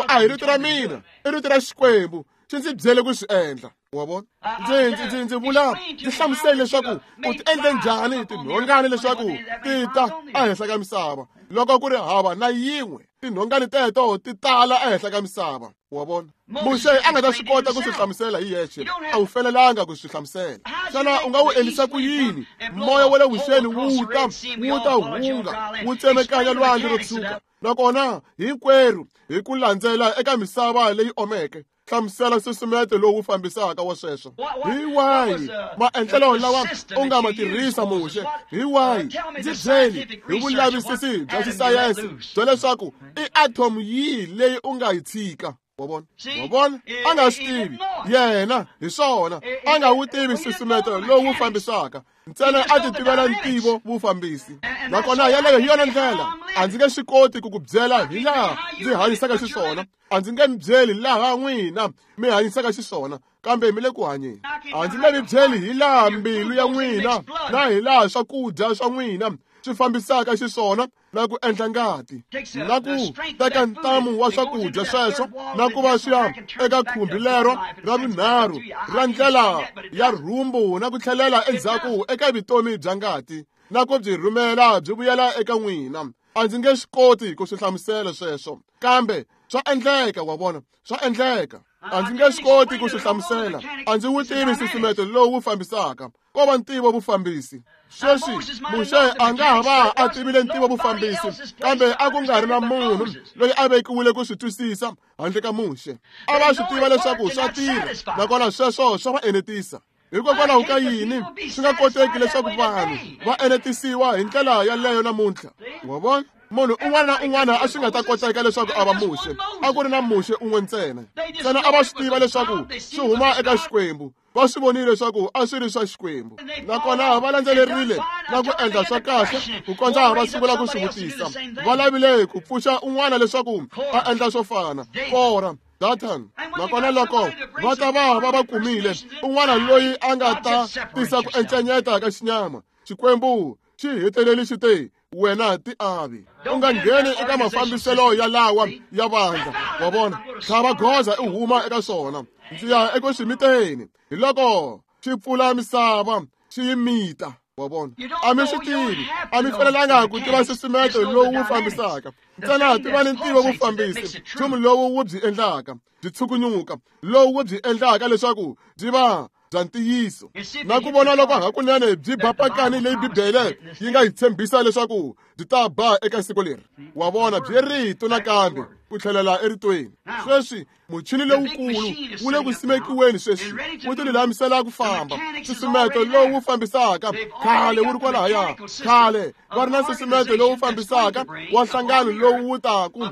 a hi rito ra mina, i rito ra Xikwembu, xi ndzi byele ku swi endla. Wa vona, ndzi vula, ndzi hlamusele leswaku u ti endle njhani tinhongani leswaku ti ta ehenhla ka misava loko ku ri hava na yin'we. Tinhongani teto ti tala ehenhla ka misava. Wa vona, Muxe a nga ta swi kota ku swi hlamusela hi yexe, a wu fanelanga ku swi hlamusela. Xana u nga wu endlisa ku yini moya wa le vuxeni wu ta hunga wu tsemekanya lwandle ro tshuka, nakona hinkwerhu hi ku landzela eka misava leyi omeke? Hlamusela nsusumeto lowu fambisaka wa sweswo. Hi wahi maendlelo lawa u nga ma tirhisa Muxe? Hi wahi? Ndzi byeli hi vulavisisi bya xisayense bya leswaku i atom yihi leyi u nga yi tshika. Wa vona? Wa vona? A nga swi tivi yena hi swona, a nga wu tivi nsusumeto lowu fambisaka, ntsena a ti tivela ntivo vufambisi. Nakona yaleyo hi yona ndlela. A ndzi nge swi koti ku ku byela hi laha ndzi hanyisaka xiswona, a ndzi nge mi byeli laha n'wina mi hanyisaka xiswona, kambe mi le ku hanyeni. A ndzi nge mi byeli hi laha mbilu ya n'wina na hi laha swakudya swa n'wina swi fambisaka xiswona na ku endla ngati, na ku teka ntamu wa swakudya sweswo na ku va swi ya eka khumbi lero ra vunharhu ra ndlela ya rhumbu na ku tlhelela endzhaku eka vutomi bya ngati na ku byi rhumela byi vuyela eka n'wina. A ndzi nge swi koti ku swi hlamusela sweswo, kambe swa endleka. Wa vona, swa endleka. A ndzi nge swi koti ku swi hlamusela, a ndzi wu tivi nsusumeto lowu wu fambisaka, ko va ntivo vufambisi. Sweswi Muxe a nga ha va a tivile ntivo vufambisi, kambe a ku nga ri na munhu loyi a vekiwile ku swi twisisa handle ka Muxe. A va swi tiva leswaku swa tirha, nakona sweswo swa va enetisa. Hikokwalaho ka yini swi nga koteki leswaku vanhu va enetisiwa hi ndlela yaleyo namuntlha? Wa vona, munhu un'wana na un'wana a swi nga ta koteka leswaku a va Muxe. A ku ri na Muxe un'we ntsena. Ntsena a va swi tiva leswaku swi huma eka Xikwembu. Va swi vonile leswaku a swi ri swa Xikwembu, nakona va landzelerile na ku endla swa kahle ku kondza va sungula ku swi vutisa. Va lavile ku pfuxa un'wana leswaku a endla swo fana, Kora, Dathan. Nakona loko va ta va va va kumile un'wana loyi a nga ta tisa ku encenyeta ka xinyama, Xikwembu xi heteleli xi te, wena ti avi, u nga ngheni eka mafambiselo ya lawa ya vandla. Wa vona, tlhava goza i huma eka swona. Ndzi ya eku swi miteni. Hi loko xi pfula misava xi yi mita. Wa vona, a mi swi tivi, a mi fanelanga ku tiva nsusumeto lowu wu fambisaka, ntsena tiva ni ntivo vufambisi, nchumu lowu wu byi endlaka byi tshukunyuka, lowu wu byi endlaka leswaku byi va bya ntiyiso, na ku vona loko hakunene byi ba pakani leyi Bibele yi nga yi tshembisa leswaku byi ta ba eka siku leri. Wa vona, byi rito nakambe ku tlhelela eritweni. Sweswi muchini lowukulu wu le ku simekiweni sweswi, wu ti lulamisela ku famba. Nsusumeto lowu fambisaka khale wu ri kwalahaya, khale va ri na nsusumeto lowu fambisaka wa nhlangano lowu wu taku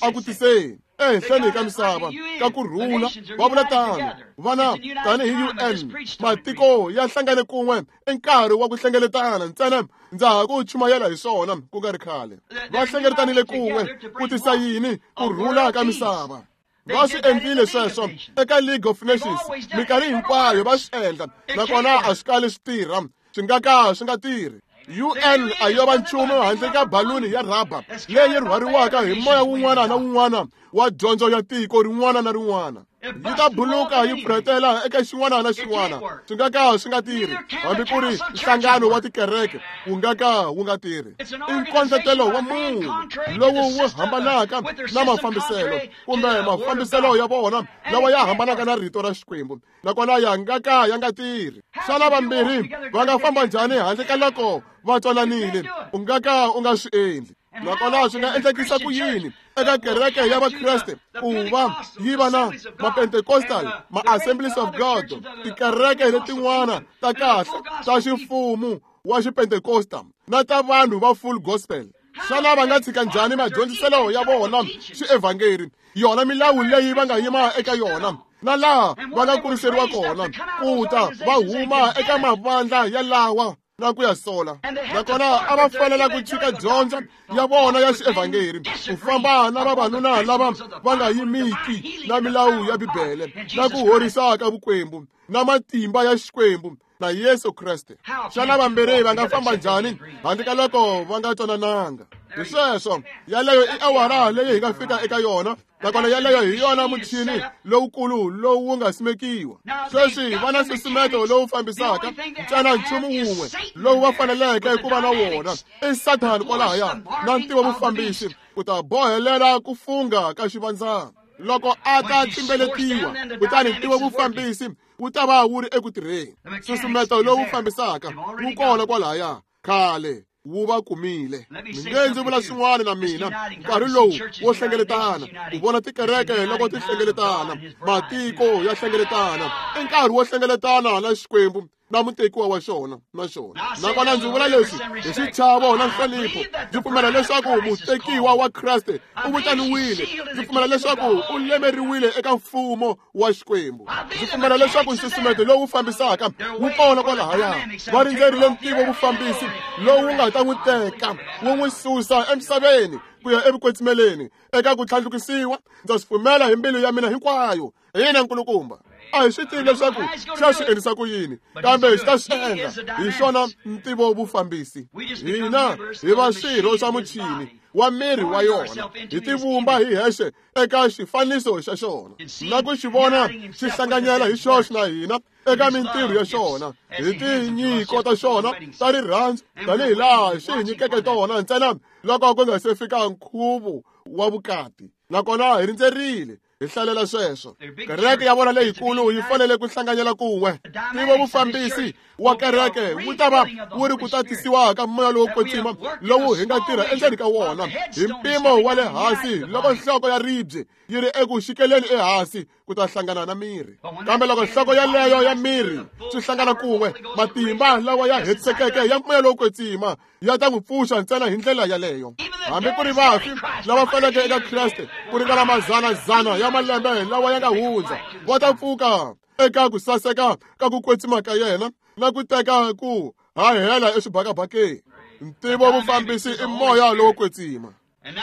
a ku tiseni ehenhleni ka misava ka ku rhula. Va vula tano vana tanihi UN, matiko ya hlangane kun'we i nkarhi wa ku hlengeletana. Ntsena ndza ha ku chumayela hi swona ku nga ri khale. Va hlengeletanile kun'we ku tisa yini? Ku rhula ka misava. Va swi endlile sweswo eka League of Nations minkarhi hinkwayo, va swi endla, nakona a swi kali swi tirha, swi nga ka swi nga tirhi. UN a yo va nchumu handle ka baluni ya rhaba leyi rhwariwaka hi moya wun'wana na wun'wana wa dyondzo ya tiko rin'wana na rin'wana. Yi ta buluka yi pfurhetela eka xin'wana na xin'wana, swi nga ka swi nga tirhi. Hambi ku ri nhlangano wa tikereke wu nga ka wu nga tirhi. I nkondletelo wa munhu lowu wu hambanaka na mafambiselo kumbe mafambiselo ya vona lawa ya hambanaka na rito ra Xikwembu, nakona ya nga ka ya nga tirhi. Xana vambirhi va nga famba njhani handle ka loko va twananile? U nga ka u nga swi endli. Nakona swi nga endlekisa ku yini eka kereke ya Vakreste ku va yi va na ma-Pentecostal, ma-Assemblies of God, tikereke letin'wana ta kahle ta ximfumo wa xipentekosta na ta vanhu va full gospel? Xana va nga tshika njhani madyondziselo ya vona xievhangeri, yona milawu leyi va nga yima eka yona na laha va nga kuriseriwa kona, ku ta va huma eka mavandla ya lawa na ku ya sola? Nakona a va fanela ku tshika dyondzo ya vona ya xievhangeri ku famba na vavanuna lava va nga yimiki na milawu ya Bibele na ku horisa ka vukwembu na matimba ya Xikwembu na Yesu Kreste. Xana vambirhi va nga famba njhani handle ka loko va nga twanananga? Hi sweswo, yaleyo i awara leyi hi nga fika eka yona, nakona yaleyo hi yona muchini lowukulu lowu wu nga simekiwa. Sweswi va na nsusumeto lowu fambisaka, ntsena nchumu wun'we lowu va faneleke ku va na wona i Sathani kwalahaya na ntivo vufambisi ku ta bohelela ku fungha ka xivandzana. Loko a ta tsimbeletiwa, kutani ntivo vufambisi wu ta va wu ri eku tirheni. Nsusumeto lowu fambisaka wu kona kwalahaya, khale wu va kumile. Mi nge ndzi vula swin'wana na mina, nkarhi lowu wo hlengeletana, ku vona tikereke loko ti hlengeletana, matiko ya hlengeletana, i nkarhi wo hlengeletana na Xikwembu na mutekiwa wa xona na xona. Nakona ndzi vula leswi hi xichavo na nhlonipho. Ndzi pfumela leswaku mutekiwa wa Kreste u vitaniwile. Ndzi pfumela leswaku u lemeriwile eka mfumo wa Xikwembu. Ndzi pfumela leswaku nsusumeto lowu fambisaka wu kona kwalahaya. Va rindzerile ntivo vufambisi lowu nga ta n'wi teka wu n'wi susa emisaveni ku ya evukwetsimeleni eka ku tlhandlukisiwa. Ndza swi pfumela hi mbilu ya mina hinkwayo. Hi yena nkulukumba. A hi swi tivi leswaku xa swi endlisa ku yini, kambe xi ta swi endla. Hi xona ntivo vufambisi. Hina hi va swirho swa muchini wa miri wa yona, hi tivumba hi hexe eka xifaniso xa xona na ku xi vona xi hlanganyela hi xoxe na hina eka mintirho ya xona, hi tinyiko ta xona ta rirhandzu tanihi laha xi hi nyikeke tona ntsena loko ku nga se fika nkhuvo wa vukati. Nakona hi rindzerile hi hlalela sweswo. Kereke ya vona leyikulu yi fanele ku hlanganyela kun'we. Ntivo vufambisi wa kereke wu ta va wu ri ku tatisiwa ka moya lowo kwetsima lowu hi nga tirha endzeni ka wona hi mpimo wa le hansi loko nhloko ya ribye yi ri eku xikeleni ehansi ku ta hlangana na miri. Kambe loko nhloko yaleyo ya miri swi hlangana kun'we, matimba lawa ya hetisekeke ya moya lowo kwetsima ya ta n'wi pfuxa ntsena hi ndlela yaleyo. Hambi ku ri vafi lava faneleke eka Kreste ku ringana mazanazana ya malembe lawa ya nga hundza, va ta pfuka eka ku saseka ka ku kwetsima ka yena na ku teka ku hahela eswibakabakeni. Ntivo vufambisi i moya lowo kwetsima.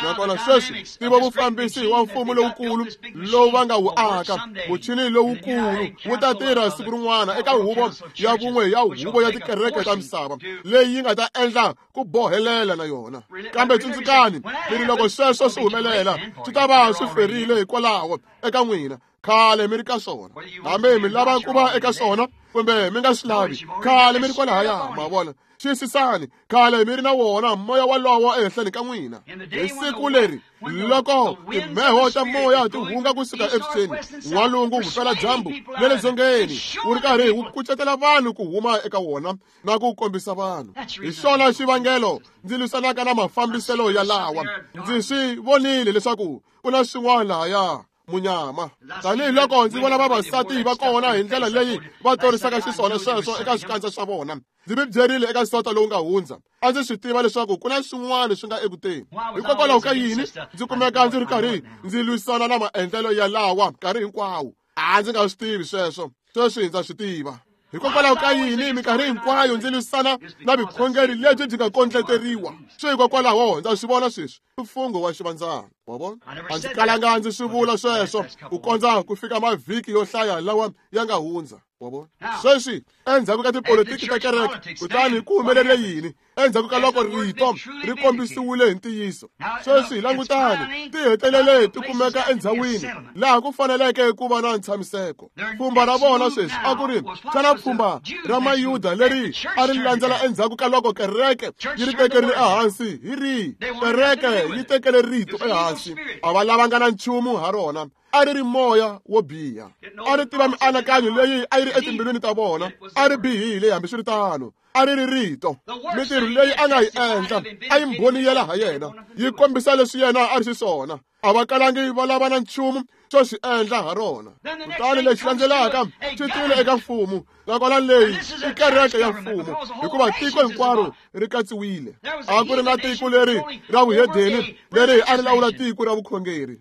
Nakona sweswi ntivo vufambisi wa mfumo lowukulu lowu va nga wu aka, muchini lowukulu wu ta tirha siku rin'wana eka huvo ya vun'we ya huvo ya tikereke ta misava leyi yi nga ta endla ku bohelela na yona. Kambe tsundzukani mi ri loko sweswo swi humelela swi ta va swi ferile hikwalaho eka n'wina. Khale mi ri ka swona, hambi mi lava ku va eka swona kumbe mi nga swi lavi, khale mi ri kwalahaya. Ma vona? Xiyisisani, khale mi ri na wona moya walowo ehenhleni ka n'wina. Hi siku leri loko timheho ta moya ti hunga kusuka evuxeni, n'walungu, vupeladyambu na le dzongeni, wu ri karhi wu kucetela vanhu ku huma eka wona na ku kombisa vanhu. Hi xona xivangelo ndzi lwisanaka na mafambiselo ya lawa. Ndzi swi vonile leswaku ku na swin'wana lahaya munyama. Tanihi loko ndzi vona vavasati va kona hi ndlela leyi va torisaka xiswona sweswo eka swikandza swa vona. Ndzi mi byerile eka sota lowu nga hundza, a ndzi swi tiva leswaku ku na swin'wana swi nga ekuteni. Hikokwalaho ka yini ndzi kumeka ndzi ri karhi ndzi lwisana na maendlelo ya lawa nkarhi hinkwawo? A ndzi nga swi tivi sweswo, sweswi ndza swi tiva. Hikokwalaho ka yini minkarhi hinkwayo ndzi lwisana na vukhongeri lebyi byi nga kondleteriwa? Swi hikokwalaho ndza swi vona sweswi mfungho wa xivandzana. Wa vona? A ndzi kalanga ndzi swi vula sweswo ku kondza ku fika mavhiki yo hlaya lawa ya nga hundza. Wa vona? Sweswi endzhaku ka tipolitiki ta kereke, kutani ku humelele yini endzhaku ka loko rito ri kombisiwile hi ntiyiso? Sweswi langutani, ti hetelele ti kumeka endhawini laha ku faneleke ku va na ntshamiseko. Pfhumba ra vona sweswi a ku ri xana pfhumba ra Mayuda leri a ri landzela endzhaku ka loko kereke yi ri tekerile ehansi hi rihi? Kereke yi tekele rito ehansi, a va lavanga na nchumu ha rona. A ri ri moya wo biha, a ri tiva mianakanyo leyi a yi ri etimbilwini ta vona, a ri bihile. Hambiswiritano, a ri ri rito. Mintirho leyi a nga yi endla a yi mbhoniyela ha yena, yi kombisa leswi yena a ri xiswona. A va kalangi va lava na nchumu xo xi endla ha rona. Kutani lexi landzelaka xi tile eka mfumo, nakona leyi i kereke ya mfumo, hikuva tiko hinkwaro ri katsiwile. A ku ri na tiko leri ra vuhedeni leri a ri lawula tiko ra vukhongeri.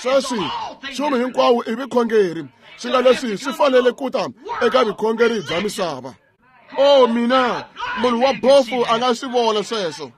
Sweswi nchumu hinkwawo i vukhongeri, swi nga leswi swi fanele ku ta eka vukhongeri bya misava. O mina, munhu wa bofu a nga swi vona sweswo.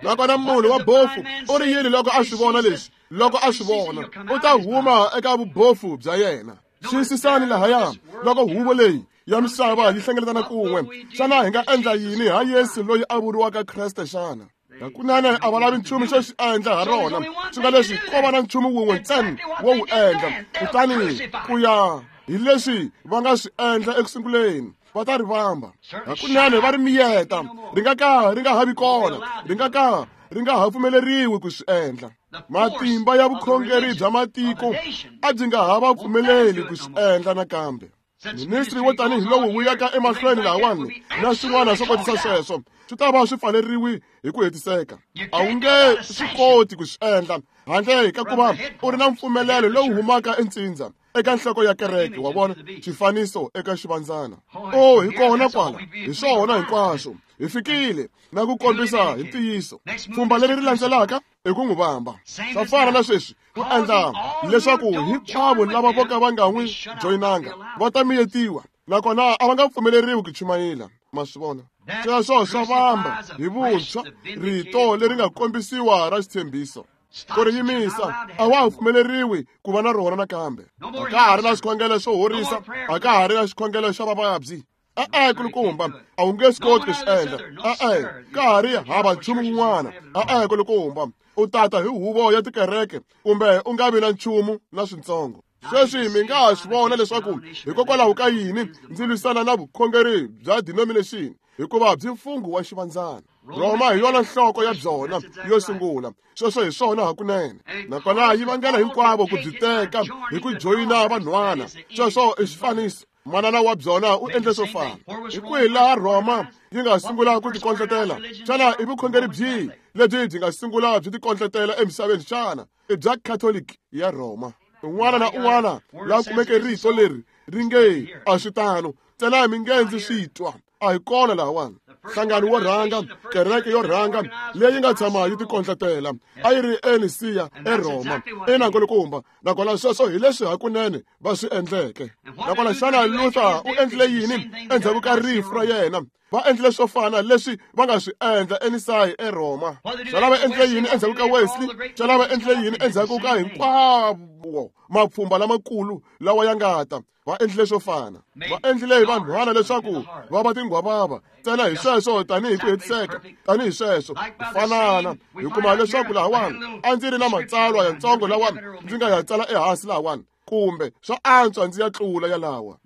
Nakona munhu wa bofu u ri yini loko a swi vona leswi? Loko a swi vona, u ta huma eka vubofu bya yena. Xiyisisani lahaya loko huvo leyi ya misava yi hlengeletana kun'we. Xana hi nga endla yini ha Yesu loyi a vuriwaka Kreste xana? Hakunene a va lavi nchumu xo xi endla ha rona, swi nga leswi ko va na nchumu wun'we ntsena wo wu endla. Kutani ku ya hi leswi va nga swi endla ekusunguleni, va ta ri vamba. Hakunene va ri miyeta, ri nga ka ri nga ha vi kona, ri nga ka ri nga ha pfumeleriwi ku swi endla. Matimba ya vukhongeri bya matiko a byi nga ha va pfumeleli ku swi endla nakambe. Ministri wo tanihi lowu wu yaka emahlweni lahawani na swin'wana swo kotisa sweswo swi ta va swi pfaleriwi hi ku hetiseka. A wu nge swi koti ku swi endla handle ka ku va u ri na mpfumelelo lowu humaka entsindza. eka nhloko ya kereke, wa vona, xifaniso eka xivandzana. Oh, hi kona kwala, hi swona hinkwaswo. Hi fikile na ku kombisa hi ntiyiso. Pfhumba leri ri landzelaka i ku n'wi vamba. Swa fana na sweswi, ku endla leswaku hinkwavo lava vo ka va nga n'wi joyinanga va ta miyetiwa, nakona a va nga pfumeleriwi ku chumayela. Ma swi vona? Sweswo swa vamba hi vuntshwa rito leri nga kombisiwa ra xitshembiso. Ku ri yimisa, a wa ha pfumeleriwi ku va na rona nakambe. A ka ha ri na xikhongelo xo horisa, a ka ha ri na xikhongelo xa vavabyi. E-e, kulukumba, a wu nge swi koti ku swi endla. E-e, ka ha ri hava nchumu wun'wana. E-e, kulukumba, u tata hi huvo ya tikereke kumbe u nga vi na nchumu na swintsongo. Sweswi mi nga ha swi vona leswaku hikokwalaho ka yini ndzi lwisana na vukhongeri bya denomination, hikuva byi mfungho wa xivandzana. Roma hi yona nhloko ya byona yo sungula. Sweswo hi swona hakunene. Nakona yi vangela hinkwavo ku byi teka hi ku joyina vanhwana. Sweswo i xifaniso. Manana wa byona u endle swo fana. Hi kwihi laha Roma yi nga sungula ku tikondletela? Xana i vukhongeri byihi lebyi byi nga sungula byi tikondletela emisaveni xana? I bya Catholic ya Roma. Un'wana na un'wana la kumeke rito leri ri nge a swi tano, ntsena mi nge ndzi swi twa. A hi kona lahawani. Nhlangano wo rhanga, kereke yo rhanga leyi nga tshama yi tikondletela a yi ri eNisiya eRoma, eNankulukumba. Nakona sweswo hi leswi hakunene va swi endleke. Nakona xana Luther u endlile yini endzhaku ka rifu ra yena? Va endlile swo fana leswi va nga swi endla eNisayi eRoma. Xana va endlile yini endzhaku ka Wesley? Xana va endlile yini endzhaku ka hinkwavo mapfhumba lamakulu lawa ya nga ta? Va endlile swo fana. Va endlile hi vanhwana leswaku va va tinghwavava ntsena hi sweswo, tanihi ku hetiseka, tanihi sweswo ku fanana. Hi kuma leswaku lahawani a ndzi ri na matsalwa yantsongo lawa ndzi nga ya tsala ehansi lahawani, kumbe swa antswa ndzi ya tlula yalawa.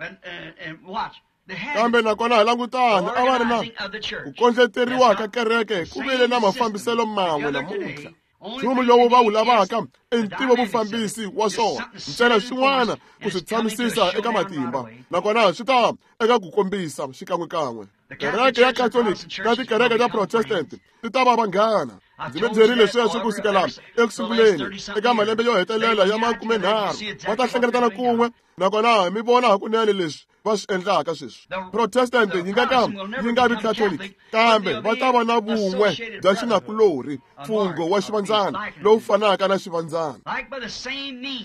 Kambe nakona hi langutani, a va ri na ku kondleteriwa ka kereke, ku vile na mafambiselo man'we namuntlha. Nchumu lowu va wu lavaka i ntivo vufambisi wa swona, ntsena swin'wana ku swi tshamisisa eka matimba, nakona swi ta eka ku kombisa xikan'wekan'we. Kereke ya Catholic na tikereke ta Protestant ti ta va vanghana. Ndzi mi byerile sweswo ku sukela eku sunguleni eka malembe yo hetelela ya 30 va ta hlengeletana kun'we, nakona mi vona hakunene leswi va swi endlaka sweswi. Protestant yi nga ka yi nga vi Catholic, kambe va ta va na vun'we bya xinakulorhi, mfungho wa xivandzana lowu fanaka na xivandzana.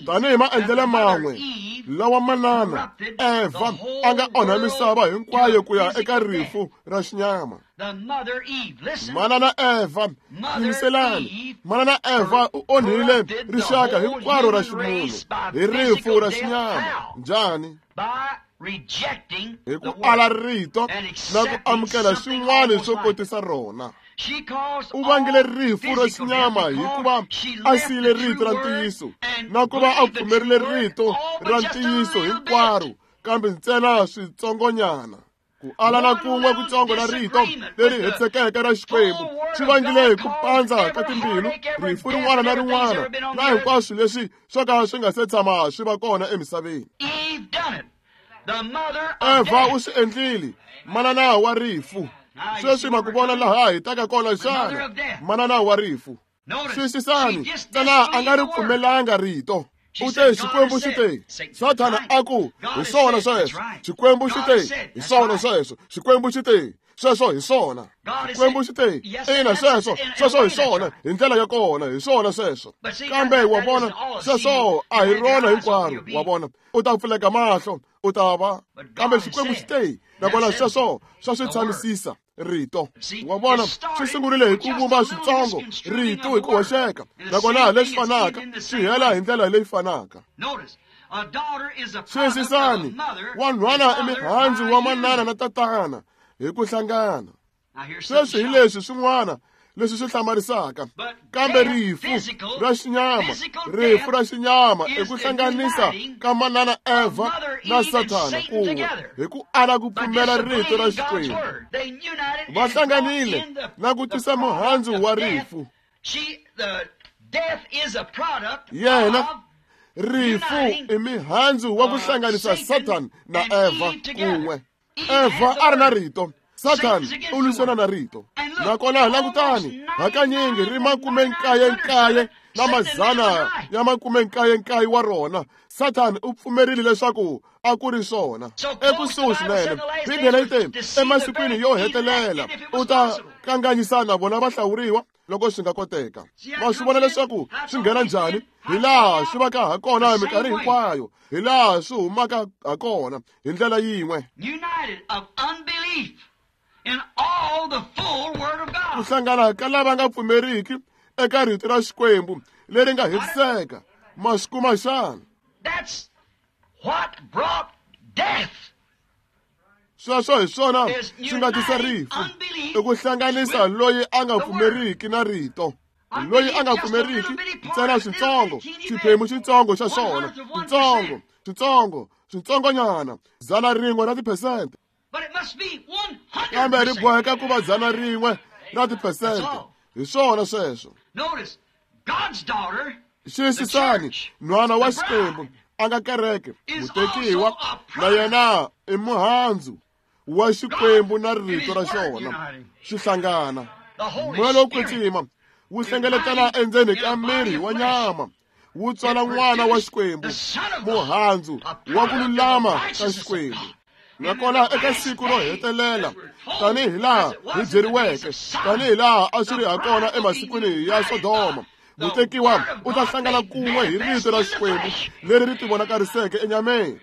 Tanihi maendlelo man'we lawa manana Eva a nga onha misava hinkwayo ku ya eka rifu ra xinyama. Manana Eva, yingiselani, manana Eva u onhile rixaka hinkwaro ra ximunhu hi rifu ra xinyama. Njhani? Hi ku ala rito na ku amukela swin'wana swo kotisa rona. U vangile rifu ra xinyama hikuva a siyile rito ra ntiyiso na ku va a pfumerile rito ra ntiyiso hinkwaro, kambe ntsena switsongonyana. Ku ala na kun'we kutsongo na rito leri hetisekeke ra Xikwembu swi vangile hi ku pandza ka timbilu, rifu rin'wana na rin'wana na hinkwaswo leswi swo ka swi nga se tshama swi va kona emisaveni. Eva u swi endlile, manana wa rifu. Sweswi ma ku vona laha hi taka kona xana? Manana wa rifu. Twisisani, ntsena a nga ri pfumelanga rito. U te Xikwembu xi te, Sathana a ku, hi swona sweswo. Xikwembu xi te, hi swona sweswo. Xikwembu xi te, sweswo hi swona. Xikwembu xi te, ina sweswo, sweswo hi swona, hi ndlela ya kona, hi swona sweswo. Kambe wa vona, sweswo a hi rona hinkwaro, wa vona. U ta pfuleka mahlo, u ta va. Kambe Xikwembu xi te, nakona sweswo swa swi tshamisisa rito. Wa vona, swi sungurile hi ku vumba switsongo rito hi ku hoxeka, nakona leswi fanaka swi hela hi ndlela leyi fanaka. Twisisani, wanhwana i mihandzu wa manana na tatana hi ku hlangana. Sweswi hi leswi swin'wana leswi swi hlamarisaka, kambe rifu ra xinyama, rifu ra xinyama i ku hlanganisa ka manana Eva na Sathana kun'we hi ku ala ku pfumela rito ra Xikwembu. Va hlanganile na ku tisa muhandzu wa rifu. Yena rifu i mihandzu wa ku hlanganisa Satan na Eva kun'we. Eva a ri na rito, Satan u lwisana na rito. Nakona langutani, hakanyingi ri 99 na mazana ya 99 wa rona. Sathani u pfumerile leswaku a ku ri swona. Ekusuhi swinene, Bibele yi te emasikwini yo hetelela u ta kanganyisana vona vahlawuriwa loko swi nga koteka. Ma swi vona leswaku swi nghena njhani, hi laha swi vaka ha kona minkarhi hinkwayo, hi laha swi humaka ha kona hi ndlela yin'we. Ku hlangana ka lava nga pfumeriki eka rito ra Xikwembu leri nga hetiseka. Ma swi kuma xana? Sweswo hi swona swi nga tisa rifu, i ku hlanganisa loyi a nga pfumeriki na rito. Loyi a nga pfumeriki ntsena switsongo, xiphemu xitsongo xa xona, switsongo, switsongo, switsongonyana, 100 ra tiphesente. Kambe ri boheka ku va 100 ra tiphesente. Hi swona sweswo. Xiyisisani, nhwana wa Xikwembu a nga kereke, mutekiwa na yena i muhandzu wa Xikwembu na rito ra xona swi hlangana. Moya lowo kwetsima wu hlengeletana endzeni ka miri wa nyama, wu tswala n'wana wa Xikwembu, muhandzu wa ku lulama ka Xikwembu. Nakona eka siku ro hetelela, tanihi laha hi byeriweke, tanihi laha a swi ri ha kona emasikwini ya Sodoma, mutekiwa u ta hlangana kun'we hi rito ra Xikwembu leri ri tivonakariseke enyameni.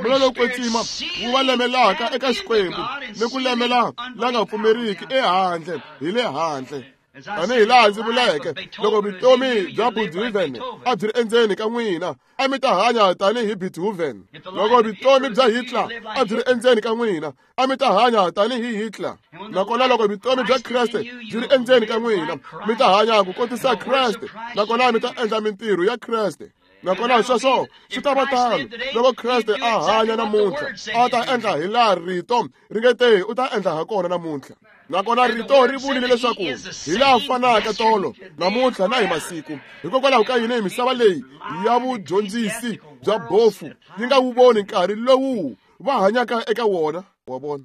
Moya lowo kwetsima wu va lemelaka eka Xikwembu ni ku lemela la nga pfumeriki ehandle hi le handle. Tanihi laha ndzi vuleke, loko vutomi bya Beethoven a byi ri endzeni ka n'wina, a mi ta hanya tanihi Beethoven. Loko vutomi bya Hitler a byi ri endzeni ka n'wina, a mi ta hanya tanihi Hitler. Nakona loko vutomi bya Kreste byi ri endzeni ka n'wina, mi ta hanya ku kotisa Kreste, nakona mi ta endla mintirho ya Kreste. Nakona sweswo swi ta va tano loko Kreste a hanya namuntlha, a ta endla hi laha rito ri nge te u ta endla ha kona namuntlha. Nakona rito ri vurile leswaku hi laha fanaka tolo, namuntlha na hi masiku. Hikokwalaho ka yini misava leyi ya vudyondzisi bya bofu yi nga wu voni nkarhi lowu va hanyaka eka wona? Wa vona,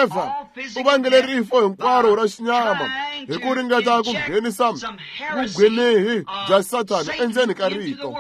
Eva u vangele rifo hinkwaro ra xinyama hi ku ringeta ku nghenisa vugwinehi bya Sathana endzeni ka rito.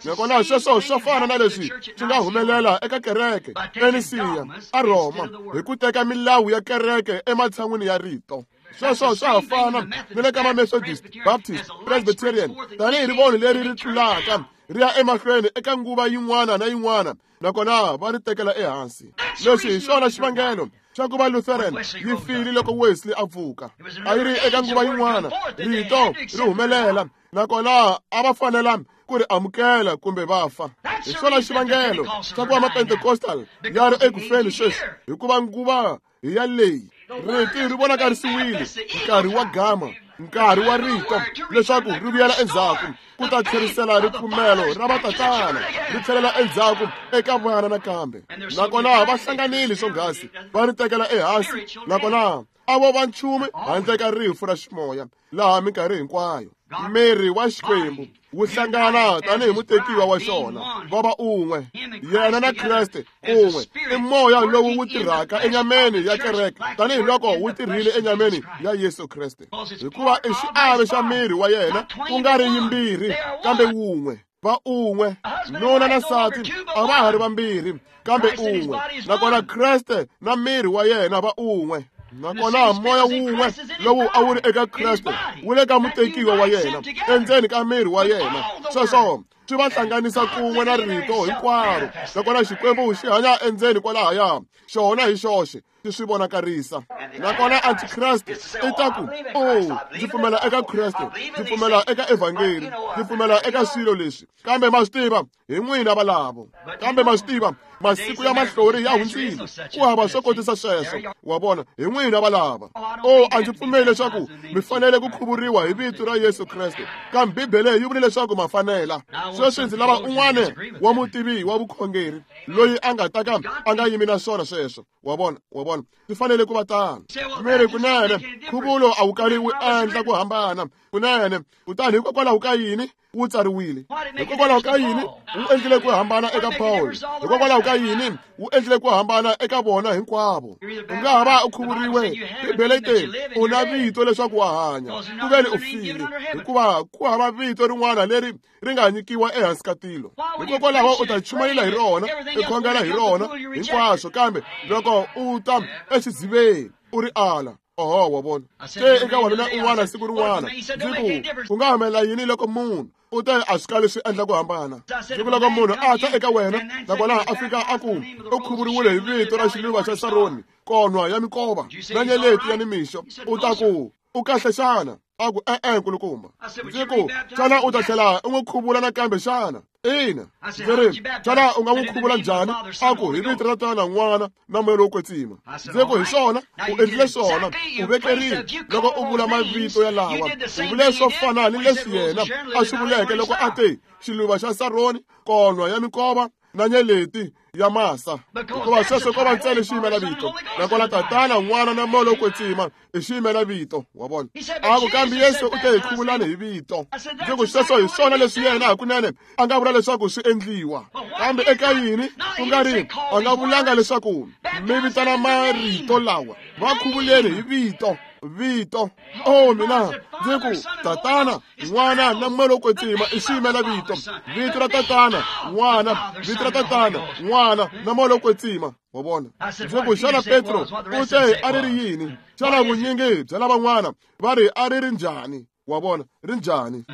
Nakona sweswo swa fana na leswi swi nga humelela eka kereke eNisiya a Rhoma hi ku teka milawu ya kereke ematshan'wini ya rito. Sweswo swa ha fana ni le ka ma-Methodist, Baptist, Presbyterian, tanihi rivoni leri ri tlulaka ri ya emahlweni eka nguva yin'wana na yin'wana, nakona va ri tekela ehansi. Leswi hi xona xivangelo xa ku va Lutheran yi file loko Wesley a pfuka. A yi ri eka nguva yin'wana, rito ri humelela, nakona a va fanela ku ri amukela kumbe va fa. Hi xona xivangelo xa ku va ma-Pentecostal ya ri eku feni sweswi, hikuva nguva hi ya leyi. Rito ri vonakarisiwile, nkarhi wa gama, nkarhi wa rito leswaku ri vuyela endzhaku ku ta tlherisela ripfumelo ra vatatana, ri tlhelela endzhaku eka vana nakambe. Nakona va hlanganile swonghasi, va ri tekela ehansi, nakona a vo va nchumu handle ka rifu ra ximoya laha minkarhi hinkwayo. Miri wa Xikwembu wu hlangana tanihi mutekiwa wa xona, va va un'we, yena na Kreste kun'we. I moya lowu wu tirhaka enyameni ya kereke tanihiloko wu tirhile enyameni ya Yesu Kreste, hikuva i xiave xa miri wa yena, ku nga ri yimbirhi kambe wun'we. Va un'we, nuna na nsati a va ha ri vambirhi kambe un'we. Nakona Kreste na miri wa yena va un'we. Nakona moya wun'we lowu a wu ri eka Kreste wu le ka mutekiwa wa yena, endzeni ka miri wa yena. Sweswo swi va hlanganisa kun'we na rito hinkwaro. Nakona Xikwembu xi hanya endzeni kwalahaya, xona hi xoxe xi swi vonakarisa. Nakona Antikreste i ta ku, "Oh, ndzi pfumela eka Kreste, ndzi pfumela eka Evhangeli, ndzi pfumela eka swilo leswi." Kambe ma swi tiva, hi n'wina valavo. Kambe ma swi tiva, masiku ya mahlori ya hundzile, ku hava swo kotisa sweswo. Wa vona, hi n'wina valava. Oh, a ndzi pfumeli leswaku mi fanele ku khuvuriwa hi vito ra Yesu Kreste, kambe Bibele yi vule leswaku ma fanela. Sweswi ndzi lava un'wana wa mutivi wa vukhongeri loyi a nga ta ka a nga yimi na swona sweswo. Wa vona, wa vona, swi fanele ku va tano. Miri kunene, nkhuvulo a wu kali wu endla ku hambana kunene. Kutani hikokwalaho ka yini wu tsariwile. Hikokwalaho ka yini wu endlile ku hambana eka Paul? Hikokwalaho ka yini wu endlile ku hambana eka vona hinkwavo? U nga ha va u khuvuriwe, Bibele yi te u na vito leswaku wa hanya, ku veni u file, hikuva ku hava vito rin'wana leri ri nga nyikiwa ehansi ka tilo. Hikokwalaho u ta chumayela hi rona, u khongela hi rona hinkwaswo, kambe loko u ta exidziveni u ri ala. Oho, wa vona. Te eka wanuna un'wana siku rin'wana, ndzi ku, ku nga humelela yini loko munhu u te a swi kali swi endla ku hambana? Ndzi ku loko munhu a ta eka wena nakona a fika a ku u khuvuriwile hi vito ra xiluva xa Saroni, konwa ya minkova na nyeleti ya nimixo, u ta ku u kahle xana? A ku e-e, nkulukumba. Ndzi ku xana u ta tlhela u n'wi khuvula nakambe xana? Ina. Ndzi ri xana u nga n'wi khuvula njhani? A ku hi vito ra Tatana, N'wana na Moya lowo Kwetsima. Ndzi ku hi swona, u endlile swona, u vekerile loko u vula mavito ya lawa, u vule swo fana ni leswi yena a swi vuleke loko a te xiluva xa Saroni, konwa ya minkova na nyeleti ya masa, hikuva sweswo ko va ntsena xiyimela vito, nakona Tatana, N'wana na Moya lowo Kwetsima i xiyimela vito. Wa vona? A ku kambe Yesu u te hi khuvulani hi vito. Ndzi ku sweswo hi swona leswi yena hakunene a nga vula leswaku swi endliwa, kambe eka yini ku nga ri a nga vulanga leswaku mi vitana marito lawa, va khuvuleni hi vito. Vito. Oh, mina ndzi ku Tatana, N'wana na Moya lowo Kwetsima i xiyimela vito. Vito ra Tatana, N'wana, vito ra Tatana, N'wana na Moya lowo Kwetsima. Wa vona? Ndzi ku xana Petro u te a ri ri yini? Xana vunyingi bya lavan'wana va ri a ri ri njhani? Wa vona, ri njhani?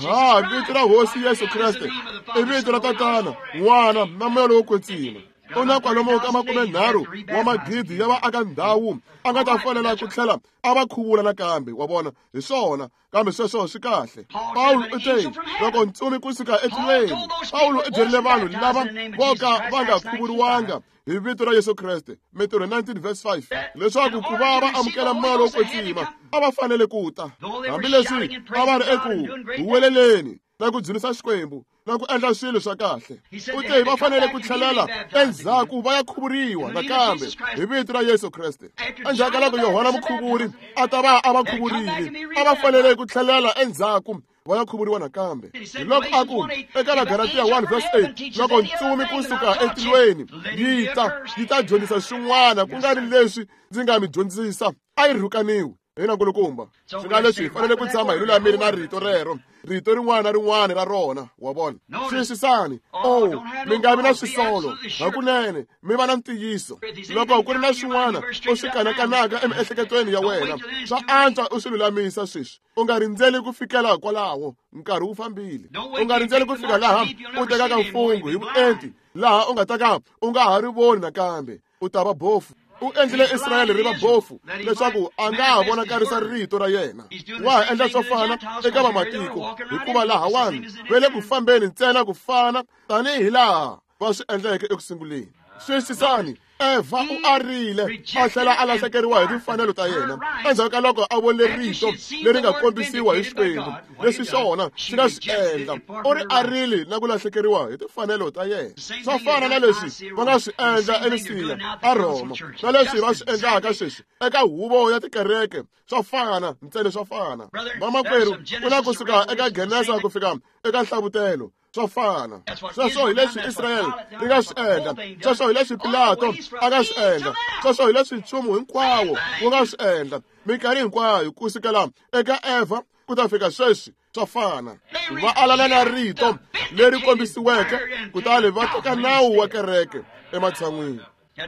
Ha, vito ra Hosi Yesu Kreste i vito ra Tatana, N'wana na Moya lowo Kwetsima. U na kwalomu ka 30 wa magidi ya vaaka ndhawu a nga ta fanela ku tlhela a va khuvula nakambe. Wa vona, hi swona, kambe sweswo swi kahle. Pawulo u te loko ntsumi kusuka etilweni, Pawulo u byerile vanhu lava vo ka va nga khuvuriwanga hi vito ra Yesu Kreste, Mintirho 19 verse 5, leswaku ku va va amukela Moya lowo Kwetsima a va fanele ku ta, hambileswi a va ri eku huweleleni na ku dzunisa Xikwembu na ku endla swilo swa kahle. U te va fanele ku tlhelela endzhaku va ya khuvuriwa nakambe hi vito ra Yesu Kreste. Endzhaku ka loko Yohana Mukhuvuri a ta va a va khuvurile, a va fanele ku tlhelela endzhaku va ya khuvuriwa nakambe. Hi loko a ku eka Vagalatiya 1 verse 8, loko ntsumi kusuka etilweni yi ta yi ta dyondzisa swin'wana ku nga ri leswi ndzi nga mi dyondzisa, a yi rhukaniwe. Hina nkulukumba, swi nga leswi hi fanele ku tshama hi lulamile na rito rero, rito rin'wana na rin'wana ra rona. Wa vona? Xiyisisani. Oh, mi nga vi na swisolo, hakunene mi va na ntiyiso. Loko ku ri na swin'wana u swi kanakanaka emiehleketweni ya wena, swa antswa u swi lulamisa sweswi. U nga rindzeli ku fikela kwalaho, nkarhi wu fambile. U nga rindzeli ku fika laha u tekaka mfungho hi vuenti, laha u nga ta ka u nga ha ri voni nakambe, u ta va bofu. U endlile Israyele ri va bofu leswaku a nga ha vonakarisa rito ra yena. Wa ha endla swo fana eka vamatiko, hikuva lahawani va le ku fambeni ntsena ku fana tanihi laha va swi endleke eku sunguleni. Xiyisisani, Eva u arile a tlhela a lahlekeriwa hi timfanelo ta yena endzhaku ka loko a vone rito leri nga kombisiwa hi Xikwembu leswi xona xi nga swi endla. U ri arile na ku lahlekeriwa hi timfanelo ta yena. Swa fana na leswi va nga swi endla eLisiya, a Rhoma, na leswi va swi endlaka sweswi eka huvo ya tikereke. Swa fana ntsena, swa fana. Vamakwerhu, ku na kusuka eka Genesa ku fika eka Nhlavutelo, swa fana. Sweswo hi leswi Israyele ri nga swi endla, sweswo hi leswi Pilato a nga swi endla, sweswo hi leswi nchumu hinkwawo wu nga swi endla minkarhi hinkwayo kusukela eka Eva ku ta fika sweswi. Swa fana. Va alana na rito leri kombisiweke, kutani va teka nawu wa kereke ematshan'wini.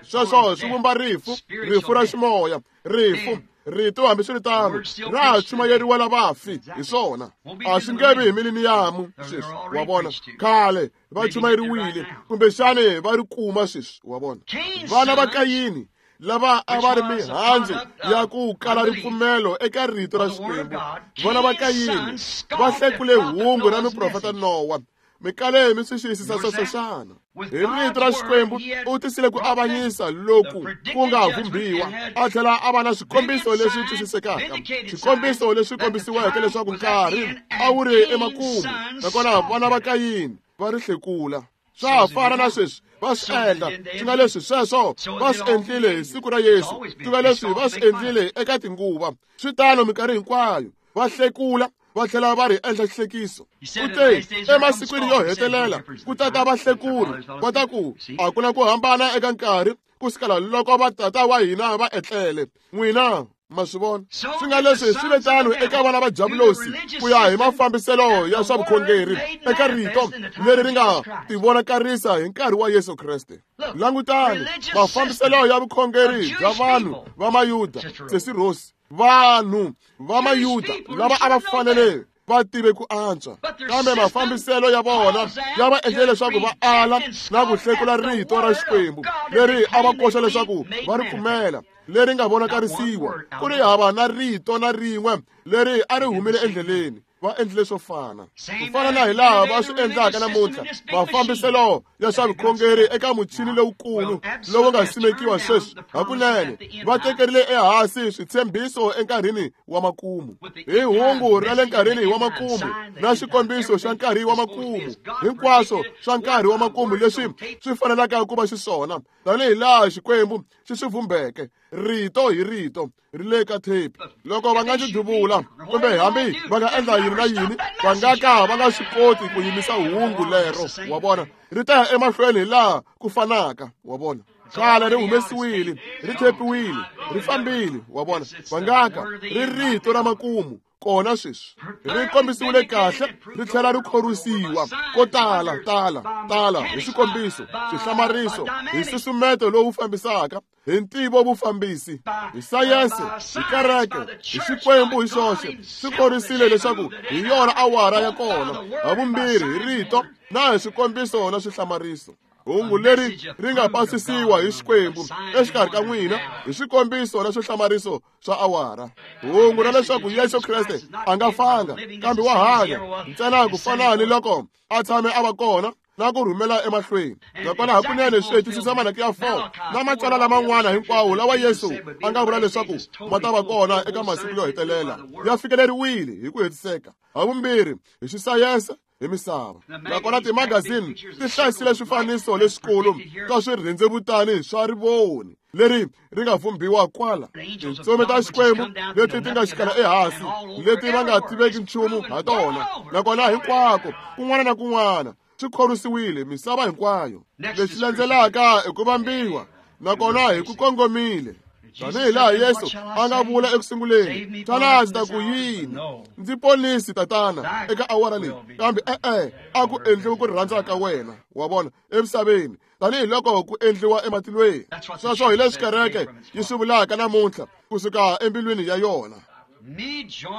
Sweswo swi vumba rifu, rifu ra ximoya, rifu. Rito hambiswiritano ra ha chumayeriwa lavafi hi swona, a swi nge vi hi miliniyamu sweswi. Wa vona, khale va chumayeriwile, kumbexani va ri kuma sweswi. Wa vona, vana va Kayini lava a va ri mihandzu ya ku kala ripfumelo eka rito ra Xikwembu, vana va Kayini va hlekule hungu ra muprofeta Nowa. Mi kale mi swi xiyisisa sweswo xana? Hi rito ra Xikwembu u tisile ku avanyisa loku ku nga vhumbiwa, a tlhela a va na swikombiso leswi twisisekaka, swikombiso leswi kombisiweke leswaku nkarhi a wu ri emakumu, nakona vana va Kayini va ri hlekula. Swa ha fana na sweswi va swi endla, swi nga leswi sweswo va swi endlile hi siku ra Yesu, swi nga leswi va swi endlile eka tinguva. Swi tano minkarhi hinkwayo, va hlekula, va tlhela va ri endla xihlekiso. U te emasikwini yo hetelela ku tata vahlekuri va ta ku a ku na ku hambana eka nkarhi ku sukela loko vatata wa hina va etlele. N'wina ma swi vona swi nga leswi swi ve tano eka vana va Javulosi ku ya hi mafambiselo ya swa vukhongeri eka rito leri ri nga tivonakarisa hi nkarhi wa Yesu Kreste. Langutani mafambiselo ya vukhongeri bya vanhu va Mayuda, Sesi Rose, vanhu va Mayuda lava a va fanele va tive ku antswa, kambe mafambiselo ya vona ya va endlile leswaku va ala na ku hlekula rito ra Xikwembu leri a va koxa leswaku va ri pfumela, leri nga vonakarisiwa ku ri hava na rito na rin'we leri a ri humile endleleni. Va endlile swo fana ku fana na hi laha va swi endlaka namuntlha. Mafambiselo ya swa vukhongeri eka muchini lowukulu lowu nga simekiwa sweswi hakunene va tekerile ehansi switshembiso enkarhini wa makumu, hi hungu ra le nkarhini wa makumu na xikombiso xa nkarhi wa makumu, hinkwaswo swa nkarhi wa makumu leswi swi fanelaka ku va xiswona tanihi laha Xikwembu xi swi vumbeke rito hi rito ri le ka thepi. Loko va nga ndzi duvula kumbe hambi va nga endla yini na yini, va nga ka va nga swi koti ku yimisa hungu lero. Wa vona, ri ta ya emahlweni hi laha ku fanaka. Wa vona, khale ri humesiwile, ri thepiwile, ri fambile. Wa vona, va nga ka ri rito ra makumu kona sweswi ri kombisiwile kahle, ri tlhela ri khorwisiwa ko tala tala tala hi swikombiso, swihlamariso, hi nsusumeto lowu fambisaka, hi ntivo vufambisi, hi sayense, hi kereke, hi Xikwembu hi xoxe. Swi khorwisile leswaku hi yona awara ya kona, havumbirhi hi rito na hi swikombiso na swihlamariso. Hungu leri ri nga pasisiwa hi Xikwembu exikarhi ka n'wina hi swikombiso na swihlamariso swa awara. Hungu ra leswaku Yesu Kreste a nga fanga kambe wa hanya ntsena ku fana ni loko a tshame a va kona na ku rhumela emahlweni. Nakona hakunene swi hetisisa Malaki ya 4 na matsalwa laman'wana hinkwawo lawa Yesu a nga vula leswaku ma ta va kona eka masiku yo hetelela ya fikeleriwile hi ku hetiseka, havumbirhi hi xisayense hi misava. Nakona timagazini ti hlayisile swifaniso leswikulu swa swirhendzevutani swa rivoni leri ri nga vumbiwa kwala. Tintsumi ta Xikwembu leti ti nga xikala ehansi, leti va nga tiveki nchumu ha tona, nakona hinkwako kun'wana na kun'wana swi khorwisiwile misava hinkwayo. Leswi landzelaka i ku vambiwa, nakona hi ku kongomile tanihi laha Yesu a nga vula eku sunguleni, xana ndzi ta ku yini? Ndzi ponisi Tatana eka awara leyi, kambe e-e a ku endliwi ku rhandza ka wena. Wa vona, emisaveni tanihi loko ku endliwa ematilweni. Sweswo hi leswi kereke yi swi vulaka namuntlha kusuka embilwini ya yona.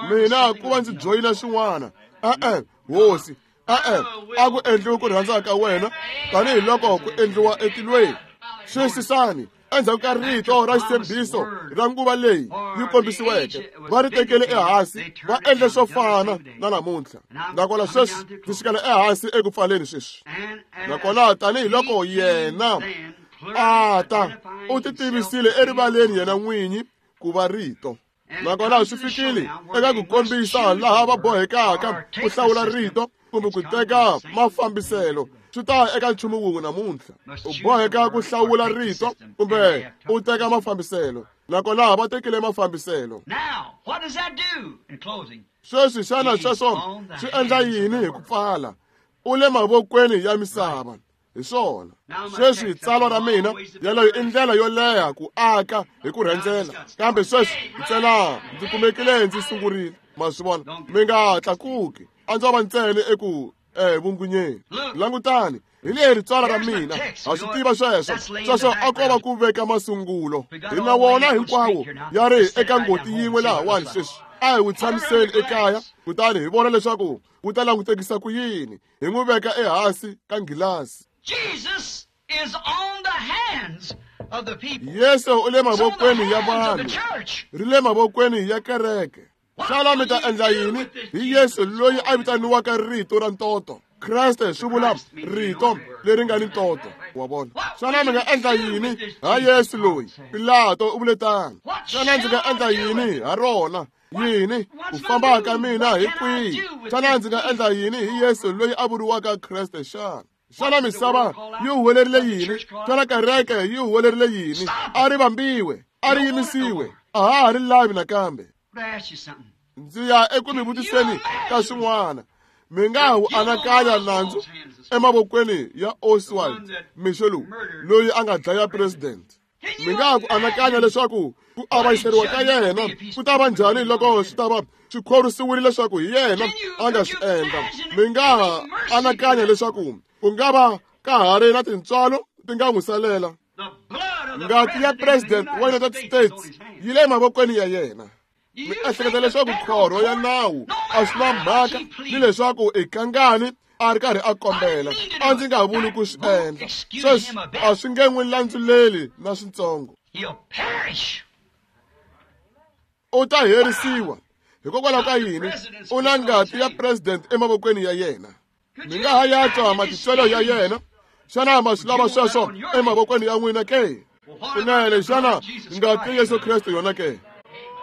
Mina ku va ndzi joyina swin'wana, e-e hosi, e-e a ku endliwi ku rhandza ka wena tanihi loko ku endliwa etilweni. Xiyisisani, endzhaku ka rito ra xitshembiso ra nguva leyi yi kombisiweke, va ri tekele ehansi, va endle swo fana na namuntlha. Nakona sweswi ndzi xikela ehansi eku pfaleni sweswi. Nakona tanihi loko yena a ta, u ti tivisile erivaleni yena n'winyi ku va rito. Nakona swi fikile eka ku kombisa laha va bohekaka ku hlawula rito kumbe ku teka mafambiselo. Swi ta eka nchumu wun'we namuntlha, u boheka ku hlawula rito kumbe u teka mafambiselo. Nakona va tekile mafambiselo. Sweswi xana sweswo swi endla yini hi ku pfala? U le mavokweni ya misava. Hi swona sweswi tsalwa ra mina yaleyo i ndlela yo leha ku aka hi ku rhendzela, kambe sweswi ntsena ndzi kumekile ndzi sungurile. Ma swi vona, mi nga tlakuki, a ndzo va ntsena eku vungunyeni. Langutani, hi leri tsalwa ra mina, ha swi tiva sweswo. Sweswo a ko va ku veka masungulo. Hi na wona hinkwawo ya ri eka ngoti yin'we lahawani sweswi. A hi wu tshamiseni ekaya kutani hi vona leswaku wu ta langutekisa ku yini. Hi n'wi veka ehansi ka nghilasi. Yesu u le mavokweni ya vanhu, ri le mavokweni ya kereke. Xana mi ta endla yini hi Yesu loyi a vitaniwaka rito ra ntoto? Kreste swi vula rito leri nga ni ntoto. Wa vona, xana mi nga endla yini ha Yesu loyi? Pilato u vule tano. Xana ndzi nga endla yini ha rona? Yini ku famba ka mina hi kwihi? Xana ndzi nga endla yini hi Yesu loyi a vuriwaka Kreste xana? Xana misava yi huwelerile yini? Xana kereke yi huwelerile yini? A ri vambiwe, a ri yimisiwe, a ha ha ri lavi nakambe. Ndzi ya eku mi vutiseni ka swin'wana. Mi nga wu anakanya nandzu emavokweni ya Oswald mixo lowu, loyi a nga dlaya president. Mi nga ku anakanya leswaku ku avanyiseriwa ka yena ku ta va njhani loko swi ta va swi khorwisiwile leswaku hi yena a nga swi endla. Mi nga anakanya leswaku ku nga va ka ha ri na tintswalo ti nga n'wi salela. Ngati ya president wa United States yi le mavokweni ya yena. Mi ehleketa leswaku khorho ya nawu a swi na mhaka ni leswaku i kangani a ri karhi a kombela. A ndzi nga vuli ku swi endla. Sweswi a swi nge n'wi landzuleli na switsongo. U ta herisiwa. Hikokwalaho ka yini? U na ngati ya president emavokweni ya yena. Mi nga ha ya twa matitwelo ya yena. Xana ma swi lava sweswo emavokweni ya n'wina ke? Kunene, xana ngati ya Yesu Kreste yona ke?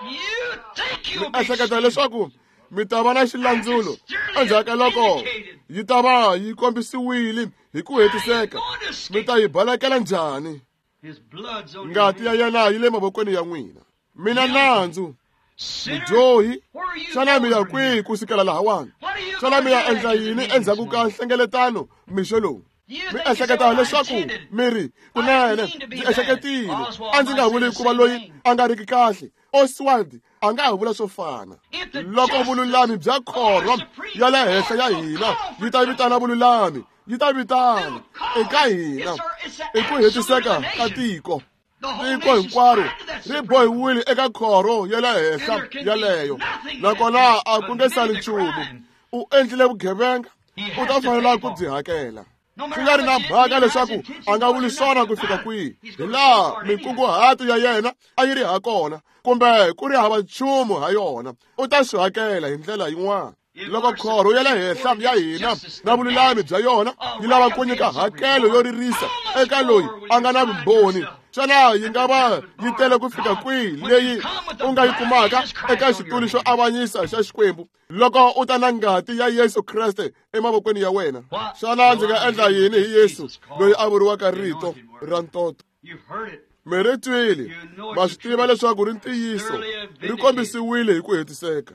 Mi ehleketa leswaku mi ta va na xilandzulo endzhaku ka loko yi ta va yi kombisiwile hi ku hetiseka. Mi ta yi balekela njhani? Ngati ya yena yi le mavokweni ya n'wina. Mina nandzu, mudyohi, xana mi ya kwihi ku sukela lahawani? Xana mi ya endla yini endzhaku ka nhlengeletano mixo lowu? Mi ehleketa leswaku mi ri, kunene ndzi ehleketile, a ndzi nga vuli ku va loyi a nga riki kahle. Oswald a nga ha vula swo fana. Loko vululami bya khorho ya le henhla ya hina yi ta vitana vululami, yi ta vitana eka hina i ku hetiseka ka tiko. Tiko hinkwaro ri bohiwile eka khorho ya le henhla yaleyo, nakona a ku nge sali nchumu. U endlile vugevenga, u ta fanela ku byi hakela. Swi nga ri na mhaka leswaku a nga vuli swona ku fika kwihi, hi laha minkunguhato ya yena a yi ri ha kona, kumbe ku ri hava nchumu ha yona, u ta swi hakela hi ndlela yin'wana. Loko khorho ya le henhla ya hina na vululami bya yona yi lava ku nyika hakelo yo ririsa eka loyi a nga na vumbhoni, xana yi nga va yi tele ku fika kwihi leyi u nga yi kumaka eka xitulu xo avanyisa xa Xikwembu loko u ta na ngati ya Yesu Kreste emavokweni ya wena? Xana ndzi nga endla yini hi Yesu loyi a vuriwaka Rito ra Ntoto? Mi ri twile, ma swi tiva leswaku ri ntiyiso, ri kombisiwile hi ku hetiseka.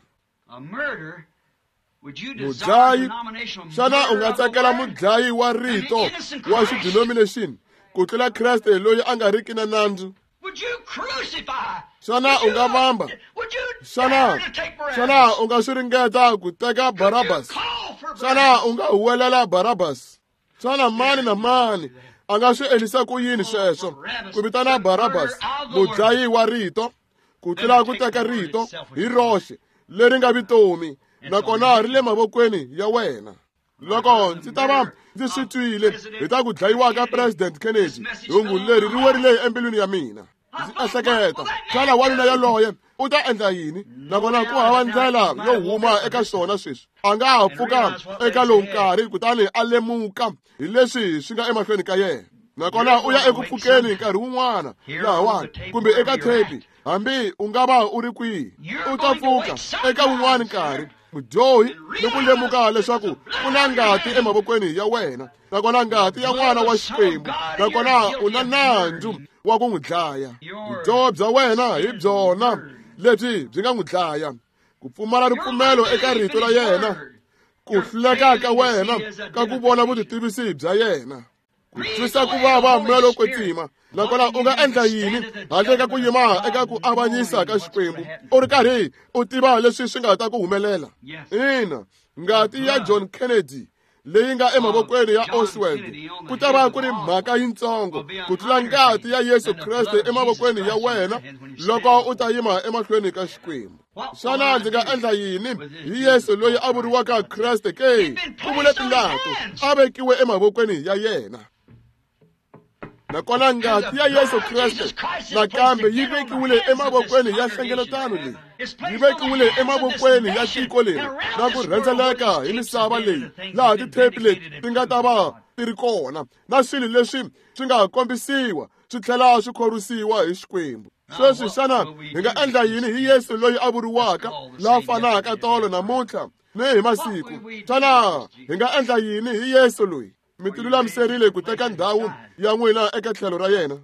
Mudlayi, xana u nga tsakela mudlayi wa rito wa xidenomination ku tlula Kreste loyi a nga riki na nandzu? Xana u nga vamba? Xana u nga swi ringeta ku teka Barabbas? Xana u nga huwelela Barabbas? Xana mani na mani a nga swi endlisa ku yini sweswo, ku vitana Barabbas mudlayi wa rito ku tlula ku teka rito hi roxe leri nga vutomi, nakona ri le mavokweni ya wena? Loko ndzi ta va ndzi swi twile hi ta ku dlayiwa ka President Kennedy, hungu leri ri werile embilwini ya mina. Ndzi ehleketa, xana wanuna yaloye u ta endla yini? Nakona ku hava ndlela yo huma eka swona sweswi. A nga ha pfuka eka lowu nkarhi kutani a lemuka hi leswi swi nga emahlweni ka yena. Nakona u ya eku pfukeni nkarhi wun'wana lahawani, kumbe eka thepi, hambi u nga va u ri kwihi, u ta pfuka eka wun'wana nkarhi, mudyohi, ni ku lemuka leswaku ku na ngati emavokweni ya wena, nakona ngati ya n'wana wa Xikwembu, nakona u na nandzu wa ku n'wi dlaya. Vudyoho bya wena hi byona lebyi byi nga n'wi dlaya. Ku pfumala ripfumelo eka rito ra yena, ku hluleka ka wena ka ku vona vutitivisi bya yena, ku twisa ku vava moya lowo kwetsima. Nakona u nga endla yini handle ka ku yima eka ku avanyisa ka Xikwembu u ri karhi u tiva leswi swi nga ta ku humelela? Ina, ngati ya John Kennedy leyi nga emavokweni ya Oswald ku ta va ku ri mhaka yitsongo ku tlula ngati ya Yesu Kreste emavokweni ya wena loko u ta yima emahlweni ka Xikwembu. Xana ndzi nga endla yini hi Yesu loyi a vuriwaka Kreste ke? Ku vule Pilato, a vekiwe emavokweni ya yena. Nakona ngati ya Yesu Kreste nakambe yi vekiwile emavokweni ya nhlengeletano leyi, yi vekiwile emavokweni ya tiko leri na ku rhendzeleka hi misava leyi, laha tithepi leti ti nga ta va ti ri kona na swilo leswi swi nga kombisiwa swi tlhela swi khorwisiwa hi Xikwembu. Sweswi xana hi nga endla yini hi Yesu loyi a vuriwaka la fanaka tolo namuntlha ni hi masiku? Xana hi nga endla yini hi Yesu loyi? Mi tilulamiserile ku teka ndhawu ya n'wina eka tlhelo ra yena?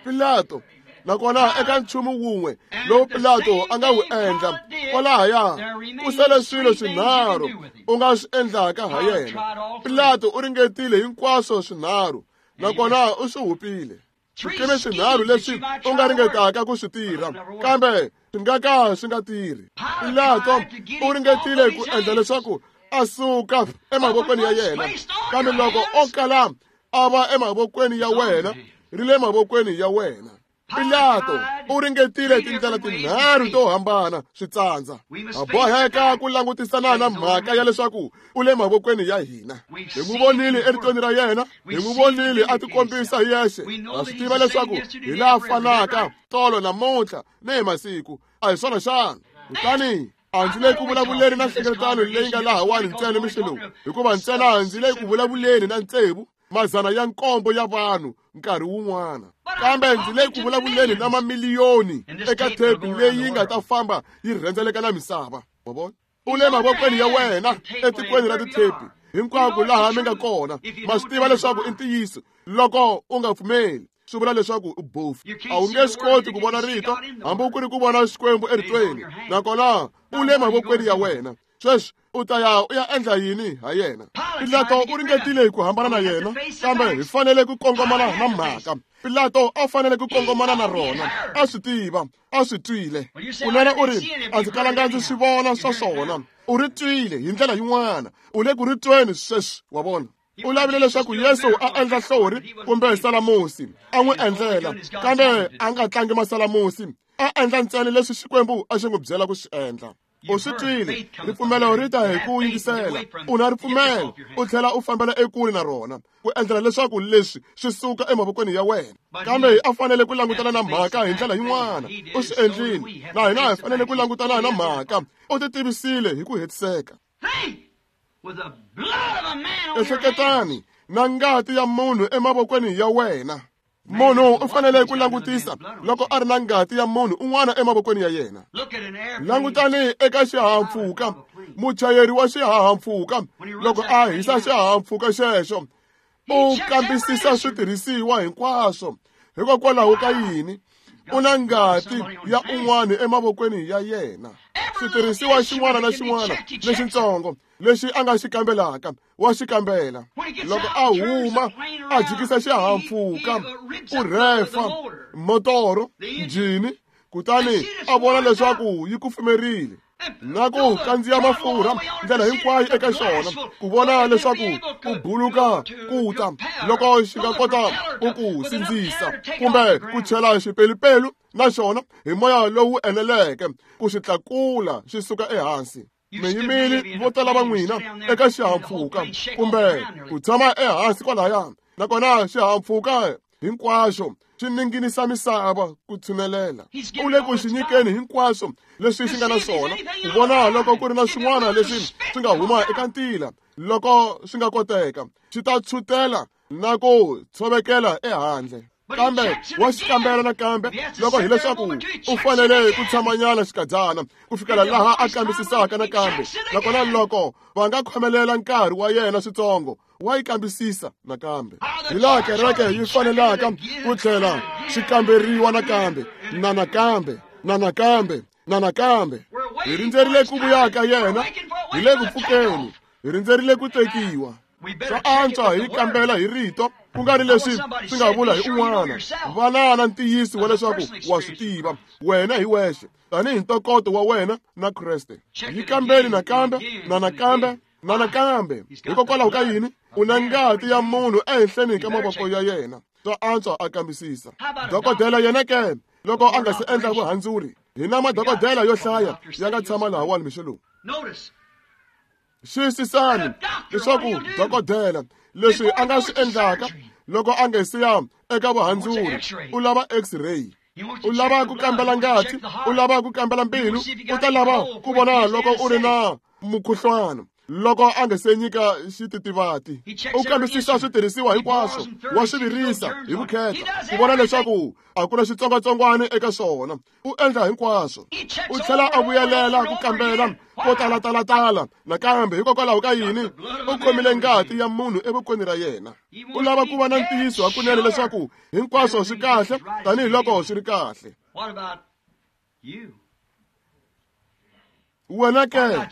Pilato, nakona eka nchumu wun'we lowu Pilato a nga wu endla, Kwalahaya ku sele swilo swinharhu u nga swi endlaka ha yena. Pilato u ringetile hinkwaswo swinharhu, nakona u swi hupile. Swikimi swinharhu leswi u nga ringetaka ku swi tirha, kambe swi nga ka swi nga tirhi. Pilato u ringetile ku endla leswaku a suka emavokweni ya yena, kambe loko o kala a va emavokweni ya wena, ri le mavokweni ya wena. Pilato u ringetile tindlela tinharhu to hambana swi tsandza. Ha boheka ku langutisana na mhaka ya leswaku u le mavokweni ya hina. Hi n'wi vonile eritweni ra yena, hi n'wi vonile a tikombisa hi yexe. Ha swi tiva leswaku hi laha fanaka tolo namuntlha ni hi masiku. A hi swona xana? Kutani a ndzi le ku vulavuleni na nhlengeletano leyi nga lahawani ntsena mixo lowu, hikuva ntsena ndzi le ku vulavuleni na tsevu 700 ya vanhu nkarhi wun'wana, kambe ndzi le ku vulavuleni na mamiliyoni eka thepi leyi nga ta famba yi rhendzeleka na misava. Wa vona? U le mavokweni ya wena etikweni ra tithepi hinkwako laha mi nga kona. Ma swi tiva leswaku i ntiyiso. Loko u nga pfumeli, swi vula leswaku u bofu. A wu nge swi koti ku vona rito hambi ku ri ku vona Xikwembu eritweni, nakona u le mavokweni ya wena. Sweswi u ta ya u ya endla yini ha yena? Pilato u ringetile ku hambana na yena, kambe hi fanele ku kongomana na mhaka. Pilato a fanele ku kongomana na rona. A swi tiva, a swi twile. Kunene u ri, a ndzi kalanga ndzi swi vona swa swona. U ri twile hi ndlela yin'wana. U le ku ri tweni sweswi, wa vona. U lavile leswaku Yesu a endla hlori kumbe salamusi, a n'wi endlela, kambe a nga tlangi masalamusi, a endla ntsena leswi Xikwembu a xi n'wi byela ku swi endla. U swi twile, ripfumelo ri ta hi ku yingisela. U na ripfumelo, u tlhela u fambela ekule na rona, ku endlela leswaku leswi swi suka emavokweni ya wena. Kambe a fanele ku langutana na mhaka hi ndlela yin'wana. U swi endlile, na hina hi fanele ku langutana na mhaka. U ti tivisile hi ku hetiseka. Ehleketani na ngati ya munhu emavokweni ya wena. Munhu u fanele ku langutisa loko a ri na ngati ya munhu un'wana emavokweni ya yena. Langutani eka xihahampfhuka, muchayeri wa xihahampfhuka loko a hisa xihahampfhuka xexo, u kambisisa switirhisiwa hinkwaswo. Hikokwalaho ka yini? U na ngati ya un'wana emavokweni ya yena. Switirhisiwa xin'wana na xin'wana lexitsongo lexi a nga xi kambelaka, wa xi kambela. Loko a huma a jikisa xihahampfhuka, u rhefa motoro, njhini, kutani a vona leswaku yi kufumerile, na ku kandziya mafurha ndlela hinkwayo eka xona, ku vona leswaku ku buluka ku ta loko xi nga kota ku ku sindzisa kumbe ku chela xipelupelu na xona hi moya lowu eneleke ku xi tlakula xi suka ehansi. Mi yimile vo tala va n'wina eka xihahampfhuka kumbe ku tshama ehansi kwalaya, nakona xihahampfhuka hinkwaxo xi ninginisa misava ku tshunelela. U le ku xi nyikeni hinkwaswo leswi xi nga na swona, ku vona loko ku ri na swin'wana leswi swi nga huma eka ntila. Loko swi nga koteka, xi ta tshutela na ku tshovekela ehandle. Kambe wa xi kambela nakambe loko hileswaku u fanele ku tshamanyana xikadyana ku fikela laha a kambisisaka nakambe. Nakona loko va nga khomelela nkarhi wa yena switsongo, wa yi kambisisa nakambe. Hi laha kereke yi fanelaka ku tlhela xi kamberiwa nakambe, na nakambe, na nakambe, na nakambe. Hi rindzerile ku vuya ka yena, hi le ku pfukeni, hi rindzerile ku tekiwa. Swa antswa hi kambela hi rito, ku nga ri leswi swi nga vula hi un'wana. Vana na ntiyiso wa leswaku wa swi tiva wena hi wexe, tanihi ntokoto wa wena na Kreste. Yi kambeli nakambe, na nakambe, na nakambe. Hikokwalaho ka yini? U na ngati ya munhu ehenhleni ka mavoko ya yena. Swa antswa a kambisisa. Dokodela yena ke, loko a nga se endla vuhandzuri, hi na madokodela yo hlaya ya nga tshama lahawani mixo lowu. Xiyisisani leswaku dokodela leswi a nga swi endlaka loko a nga se ya eka vuhandzuri, u lava X-ray, u lava ku kambela ngati, u lava ku kambela mbilu, u ta lava ku vona loko u ri na mukhuhlwana. Loko a nga se nyika xititivati, u kambisisa switirhisiwa hinkwaswo, wa swi virisa hi vukheta ku vona leswaku a ku na xitsongwatsongwana eka swona. U endla hinkwaswo, u tlhela a vuyelela ku kambela ko talatala nakambe. Hikokwalaho ka yini? U khomile ngati ya munhu evokweni ra yena. U lava ku va na ntiyiso hakunene leswaku hinkwaswo swi kahle tanihiloko swi ri kahle. Wena ke,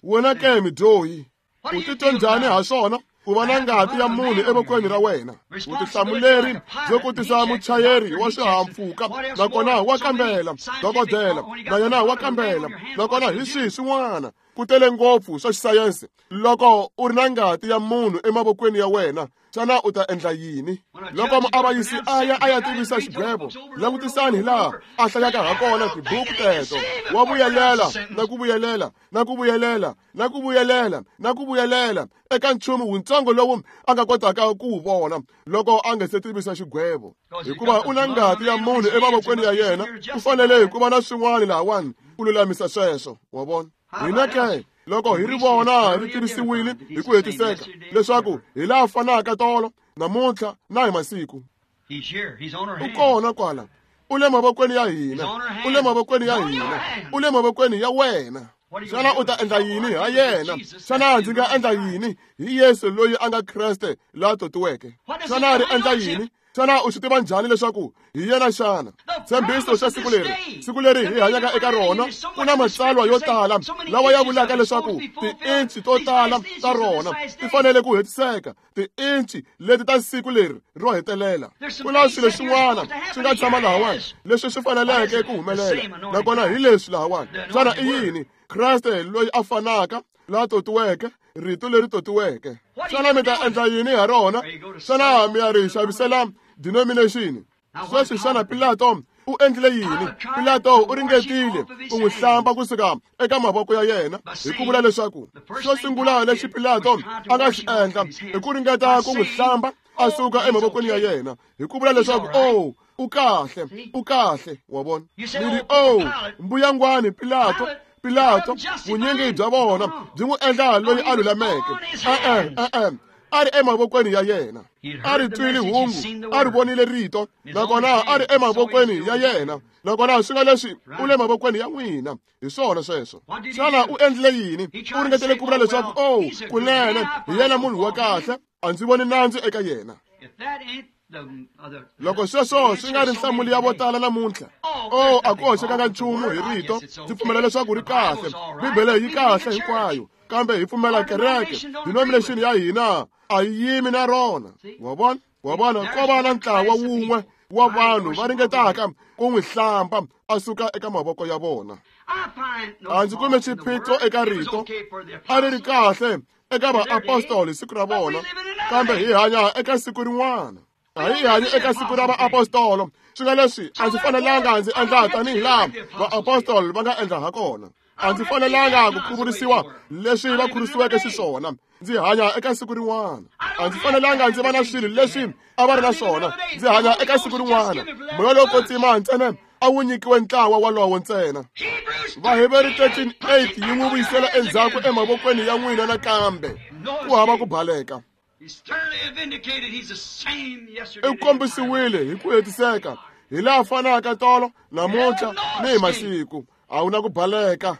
wena ke midyohi, u titwa njhani ha swona ku va na ngati ya munhu evokweni ra wena? Vutihlamuleri byo kotisa muchayeri wa swihahampfhuka, nakona wa kambela, dokodela na yena wa kambela, nakona hi swihi swin'wana ku tele ngopfu swa xisayense. Loko u ri na ngati ya munhu emavokweni ya wena, xana u ta endla yini? Loko muavanyisi a ya a ya tivisa xigwevo, langutisani hi laha a hlayaka ha kona tibuku teto. Wa vuyelela na ku vuyelela na ku vuyelela na ku vuyelela na ku vuyelela eka nchumu wutsongo lowu a nga kotaka ku wu vona loko a nga se tivisa xigwevo. Hikuva u na ngati ya munhu emavokweni ya yena, u fanele ku va na swin'wana lahawani ku lulamisa sweswo. Wa vona? Hina ke, loko hi ri vona ri tivisiwile hi ku hetiseka leswaku hi laha fanaka tolo, namuntlha na hi masiku. U kona kwala, u le mavokweni ya hina, u le mavokweni ya hina, u le mavokweni ya wena. Xana u ta endla yini ha yena? Xana ndzi nga endla yini hi Yesu loyi a nga Kreste la totiweke? Xana ri endla yini? Xana u swi tiva njhani leswaku hi yena xana? Tshembiso xa siku leri, siku leri hi hanyaka eka rona, ku na matsalwa yo tala lawa ya vulaka leswaku tiinci to tala ta rona ti fanele ku hetiseka, tiinci leti ta siku leri ro hetelela. Ku na swilo swin'wana swi nga tshama lahawani leswi swi faneleke ku humelela, nakona hi leswi lahawani. Xana i yini? Kreste loyi a fanaka la totiweke, rito leri totiweke. Xana mi ta endla yini ha rona? Xana mi ya ri xavisela denomination? Sweswi xana Pilato u endlile yini? Pilato u ringetile ku n'wi hlamba kusuka eka mavoko ya yena hi ku vula leswaku xo sungula lexi Pilato a nga xi endla i ku ringeta ku n'wi hlamba a suka emavokweni ya yena hi ku vula leswaku oh, u kahle, u kahle. Wa vona? Mi ri, oh, mbuyangwani Pilato, Pilato, vunyingi bya vona byi n'wi endla loyi a lulameke. E-e, e-e, a ri emavokweni ya yena, a ri twile hungu, a ri vonile rito, nakona a ri emavokweni ya yena, nakona swi nga leswi u le mavokweni ya n'wina. Hi swona sweswo. Xana u endlile yini? U ringetele ku vula leswaku oh, kunene hi yena munhu wa kahle, a ndzi voni nandzu eka yena. Loko sweswo swi nga ri nhlamulo ya vo tala namuntlha, oh, a ku hoxekanga nchumu hi rito, ndzi pfumela leswaku ri kahle, Bibele yi kahle hinkwayo, kambe hi pfumela kereke, denomination ya hina a yi yimi na rona. Wa vona? Wa vona? Ko va na ntlawa wun'we wa vanhu va ringetaka ku n'wi hlamba a suka eka mavoko ya vona. A ndzi kumi xiphiqo eka rito, a ri ri kahle eka vaapostoli siku ra vona, kambe hi hanya eka siku rin'wana. A hi hanyi eka siku ra vaapostolo. Swi nga leswi a ndzi fanelanga ndzi endla tanihi laha vaapostoli va nga endla ha kona. A ndzi fanelanga ku khuvurisiwa leswi va khurisiweke xiswona. Ndzi hanya eka siku rin'wana. A ndzi fanelanga ndzi va na swilo leswi a va ri na swona. Ndzi hanya eka siku rin'wana. Moya lowo kwetsima ntsena a wu nyikiwe ntlawa walowo ntsena. Vaheberi 13:8 yi n'wi vuyisela endzhaku emavokweni ya n'wina nakambe. Ku hava ku baleka. U kombisiwile hi ku hetiseka hi laha fanaka tolo, namuntlha ni hi masiku. A wu na ku baleka.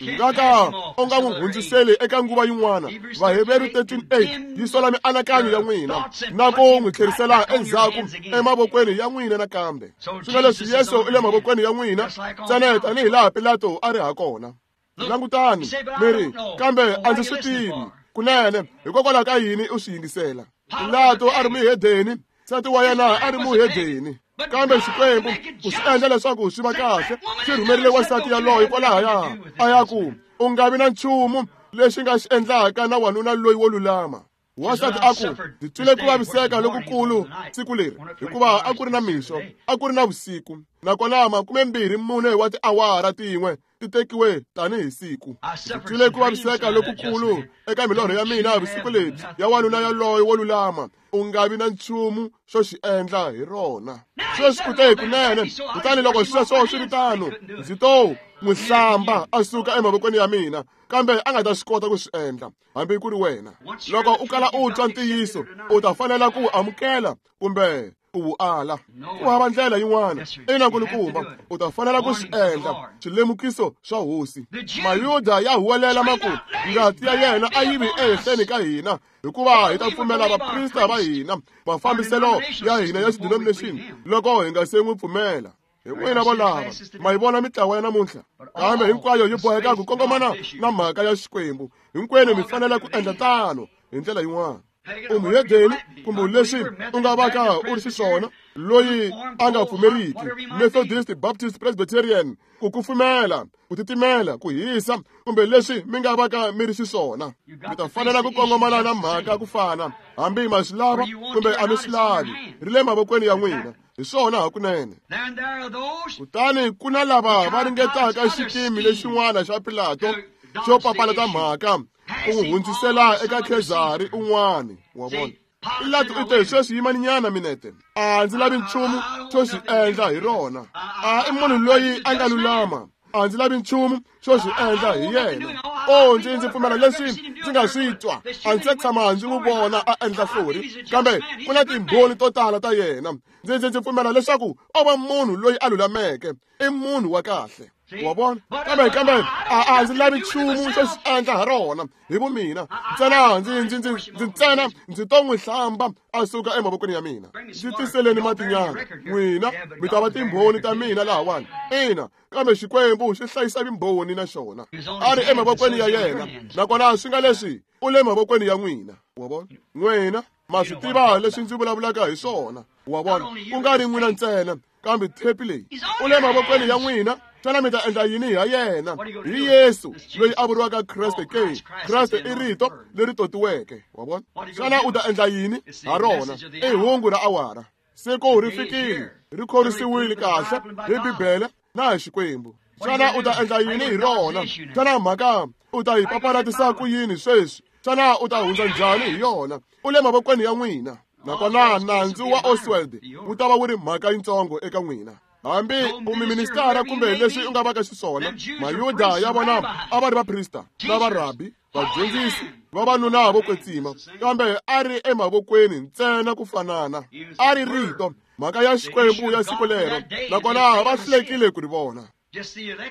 Nga ka u nga n'wi hundziseli eka nguva yin'wana. Vaheberi 13:8 yi sola mianakanyo ya n'wina na ku n'wi tlherisela endzhaku emavokweni ya n'wina nakambe. Swi nga leswi Yesu u le mavokweni ya n'wina ntsena tanihi laha Pilato a ri ha kona. Langutani, mi ri, kambe a ndzi swi tivi. Kunene, hikokwalaho ka yini u swi yingisela? Pilato a ri muhedeni, nsati wa yena a ri muhedeni, kambe Xikwembu ku swi endla leswaku swi va kahle xi rhumerile wansati yaloye kwalahaya a ya ku u nga vi na nchumu lexi nga xi endlaka na wanuna loyi wo lulama. Wansati a ku, ndzi twile ku vaviseka lokukulu siku leri, hikuva a ku ri na mixo, a ku ri na vusiku, nakona 24 wa tiawara tin'we ti tekiwe tanihi siku. Ndzi twile ku vaviseka lokukulu eka milorho ya mina vusiku lebyi ya wanuna yaloye wo lulama, u nga vi na nchumu xo xi endla hi rona. Sweswi u te kunene, kutani loko sweswo swi ri tano, ndzi to n'wi hlamba a suka emavokweni ya mina, kambe a nga ta swi kota ku swi endla hambi ku ri wena. Loko u kala u twa ntiyiso, u ta fanela ku wu amukela kumbe ku wu ala. Ku hava ndlela yin'wana. Ina nkulukumba, u ta fanela ku swi endla. Swilemukiso swa Hosi. Mayuda ya huwelela ma ku, ngati ya yena a yi vi ehenhleni ka hina, hikuva hi ta pfumela vaprista va hina, mafambiselo ya hina ya xidenomination, loko hi nga se n'wi pfumela. Hi n'wina volava ma yi vona mitlawa ya namuntlha, kambe hinkwayo yi boheka ku kongomana na mhaka ya Xikwembu. Hinkwenu mi fanele ku endla tano hi ndlela yin'wana. U muhedeni kumbe leswi u nga vaka u ri xiswona, loyi a nga pfumeriki, Methodist, Baptist, Presbyterian, ku kufumela, ku titimela, ku hisa, kumbe leswi mi nga vaka mi ri xiswona, mi ta fanela ku kongomana na mhaka ku fana, hambi ma swi lava kumbe a mi swi lavi, ri le mavokweni ya n'wina. Hi swona hakunene. Kutani ku na lava va ringetaka xikimi lexin'wana xa Pilato xo papalata mhaka, ku n'wi hundzisela eka Khezari un'wana. Wa vona, Pilato u te, sweswi yimaninyana minete, a ndzi lavi nchumu xo xi endla hi rona. A i munhu loyi a nga lulama, a ndzi lavi nchumu xo xi endla hi yena. O, ndzi pfumela leswi ndzi nga swi twa, a ndzi se tshama ndzi n'wi vona a endla hlori, kambe ku na timbhoni to tala ta yena. Ndzi pfumela leswaku o va munhu loyi a lulameke, i munhu wa kahle. Wa vona, kambe a ndzi lavi nchumu xo xi endla ha rona hi vumina ntsena. Ndzi ntsena ndzi to n'wi hlamba a suka emavokweni ya mina. Ndzi tiseleni matinyana, n'wina mi ta va timbhoni ta mina lahawani. Ina, kambe Xikwembu xi hlayisa vumbhoni na xona, a ri emavokweni ya yena, nakona swi nga leswi u le mavokweni ya n'wina. Wa vona, n'wina ma swi tiva leswi ndzi vulavulaka hi swona. Wa vona, ku nga ri n'wina ntsena, kambe thepi leyi u le mavokweni ya n'wina. Xana mi ta endla yini ha yena? Hi Yesu loyi a vuriwaka Kreste ke? Kreste i rito leri totiweke. Wa vona, xana u ta endla yini ha rona? I hungu ra awara. Siku ri fikile, ri khorisiwile kahle hi Bibele na hi Xikwembu. Xana u ta endla yini hi rona? Xana mhaka u ta yi papalatisa ku yini sweswi? Xana u ta hundza njhani hi yona? U le mavokweni ya n'wina. Nakona nandzu wa Oswald wu ta va wu ri mhaka yitsongo eka n'wina. Hambi u miministara kumbe leswi u nga vaka xiswona, Mayuda ya vona a va ri vaprista na varabi, vadyondzisi, vavanuna vo kwetsima, kambe a ri emavokweni ntsena ku fanana. A ri rito, mhaka ya Xikwembu ya siku lero, nakona va hlulekile ku ri vona.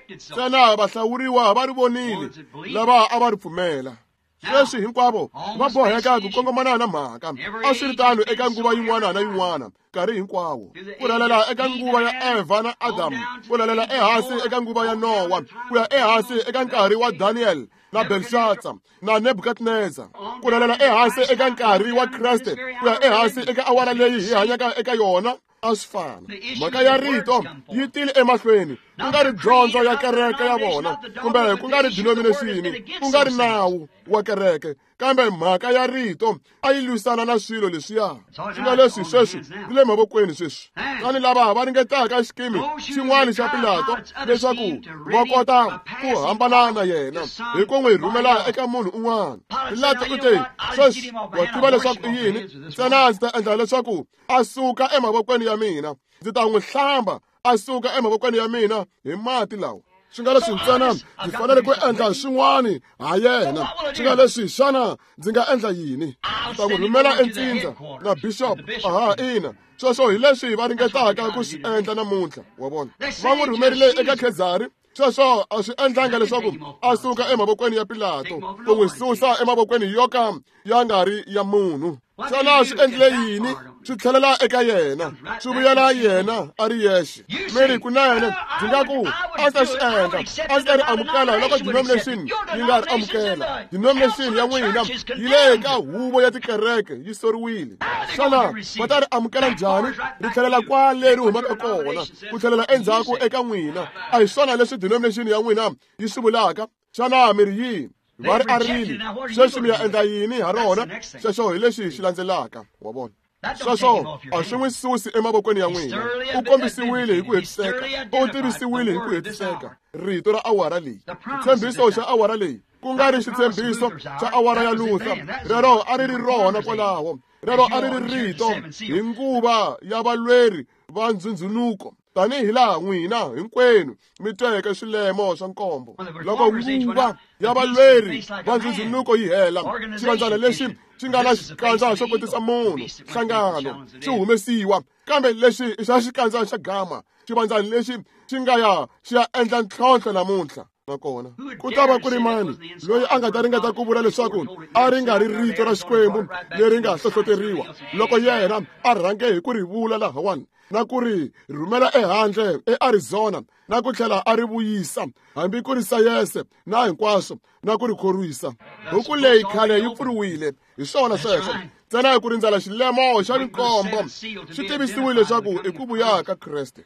Ntsena vahlawuriwa va ri vonile, lava a va ri pfumela. Sweswi hinkwavo va boheka ku kongomana na mhaka. A swi ri tano eka nguva yin'wana na yin'wana, nkarhi hinkwawo. Ku rhelela eka nguva ya Eva na Adamu, ku rhelela ehansi eka nguva ya Nowa, ku ya ehansi eka nkarhi wa Daniel na Belshazzar na Nebukadnezar, ku rhelela ehansi eka nkarhi wa Kreste, ku ya ehansi eka awara leyi hi hanyaka eka yona. A swi fana. Mhaka ya rito yi tile emahlweni, ku nga ri dyondzo ya kereke ya vona, kumbe ku nga ri denomination, ku nga ri nawu wa kereke, kambe mhaka ya rito a yi lwisana na swilo leswiya. Swi nga leswi sweswi ri le mavokweni sweswi. Tani lava va ringetaka xikimi xin'wana xa Pilato leswaku va kota ku hambana na yena hi ku n'wi rhumela eka munhu un'wana. Pilato u te, sweswi wa tiva leswaku i yini, ntsena ndzi ta endla leswaku a suka emavokweni ya mina, ndzi ta n'wi hlamba a suka emavokweni ya mina hi mati lawa. Swi nga leswi ntsena ndzi fanele ku endla swin'wana ha yena. Swi nga leswi, xana ndzi nga endla yini? Ndzi ta n'wi rhumela entsindza na bishop. Aha, ina, sweswo hi leswi va ringetaka ku swi endla namuntlha. Wa vona, va n'wi rhumerile eka Khezari. Sweswo a swi endlanga leswaku a suka emavokweni ya Pilato, ku n'wi susa emavokweni yo ka ya nga ri ya munhu. Xana swi endlile yini? Swi tlhelela eka yena, swi vuyela yena a ri yexe. Mi ri kunene, ndzi nga ku a ndzi ta swi endla, a ndzi ta ri amukela loko denomination yi nga ri amukela. Denomination ya n'wina yi le ka huvo ya tikereke, yi soriwile. Xana va ta ri amukela njhani? Ri tlhelela kwale ri humaka kona, ku tlhelela endzhaku eka n'wina. A hi swona leswi denomination ya n'wina yi swi vulaka? Xana mi ri yini? Va ri arile. Sweswi mi ya endla yini ha rona? Sweswo hi lexi xi landzelaka. Wa vona, sweswo a swi n'wi susi emavokweni ya n'wina. U kombisiwile hi ku hetiseka, u tivisiwile hi ku hetiseka rito ra awara leyi, xitshembiso xa awara leyi, ku nga ri xitshembiso xa awara ya Luther. Rero a ri ri rona kwalaho, rero a ri ri rito hi nguva ya valweri va ndzhundzhunuko, tanihi laha n'wina hinkwenu mi tweke swilemo swa nkombo. Loko nguva ya valweri va ndzhundzhunuko yi hela, xivandzana lexi xi nga na xikandza xo kotisa munhu, nhlangano, xi humesiwa. Kambe lexi i xa xikandza xa gama, xivandzana lexi xi nga ya xi ya endla ntlhontlho namuntlha. Nakona ku ta va ku ri mani loyi a nga ta ringeta ku vula leswaku a ri nga ri rito ra Xikwembu leri nga hlohloteriwa loko yena a rhange hi ku ri vula lahawani na ku ri rhumela ehandle eArizona na ku tlhela a ri vuyisa hambi ku ri sayense na hinkwaswo na ku ri khorwisa. Buku leyi khale yi pfuriwile, hi swona sweswo. Ntsena hi ku rindzela xilemo xa rinkombo swi tivisiwile leswaku i ku vuya ka Kreste.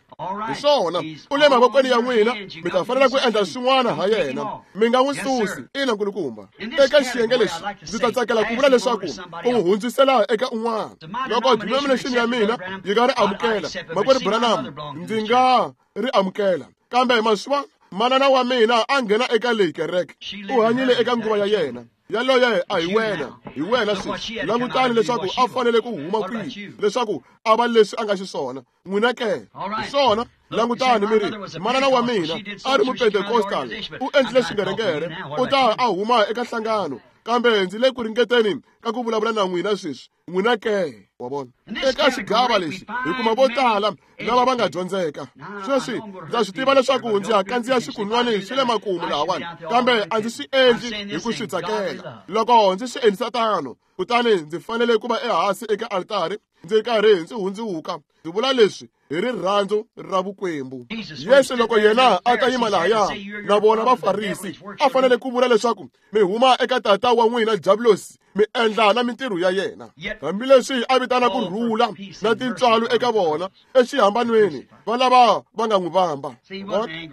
Hi swona, u le mavokweni ya n'wina, mi ta fanela ku endla swin'wana ha yena, mi nga n'wi susi. Ina, nkulukumba. Eka xiyenge lexi ndzi ta tsakela ku vula leswaku u n'wi hundzisela eka un'wana. Loko denomination ya mina yi nga ri amukela, makwerhu Branham, ndzi nga ri amukela. Kambe maswa manana wa mina a nghena eka leyi kereke, u hanyile eka nguva ya yena. Yaloye a hi wena, hi wena sweswi. Langutani leswaku a fanele ku huma kwihi leswaku a va leswi a nga xiswona. N'wina ke, hi swona. Langutani mi ri, manana wa mina a ri mupentekostal, u endlile xingerekere, u ta a huma eka nhlangano. Kambe ndzi le ku ringeteni ka ku vulavula na n'wina sweswi. N'wina ke, wa vona. Eka xigava lexi hi kuma vo tala lava va nga dyondzeka. Sweswi ndza swi tiva leswaku ndzi ya kandziya xikunwani swi le makumu lahawani, kambe a ndzi swi endli hi ku swi tsakela. Loko ndzi swi endlisa tano, kutani ndzi fanele ku va ehansi eka altari ndzi karhi ndzi hundziwuka. Ndzi vula leswi hi rirhandzu ra vukwembu. Yesu loko yena a ta yima lahaya na vona Vafarisi, a fanele ku vula leswaku mi huma eka tata wa n'wina Diablosi, mi endla na mintirho ya yena. Hambileswi a vitana ku rhula na tintswalo eka vona exihambanweni, va lava va nga n'wi vamba.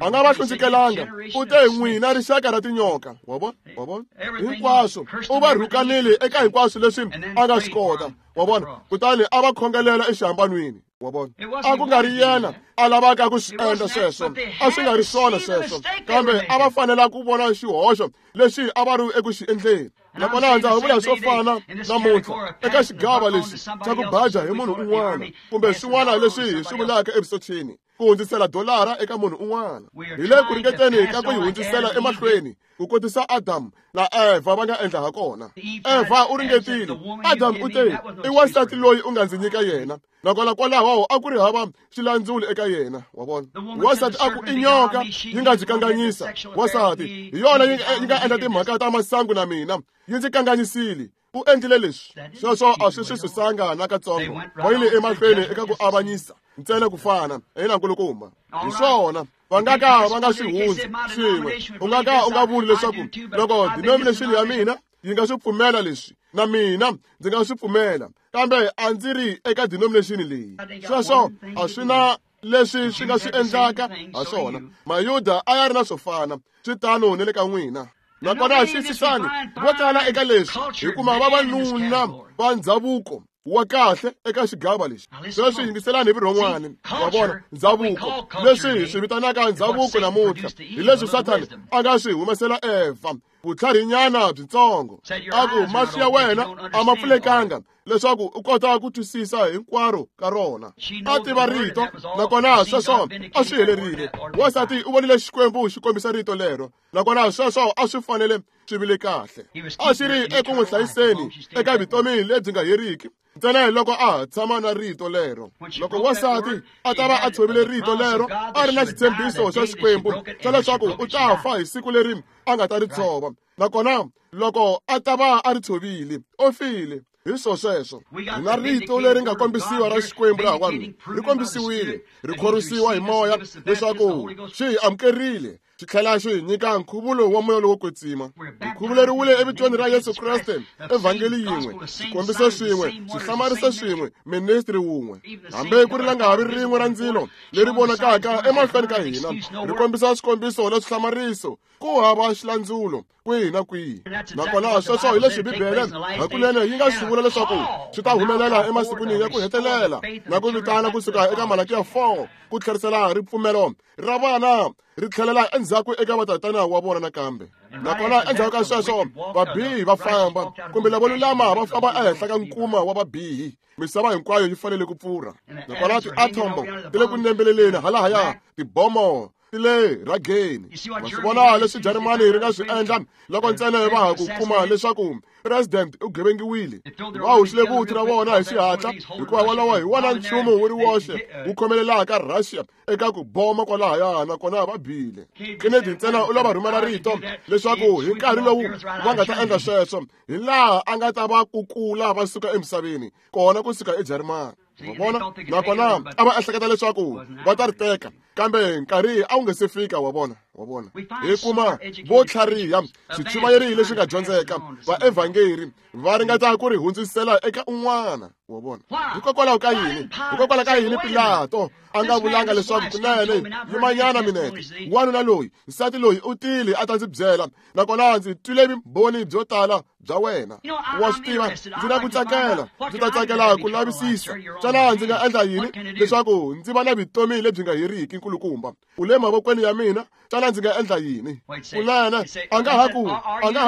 A nga va hlundzukelanga, u te n'wina rixaka ra tinyoka. Wa vona, wa vona hinkwaswo u va rhukanile eka hinkwaswo leswi a nga swi kota. Wa vona, kutani a va khongelela exihambanweni. Wa vona, a ku nga ri yena a lavaka ku swi endla sweswo, a swi nga ri swona sweswo, kambe a va fanela ku vona xihoxo lexi a va ri eku xi endleni. Nakona ndza ha vula swo fana namuntlha eka xigava lexi xa ku baja hi munhu un'wana kumbe swin'wana leswi hi swi vulaka evusocheni, ku hundzisela dolara eka munhu un'wana. Hi le ku ringeteni ka ku yi hundzisela emahlweni ku kotisa Adamu na Eva va nga endla ha kona. Eva u ringetile, Adamu u te, i wansati loyi u nga ndzi nyika yena. Nakona kwalaho a ku ri hava xilandzuli eka yena. Wa vona, wansati a ku i nyoka yi nga ndzi kanganyisa. Wansati hi yona yi nga endla timhaka ta masangu na mina, yi ndzi kanganyisile. U endlile leswi. Sweswo a swi swi susanga na katsongo. Va yile emahlweni eka ku avanyisa ntsena ku fana. Ina, nkulukumba. Hi swona. Va nga ka va nga swi hundzi swin'we. U nga ka u nga vuli leswaku loko denomination ya mina yi nga swi pfumela leswi, na mina ndzi nga swi pfumela, kambe a ndzi ri eka denomination leyi. Sweswo a swi na leswi swi nga swi endlaka ha swona. Mayuda a ya ri na swo fana, swi tano ni le ka n'wina. Nakona xiyisisani, vo tala eka leswi hi kuma vavanuna va ndzhavuko wa kahle eka xigava lexi. Sweswi yingiselani hi vurhon'wana. Wa vona, ndzhavuko, leswi hi swi vitanaka ndzhavuko namuntlha, hi leswi Sathana a nga swi humesela Eva, vutlharinyana byitsongo. A ku mahlo ya wena a ma pfulekanga leswaku u kota ku twisisa hinkwaro ka rona. A tiva rito, nakona sweswo a swi helerile. Wansati u vonile Xikwembu xi kombisa rito lero, nakona sweswo a swi fanele swi vile kahle. A xi ri eku n'wi hlayiseni eka vutomi lebyi nga heriki ntsena hi loko a tshama na rito lero. Loko wansati a ta va a tshovile rito lero, a ri na xitshembiso xa Xikwembu xa leswaku u ta fa hi siku leri a nga ta ri tshova, nakona loko a ta va a ri tshovile, u file. Hi swo sweswo, hi na rito leri nga kombisiwa ra Xikwembu lahawani, ri kombisiwile, ri khorwisiwa hi moya leswaku xi hi amukerile, xi tlhela xi hi nyika nkhuvulo wa moya lowo kwetsima. Hi khuvuleriwile evitweni ra Yesu Kreste, evhangeli yin'we, xikombiso xin'we, xihlamariso xin'we, ministri wun'we. Hambi ku ri langavi rin'we ra ndzilo leri vonakaka emahlweni ka hina, ri kombisa swikombiso na swihlamariso, ku hava xilandzulo kwihi na kwihi. Nakona sweswo hi leswi Bibele hakunene yi nga swi vula leswaku swi ta humelela emasikwini ya ku hetelela, na ku vitana kusuka eka Malakiya 4 ku tlherisela ripfumelo ra vana ri tlhelela endzhaku eka vatatana wa vona nakambe. Nakona endzhaku ka sweswo vabihi va famba, kumbe lavo lulama va famba ehenhla ka nkuma wa vabihi. Misava hinkwayo yi fanele ku pfurha. Nakona tiatomo ti le ku nembeleleni halahaya, tibomo Ti le rhageni. Ma swi vona leswi Jarimani ri nga swi endla loko ntsena va ha ku kuma leswaku president u gevengiwile. Va hoxile vuthu ra vona hi xihatla hikuva wolowo hi wona nchumu wu ri woxe wu khomelelaka Russia eka ku boma kwalahaya nakona va bile. Kennedy ntsena u lava rhumela rito leswaku hi nkarhi lowu va nga ta endla sweswo hi laha a nga ta va kukula va suka emisaveni kona kusuka eJarimani. Wa vona? Nakona a va ehleketa leswaku va ta ri teka kambe nkarhi a wu nge se fika. Wa vona? Wa vona? Hi kuma vo tlhariha swichumayeri leswi nga dyondzeka vaevhangeri va ringeta ku ri hundzisela eka un'wana. Wa vona? Hikokwalaho ka yini? Hikokwalaho ka yini Pilato a nga vulanga leswaku kunene yimanyana minete wanuna loyi nsati loyi u tile a ta ndzi byela nakona ndzi twile vumbhoni byo tala bya wena. Wa swi tiva ndzi na ku tsakela ndzi ta tsakela ku lavisisa xana ndzi nga endla yini leswaku ndzi va na vutomi lebyi nga heriki nkulukumba u le mavokweni ya mina xana ndzi nga endla yini? Kunene a nga ha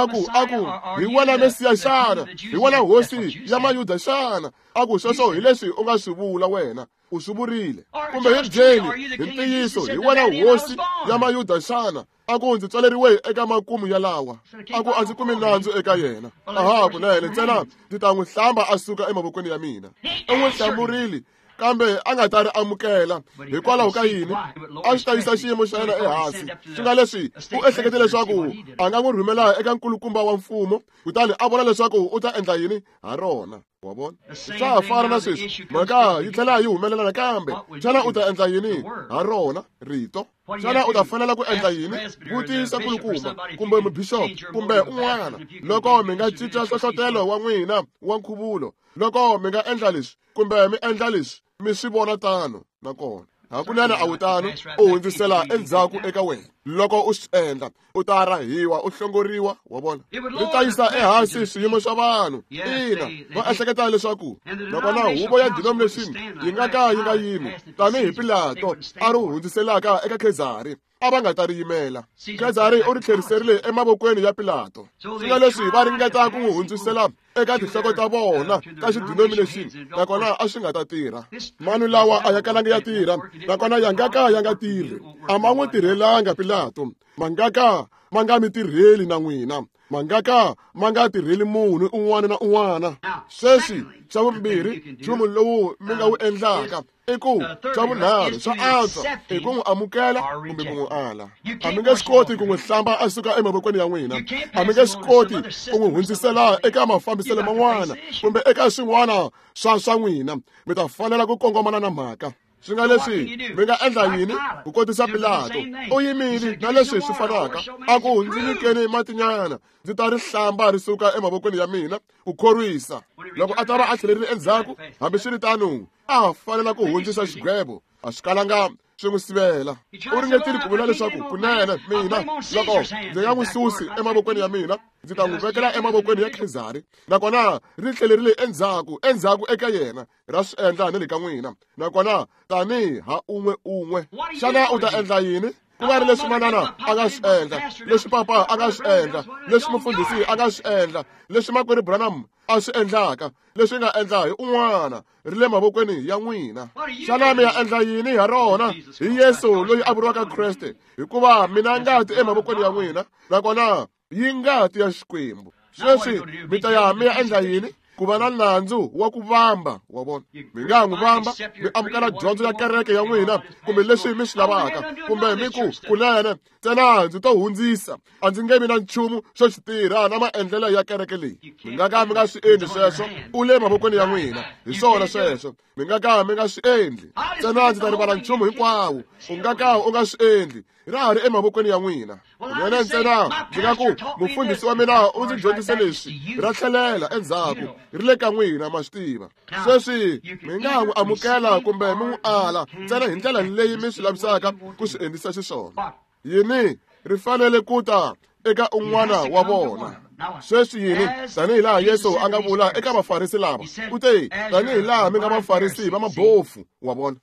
ku a ku hi wena Mesiya xana? Hi wena hosi ya Mayuda xana? A ku sweswo hi leswi u nga swi vula wena u swi vurile. Kumbe hi byeli hi ntiyiso hi wena hosi ya Mayuda xana? A ku ndzi tswaleriwe eka makumu ya lawa. A ku a ndzi kumi nandzu eka yena. Aha kunene ntsena ndzi ta n'wi hlamba a suka emavokweni ya mina. U n'wi hlamurile kambe a nga ta ri amukela. Hikwalaho ka yini? A swi ta yisa xiyimo xa yena ehansi. Swi nga leswi u ehlekete leswaku a nga n'wi rhumela eka nkulukumba wa mfumo kutani a vona leswaku u ta endla yini ha rona. Wa vona? Swa ha fana na sweswi mhaka yi tlhela yi humelela nakambe. Xana u ta endla yini ha rona rito? Xana u ta fanela ku endla yini? Vutisa nkulukumba kumbe mubixopo kumbe un'wana loko mi nga cinca nhlohlotelo wa n'wina wa nkhuvulo, loko mi nga endla leswi kumbe mi endla leswi mi swi vona tano nakona hakunene a wu tano u hundzisela endzhaku eka wena. Loko u swi endla u ta rahiwa u hlongoriwa. Wa vona? Ri ta yisa ehansi swiyimo swa vanhu. Ina, va ehleketa leswaku nakona huvo ya denomination yi nga ka yi nga yimi tanihi Pilato a ri hundziselaka eka Khezari a va nga ta ri yimela. Khezari u ri tlheriserile emavokweni ya Pilato. Swi nga leswi va ringeta ku n'wi hundzisela eka tinhloko ta vona ta xidenomination nakona a swi nga ta tirha. Manu lawa a ya kalanga ya tirha nakona ya nga ka ya nga tirhi. A ma n'wi tirhelanga Pilato. Ma nga ka ma nga mi tirheli na n'wina. Ma nga ka ma nga tirheli munhu un'wana na un'wana. Sweswi xa vumbirhi nchumu lowu mi nga wu endlaka i ku xa vunharhu swa antswa i ku n'wi amukela kumbe ku n'wi ala. A mi nge swi koti ku n'wi hlamba a suka emavokweni ya n'wina. A mi nge swi koti ku n'wi hundzisela eka mafambiselo man'wana kumbe eka swin'wana swa n'wina. Mi ta fanela ku kongomana na mhaka. Swi nga leswi mi nga endla yini ku kotisa Pilato? U yimile na leswi swi fanaka. A ku ndzi nyikeni matinyana ndzi ta ri hlamba ri suka emavokweni ya mina ku khorwisa. Loko a ta va a tlhelerile endzhaku hambiswiritano a fanela ku hundzisa xigwevo. A swi kalanga swi n'wi sivela. U ringetile ku vula leswaku kunene mina loko ndzi nga n'wi susi emavokweni ya mina ndzi ta n'wi vekela emavokweni ya Khezari. Nakona ri tlhelerile endzhaku eka yena. Ra swi endla ni le ka n'wina nakona tanihi ha un'we un'we. Xana u ta endla yini? Ku nga ri leswi manana a nga swi endla, leswi papa a nga swi endla, leswi mufundhisi a nga swi endla, leswi makwerhu Branham a swi endlaka, leswi nga endla hi un'wana ri le mavokweni ya n'wina. Xana mi ya endla yini ha rona? Hi Yesu loyi a vuriwaka Kreste, hikuva mina ngati emavokweni ya n'wina nakona yi ngati ya Xikwembu. Sweswi mi ta ya mi ya endla yini? Ku va na nandzu wa ku vamba. Wa vona? Mi nga n'wi vamba mi amukela dyondzo ya kereke ya n'wina kumbe leswi mi swi lavaka kumbe mi ku kunene ntsena ndzi to hundzisa a ndzi nge vi na nchumu xo xi tirha na maendlelo ya kereke leyi. Mi nga ka mi nga swi endli sweswo. U le mavokweni ya n'wina. Hi swona sweswo. Mi nga ka mi nga swi endli. Ntsena ndzi ta rivala nchumu hinkwawo. U nga ka u nga swi endli. Ra ha ri emavokweni ya n'wina. Kunene ntsena ndzi nga ku mufundhisi wa mina u ndzi dyondzise leswi ra tlhelela endzhaku ri le ka n'wina. Ma swi tiva. Sweswi mi nga n'wi amukela kumbe mi n'wi ala ntsena hi ndlela leyi mi swi lavisaka ku swi endlisa xiswona. Yini ri fanele ku ta eka un'wana wa vona. Sweswi yini? Tanihi laha Yesu a nga vula eka vafarisi lava, u te tanihi laha mi nga vafarisi va mabofu. Wa vona?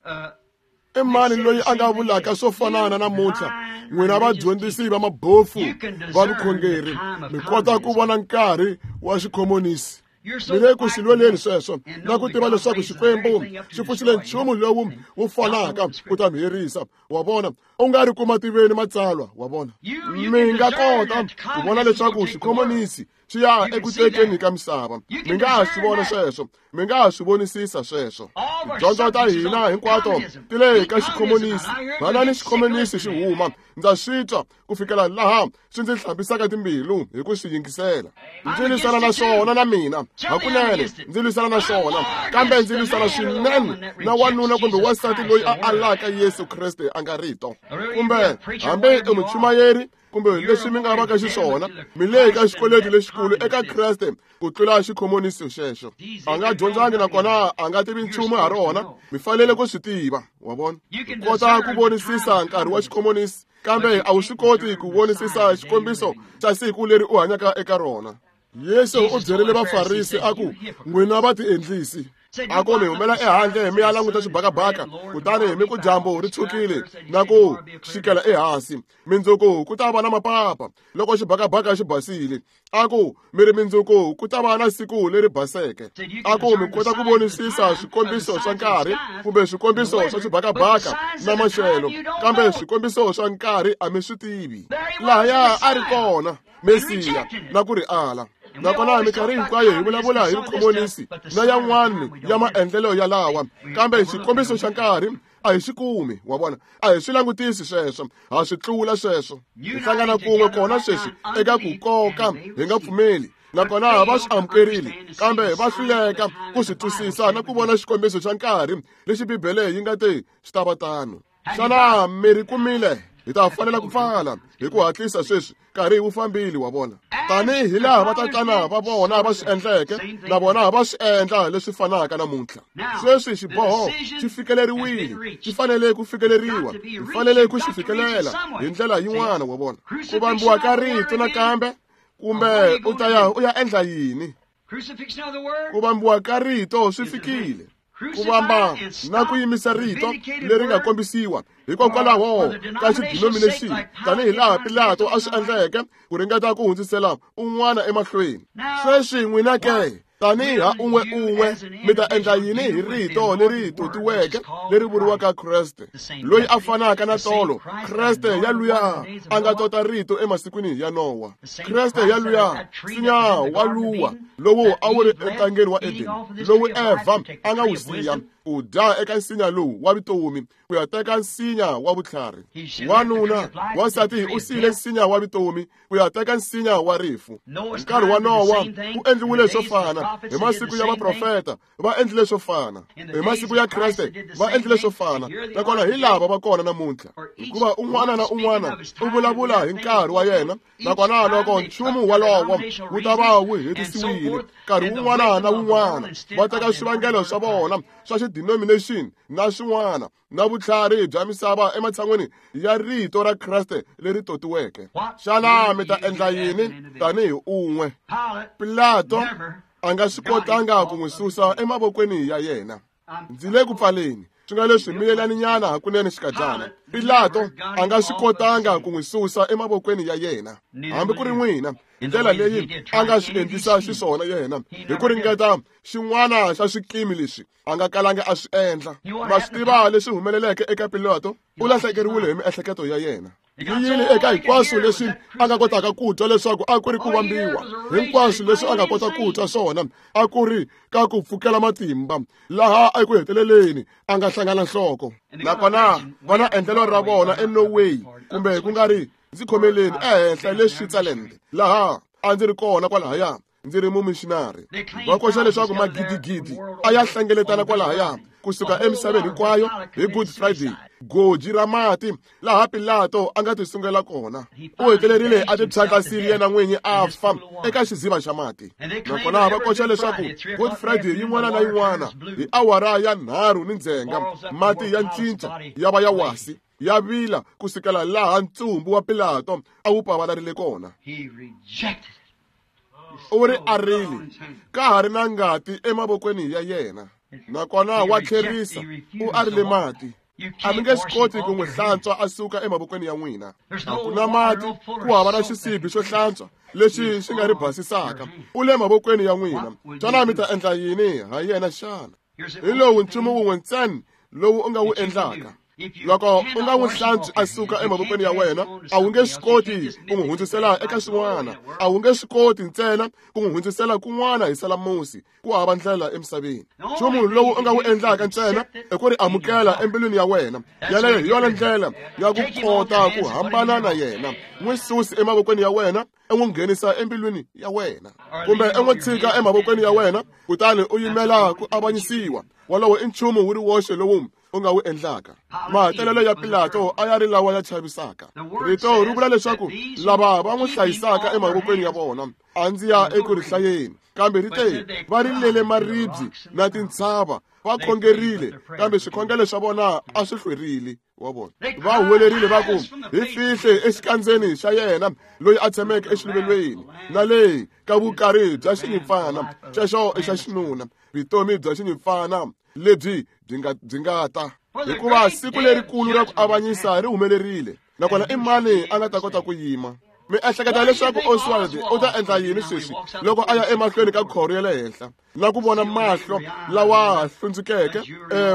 I mani loyi a nga vulaka swo fanana namuntlha? N'wina vadyondzisi va mabofu va vukhongeri mi kota ku vona nkarhi wa xikhomonisi. Mi le ku swi lweleni sweswo na ku tiva leswaku Xikwembu xi pfuxile nchumu lowu wu fanaka ku ta mi herisa. Wa vona? U nga ri kuma tiveni matsalwa wa vona. Mi nga kota ku vona leswaku xikhomonisi xi ya eku tekeni ka misava. Mi nga ha swi vona sweswo, mi nga ha swi vonisisa sweswo. Tidyondzo ta hina hinkwato ti le ka xikhomonisi. Vanani xikhomonisi xi huma, ndza swi twa ku fikela laha swi ndzi hlambisaka timbilu hi ku swi yingisela. Ndzi lwisana na swona na mina, hakunene ndzi lwisana na swona, kambe ndzi lwisana swinene na wanuna kumbe wansati loyi a alaka Yesu Kreste a nga rito. Kumbe hambi i muchumayeri kumbe leswi mi nga vaka xiswona, mi le ka xikweleti lexikulu eka Kreste ku tlula xikhomonisi xexo. A nga dyondzangi nakona a nga tivi nchumu ha rona, mi fanele ku swi tiva, wa vona. U kota ku vonisisa nkarhi wa xikhomonisi, kambe a wu swi koti ku vonisisa xikombiso xa siku leri u hanyaka eka rona. Yesu u byerile Vafarisi a ku, n'wina va tiendlisi. A ku mi humela ehandle mi ya languta xibakabaka, kutani mi ku dyambu ri tshukile na ku xikela ehansi. Mindzuku ku ta va na mapapa loko xibakabaka xi basile. A ku mi ri mindzuku ku ta va na siku leri baseke. A ku mi kota ku vonisisa swikombiso swa nkarhi kumbe swikombiso swa xibakabaka na maxelo, kambe swikombiso swa nkarhi a mi swi tivi. Lahaya a ri kona Mesiya na ku ri ala. Nakona minkarhi hinkwayo hi vulavula hi vukhomonisi na yan'wana ya maendlelo ya lawa, kambe xikombiso xa nkarhi a hi swi kumi, wa vona. A hi swi langutisi sweswo, ha swi tlula sweswo. Hi hlangana kun'we kona sweswi eka ku koka hi nga pfumeli, nakona va swi amukerile, kambe va hluleka ku swi twisisa na ku vona xikombiso xa nkarhi lexi Bibele yi nga te xi ta va tano. Xana mi ri kumile? Hi ta fanela ku pfala hi ku hatlisa sweswi, nkarhi wu fambile, wa vona. Tanihi laha vatatana va vona va swi endleke, na vona va swi endla leswi fanaka namuntlha. Sweswi xiboho xi fikeleriwile, xi fanele ku fikeleriwa, hi fanele ku xi fikelela hi ndlela yin'wana, wa vona. Ku vambiwa ka rito nakambe, kumbe u ta ya u ya endla yini? Ku vambiwa ka rito swi fikile. Ku vamba na ku yimisa rito leri nga kombisiwa hikokwalaho ka xidinominexini, tanihi laha Pilato a swi endleke ku ringeta ku hundzisela un'wana emahlweni. Sweswi n'wina ke, tanihi ha un'we un'we, mi ta endla yini hi rito leri totiweke leri vuriwaka Kreste, loyi a fanaka na tolo, Kreste ya luya a nga tota rito emasikwini ya Nowa, Kreste ya luya nsinya wa luwa lowu a wu ri entangeni wa Edeni, lowu Evha a nga wu siya ku dya eka nsinya lowu wa vutomi ku ya teka nsinya wa vutlhari. Wanuna wansati u siyile nsinya wa vutomi ku ya teka nsinya wa rifu. Nkarhi wa Nowa ku endliwile swo fana, hi masiku ya vaprofeta va endlile swo fana, hi masiku ya Kreste va endlile swo fana, nakona hi lava va kona namuntlha, hikuva un'wana na un'wana u vulavula hi nkarhi wa yena, nakona loko nchumu walowo wu ta va wu hetisiwile, nkarhi wun'wana na wun'wana va teka swivangelo swa vona swa xidenomination na swin'wana na vutlhari bya misava ematshan'weni ya rito ra Kreste leri totiweke. Xana mi ta endla yini tanihi un'we? Pilato a nga swi kotanga ku n'wi susa emavokweni ya yena. Ndzi le ku pfaleni, swi nga leswi miyelaninyana hakunene xikadyana. Pilato a nga swi kotanga ku n'wi susa emavokweni ya yena, hambi ku ri n'wina, hi ndlela leyi a nga swi endlisa xiswona yena hi ku ringeta xin'wana xa swikimi leswi a nga kalanga a swi endla. Ma swi tiva leswi humeleleke eka Pilato? U lahlekeriwile hi miehleketo ya yena. Yi yile eka hinkwaswo leswi a nga kotaka ku twa leswaku a ku ri ku vambiwa, hinkwaswo leswi a nga kota ku twa swona a ku ri ka ku pfukela matimba, laha eku heteleleni a nga hlangana nhloko. Nakona va na endlelo ra vona eNorway, kumbe ku nga ri ndzi khomeleni ehenhla le Switzerland, laha a ndzi ri kona kwalahaya ndzi ri mumishinari. Va koxa leswaku magidigidi a ya hlengeletana kwalahaya kusuka emisaveni hinkwayo hi Good Friday, goji ra mati laha Pilato a nga tisungela kona. U hetelerile a tiphyandlasile yena n'winyi a fa eka xiziva xa mati. Nakona va koxa leswaku Good Friday yin'wana na yin'wana hi awara ya 3 ni ndzhenga mati ya cinca ya va ya wasi, ya vila kusukela laha ntsumbu wa Pilato a wu pavalarile kona. U ri arile, ka ha ri na ngati emavokweni ya yena, nakona wa tlherisa, u arile mati. A mi nge swi koti ku n'wi hlantswa a suka emavokweni ya n'wina. A ku na mati, ku hava na xisibi xo hlantswa lexi xi nga ri basisaka. U le mavokweni ya n'wina. Xana mi ta endla yini ha yena xana? Hi lowu nchumu wun'we ntsena lowu u nga wu endlaka. Loko u nga n'wi hlantswi a suka emavokweni ya wena, a wu nge swi koti ku n'wi hundzisela eka swin'wana. A wu nge swi koti ntsena ku n'wi hundzisela kun'wana hi salamusi. Ku hava ndlela emisaveni. Nchumu lowu u nga wu endlaka ntsena i ku ri amukela embilwini ya wena. Yaleyo hi yona ndlela ya ku kota ku hambana na yena. N'wi susi emavokweni ya wena, u n'wi nghenisa embilwini ya wena, kumbe u n'wi tshika emavokweni ya wena, kutani u yimela ku avanyisiwa. Wolowo i nchumu wu ri woxe lowu u nga wu endlaka. Mahetelelo ya Pilato a ya ri lawa ya chavisaka. Rito ri vula leswaku lava va n'wi hlayisaka emavokweni ya vona, a ndzi ya eku ri hlayeni, kambe ri te va rilele maribye na tintshava, va khongerile, kambe swikhongelo swa vona a swi hlwerile. Wa vona, va huwelerile va ku, hi fihle exikandzeni xa yena loyi a tshameke exiluvelweni, na le ka vukari bya xinyimpfana. Xexo i xa xinuna, vutomi bya xinyimpfana lebyi byi nga ta. Hikuva siku lerikulu ra ku avanyisa ri humelerile, nakona i mani a nga ta kota ku yima? Mi ehleketa leswaku Oswald u ta endla yini sweswi loko a ya emahlweni ka khoro ya le henhla na ku vona mahlo lawa hlundzukeke,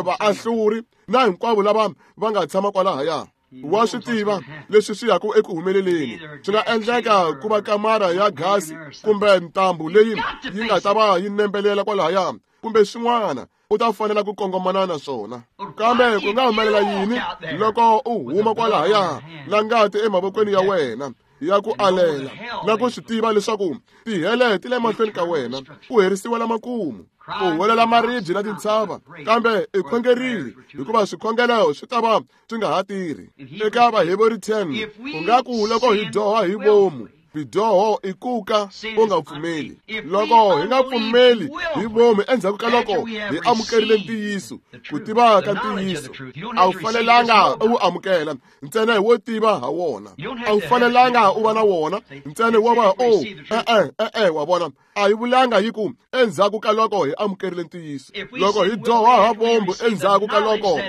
vaahluri na hinkwavo lava va nga tshama kwalahaya? Wa swi tiva leswi swi yaka eku humeleleni. Swi nga endleka ku va kamara ya gasi kumbe ntambu leyi yi nga ta va yi nembelela kwalahaya kumbe swin'wana. U ta fanela ku kongomana na swona. Kambe ku nga humelela yini loko u huma kwalahaya na ngati emavokweni ya wena ya ku alela, na ku swi tiva leswaku tihele ti le mahlweni ka wena, ku herisiwa la makumu, ku huwelela maribye na tintshava, kambe i khongerile, hikuva swikhongelo swi ta va swi nga ha tirhi. Eka Vaheberi 10, ku nga ku loko hi dyoha hi vomu, Bidyoho i ku ka u nga pfumeli. Loko hi nga pfumeli hi vomu endzhaku ka loko hi amukerile ntiyiso, ku tiva ka ntiyiso, a wu fanelanga u wu amukela ntsena hi wo tiva ha wona. A wu fanelanga u va na wona ntsena wo va o e-e, wa vona. A yi vulanga yi ku endzhaku ka loko hi amukerile ntiyiso. Loko hi dyoha ha vomu endzhaku ka loko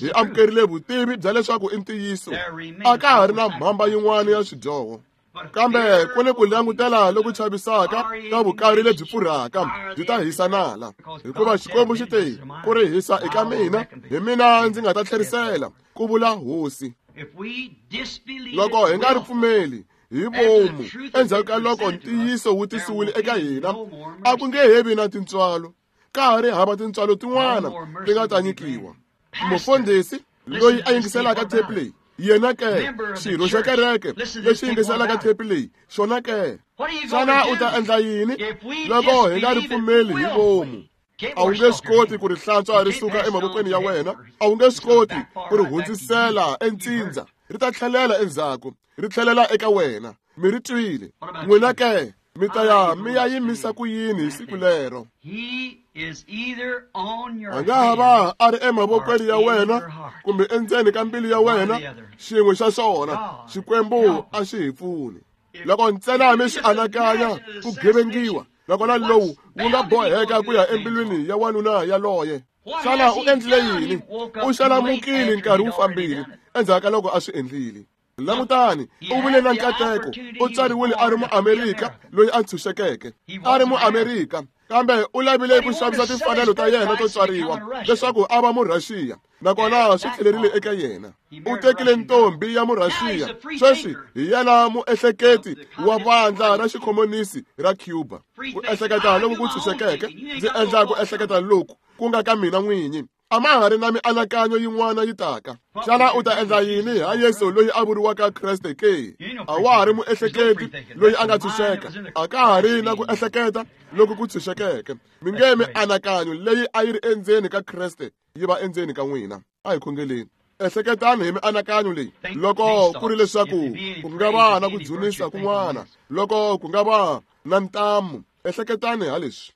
hi amukerile vutivi bya leswaku i ntiyiso, a ka ha ri na mhamba yin'wana ya swidyoho. Kambe ku ni ku langutela loku chavisaka ka vukari lebyi pfurhaka byi ta hisa nala, hikuva Xikwembu xi te, ku ri hisa eka mina, hi mina ndzi nga ta tlherisela, ku vula Hosi. Loko hi nga ri pfumeli hi vomu endzhaku ka loko ntiyiso wu tisiwile eka hina, a ku nge he vi na tintswalo. Ka ha ri hava tintswalo tin'wana ti nga ta nyikiwa. Mufundhisi loyi a yingiselaka tape leyi, yena ke xirho xa kereke lexi yingiselaka tape leyi, xona ke, xana u ta endla yini loko hi nga ri pfumeli hi vomu? A wu nge swi koti ku ri hlantswa ri suka emavokweni ya wena, a wu nge swi koti ku ri hundzisela entsindza, ri ta tlhelela endzhaku, ri tlhelela eka wena. Mi ri twile. N'wina ke, mi ta ya mi ya yimisa ku yini hi siku lero? A nga ha va a ri emavokweni ya wena kumbe endzeni ka mbilu ya wena, xin'we xa swona. Xikwembu a xi hi pfuni. Loko ntsena mi swi anakanya ku gevengiwa, nakona lowu wu nga boheka ku ya embilwini ya wanuna yaloye. Xana u endlile yini? U xalamukile nkarhi wu fambile endzhaku ka loko a swi endlile. Langutani, u vile na nkateko, u tswariwile a ri Muamerika loyi a ntshunxekeke, a ri Muamerika, kambe u lavile ku xavisa timfanelo ta yena to tswariwa leswaku a va Murhaxiya, nakona swi tlhelerile eka yena. U tekile ntombi ya Murhaxiya, sweswi hi yena muehleketi wa vandla ra xikhomonisi ra Cuba. Ku ehleketa loku ku ntshunxekeke, ndzi endla ku ehleketa loku ku nga ka mina n'winyi. A ma ha ri na mianakanyo yin'wana yi taka. Xana u ta endla yini ha Yesu loyi a vuriwaka Kreste ke? A wa ha ri muehleketi loyi a nga tshunxeka. A ka ha ri na ku ehleketa loku ku tshunxekeke. Mi nge mianakanyo leyi a yi ri endzeni ka Kreste yi va endzeni ka n'wina. A hi khongeleni. Ehleketani hi mianakanyo leyi loko ku ri leswaku ku nga va na ku dzunisa kun'wana, loko ku nga va na ntamu. Ehleketani ha leswi.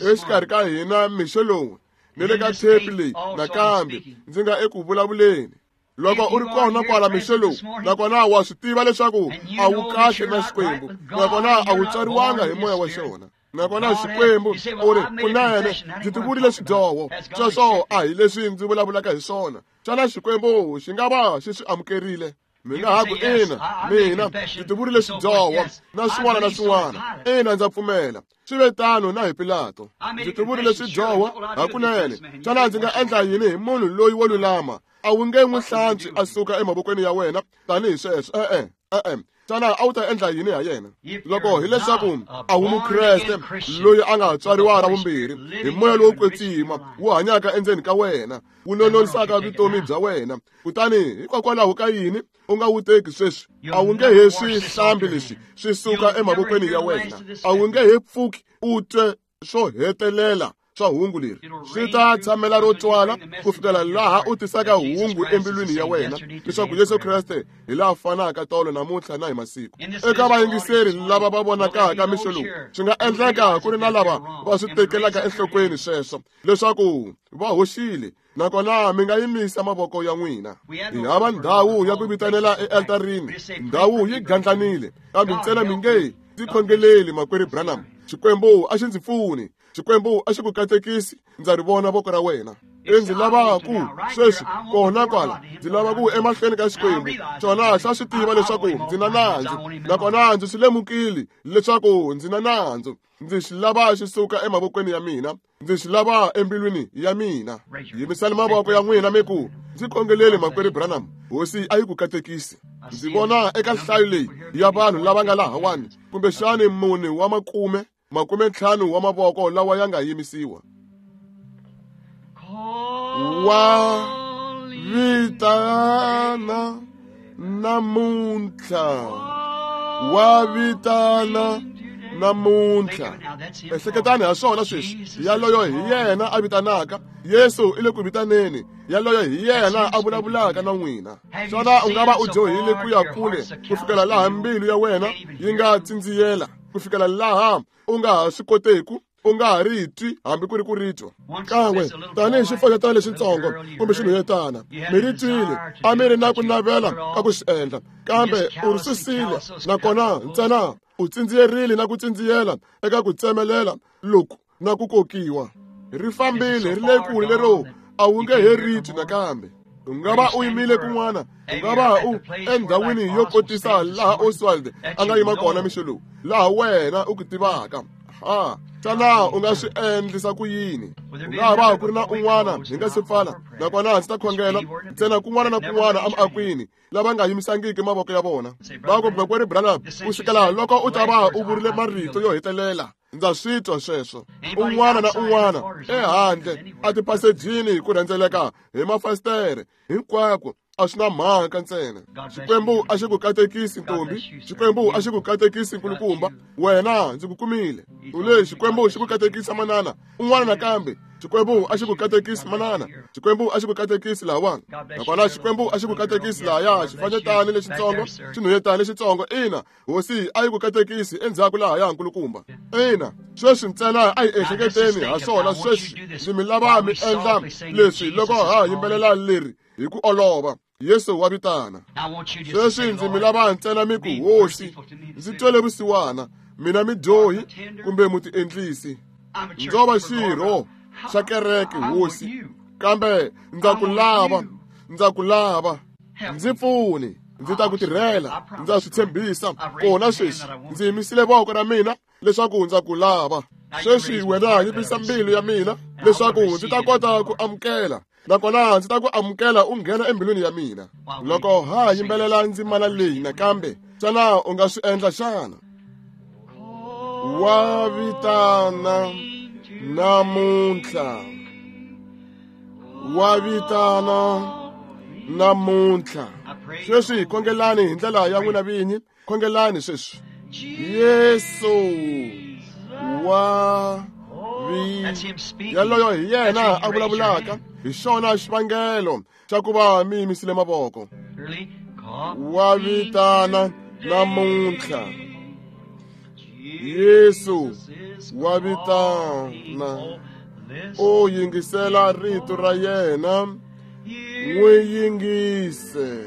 Exikarhi ka hina mixo lowu ni le ka tape leyi nakambe ndzi nga eku vulavuleni. Loko u ri kona kwala mixo lowu, nakona wa swi tiva leswaku a wu kahle na Xikwembu, nakona a wu tswariwanga hi moya wa xona, nakona Xikwembu u ri, kunene ndzi tivurile swidyoho, sweswo a hi leswi ndzi vulavulaka hi swona. Xana Xikwembu xi nga va xi swi amukerile? Mi nga ha ku ina, mina ndzi tivurile xidyoho na swin'wana na swin'wana. Ina, ndza pfumela. Swi ve tano na hi Pilato. Ndzi tivurile xidyoho hakunene. Xana ndzi nga endla yini hi munhu loyi wo lulama? A wu nge n'wi hlantswi a suka emavokweni ya wena tanihi sweswo. E-e, e-e. Xana a wu ta endla yini ha yena? Loko hileswaku a wu Mukreste loyi a nga tswariwa ra vumbirhi hi moya lowo kwetsima wu hanyaka endzeni ka wena, wu nononisaka vutomi bya wena, kutani hikokwalaho ka yini u nga wu teki sweswi? A wu nge he swi hlambi leswi swi suka emavokweni ya wena. A wu nge he pfuki u twe swo hetelela swa hungu leri. Swi ta tshamela ro twala ku fikela laha u tisaka hungu embilwini ya wena leswaku Yesu Kreste hi laha fanaka tolo namuntlha na hi masiku. Eka vayingiseri lava va vonakaka mixo lowu, swi nga endleka ku ri na lava va swi tekelaka enhlokweni sweswo leswaku va hoxile, nakona mi nga yimisa mavoko ya n'wina. Hi hava ndhawu ya ku vitanela ealtarini, ndhawu yi gandlanile, kambe ntsena mi nge ndzi khongeleli makwerhu Branham. Xikwembu a xi ndzi pfuni, Xikwembu a xi ku katekisi, ndza ri vona voko ra wena. Ndzi lava ku sweswi kona kwala, ndzi lava ku emahlweni ka Xikwembu. Xona xa swi tiva leswaku ndzi na nandzu, nakona ndzi swi lemukile leswaku ndzi na nandzu. Ndzi xi lava xi suka emavokweni ya mina, ndzi xi lava embilwini ya mina. Yimisani mavoko ya n'wina mi ku, ndzi khongeleli makwerhu Branham, Hosi a yi ku katekisi. Ndzi vona eka nhlayo leyi ya vanhu lava nga lahawani, kumbexani 4 wa makume, 50 wa mavoko lawa ya nga yimisiwa. Wa vitana namuntlha, wa vitana namuntlha. Ehleketani ha swona sweswi. Yaloyo hi yena a vitanaka. Yesu i le ku vitaneni. Yaloyo hi yena a vulavulaka na n'wina. Xana u nga va u dyohile ku ya kule ku fikela laha mbilu ya wena yi nga tsindziyela, ku fikela laha u nga ha swi koteku, u nga ha ri twi hambi ku ri ku ri twa kan'we tanihi xifanyetana lexitsongo kumbe xinhwanyetana? Mi ri twile, a mi ri na ku navela ka ku swi endla, kambe u ri susile, nakona ntsena u tsindziyerile na ku tsindziyela eka ku tsemelela loku na ku kokiwa. Ri fambile ri le kule lero a wu nge he ri twi nakambe. U nga va u yimile kun'wana, u nga va u endhawini yo kotisa laha Oswald a nga yima kona mixo lowu, laha wena u ku tivaka. Ha, xana u nga swi endlisa ku yini? U nga va ku ri na un'wana hi nga se pfala, nakona ndzi ta khongela ntsena kun'wana na kun'wana emiakwini lava nga yimisangiki mavoko ya vona. Va ku, makwerhu Branham, ku sukela loko u ta va u vurile marito yo hetelela, ndza swi twa sweswo. Un'wana na un'wana ehandle a tipasejini ku rhendzeleka hi mafasitere hinkwako, a swi na mhaka ntsena. Xikwembu a xi ku katekisi ntombi, Xikwembu a xi ku katekisi nkulukumba. Wena ndzi ku kumile. U le, Xikwembu xi ku katekisa manana. Un'wana nakambe, Xikwembu a xi ku katekisi manana. Xikwembu a xi ku katekisi lahawani. Nakona Xikwembu a xi ku katekisi lahaya, xifanyetana lexitsongo, xinhwanyetana lexitsongo. Ina, Hosi a yi ku katekisi endzhaku lahaya nkulukumba. Ina, sweswi ntsena a hi ehleketeni ha swona sweswi. Ndzi mi lava mi endla leswi loko ha yimbelela leri hi ku olova. Yesu wa vitana. Sweswi ndzi mi lava ntsena mi ku, Hosi, ndzi twele vusiwana, mina midyohi kumbe mutiendlisi. Ndzo va xirho xa kereke, Hosi, kambe ndza ku lava, ndza ku lava. Ndzi pfuni, ndzi ta ku tirhela, ndza swi tshembisa. Kona sweswi ndzi yimisile voko ra mina leswaku ndza ku lava. Sweswi wena yimisa mbilu ya mina leswaku ndzi ta kota ku amukela, nakona ndzi ta ku amukela u nghena embilwini ya mina. Loko ha yimbelela ndzimana leyi nakambe, xana u nga swi endla xana? Wa vitana namuntlha, wa vitana namuntlha. Sweswi khongelani hi ndlela ya n'wina vinyi, khongelani sweswi. Yesu wa yaloyo hi yena a vulavulaka, hi xona xivangelo xa ku va mi yimisile mavoko. Wa vitana namuntlha, Yesu wa vitana. U yingisela rito ra yena, n'wi yingise.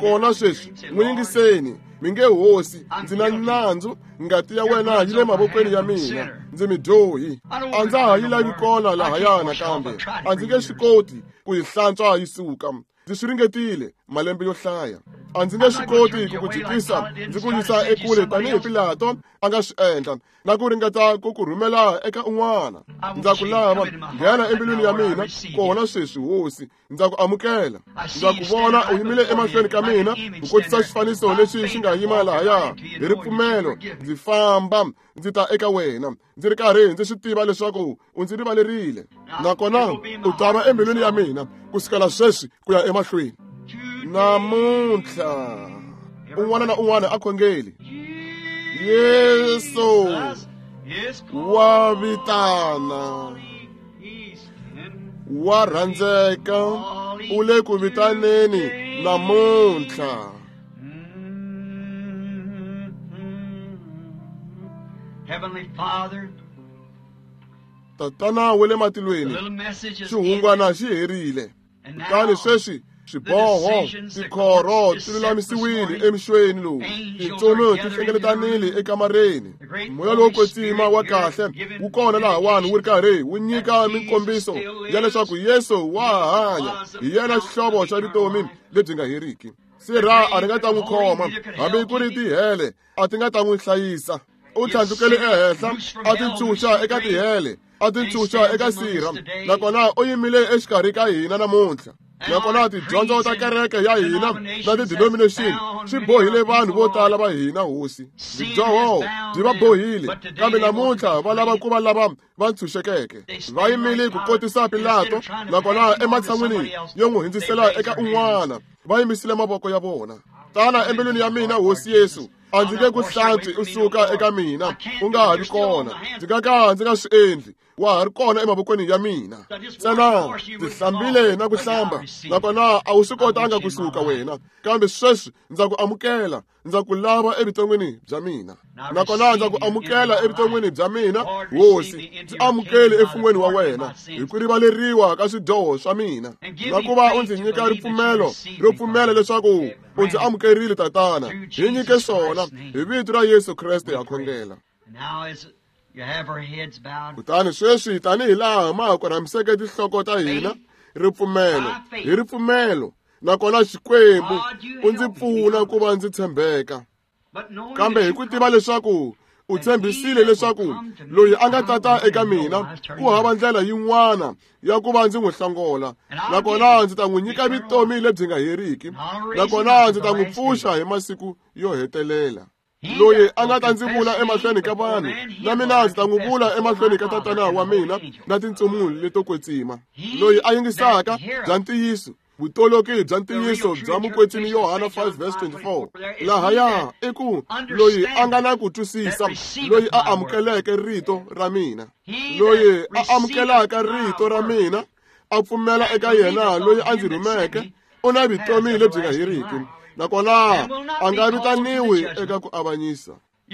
Kona sweswi n'wi yingiseni. Mi nge, Hosi, ndzi na nandzu, ngati ya wena yi le mavokweni ya mina, ndzi midyohi. A ndza ha yi lavi kona lahaya nakambe, a ndzi nge swi koti ku yi hlantswa yi suka. Ndzi swi ringetile malembe yo hlaya. A ndzi nge swi koti ku ku jikisa ndzi ku yisa ekule tanihi Pilato a nga swi endla na ku ringeta ku ku rhumela eka un'wana. Ndza ku lava, nghena embilwini ya mina kona sweswi, Hosi. Ndza ku amukela. Ndza ku vona u yimile emahlweni ka mina ku kotisa xifaniso lexi xi nga yima lahaya. Hi ripfumelo ndzi famba ndzi ta eka wena, ndzi ri karhi ndzi swi tiva leswaku u ndzi rivalerile, nakona u ta va embilwini ya mina ku sukela sweswi ku ya emahlweni. Namuntlha un'wana na un'wana a khongeli. Yesu wa vitana, wa rhandzeka, u le ku vitaneni namuntlha. Heavenly Father, Tatana wa le matilweni, xihungwana xi herile. Kutani sweswi swiboho, tikhoro ti lulamisiwile emixweni lowu, tintsumi ti hlengeletanile ekamareni. Moya lowo kwetsima wa kahle wu kona lahawani wu ri karhi wu nyika minkombiso ya leswaku Yesu wa hanya, hi yena xihlovo xa vutomi lebyi nga heriki. Sirha a ri nga ta n'wi khoma, hambi ku ri tihele a ti nga ta n'wi hlayisa. U tlhandlukele ehenhla, a ti ntshunxa eka tihele, a ti ntshunxa eka sirha, nakona u yimile exikarhi ka hina namuntlha. Nakona tidyondzo ta kereke ya hina na ti-denomination swi bohile vanhu vo tala va hina, Hosi. Byidyoho byi va bohile, kambe namuntlha va lava ku va lava va ntshunxekeke. Va yimile ku kotisa Pilato, nakona ematshan'wini yo n'wi hundzisela eka un'wana, va yimisile mavoko ya vona. Tana embilwini ya mina, Hosi Yesu. A ndzi nge ku hlantswi u suka eka mina, u nga ha vi kona. Ndzi nga ka ndzi nga swi endli, wa ha ri kona emavokweni ya mina. Ntsena ndzi hlambile na ku hlamba, nakona a wu swi kotanga kusuka wena, kambe sweswi ndza ku amukela, ndza ku lava evuton'wini bya mina. Nakona ndza ku amukela evuton'wini bya mina, Hosi. Ndzi amukele emfun'weni wa wena hi ku rivaleriwa ka swidyoho swa mina, na ku va u ndzi nyika ripfumelo ro pfumela leswaku u ndzi amukerile, Tatana. Hi nyike swona hi vito ra Yesu Kreste ha khongela. Kutani sweswi tanihi laha ma ha korhamiseke tinhloko ta hina, ripfumelo hi ripfumelo, nakona Xikwembu u ndzi pfuna ku va ndzi tshembeka. Kambe hi ku tiva leswaku u tshembisile leswaku loyi a nga tata eka mina ku hava ndlela yin'wana ya ku va ndzi n'wi hlongola, nakona ndzi ta n'wi nyika vutomi lebyi nga heriki, nakona ndzi ta n'wi pfuxa hi masiku yo hetelela. Loyi a nga ta ndzi vula emahlweni ka vanhu, na mina ndzi ta n'wi vula emahlweni ka Tatana wa mina na tintsumi leto kwetsima. Loyi a yingisaka bya ntiyiso, vutoloki bya ntiyiso bya mukwetsimi Yohana 5:24, lahaya i ku loyi a nga na ku twisisa, loyi a amukeleke rito ra mina, loyi a amukelaka rito ra mina a pfumela eka yena loyi a ndzi rhumeke, u na vutomi lebyi nga heriki, nakona a nga vitaniwi eka ku avanyisa.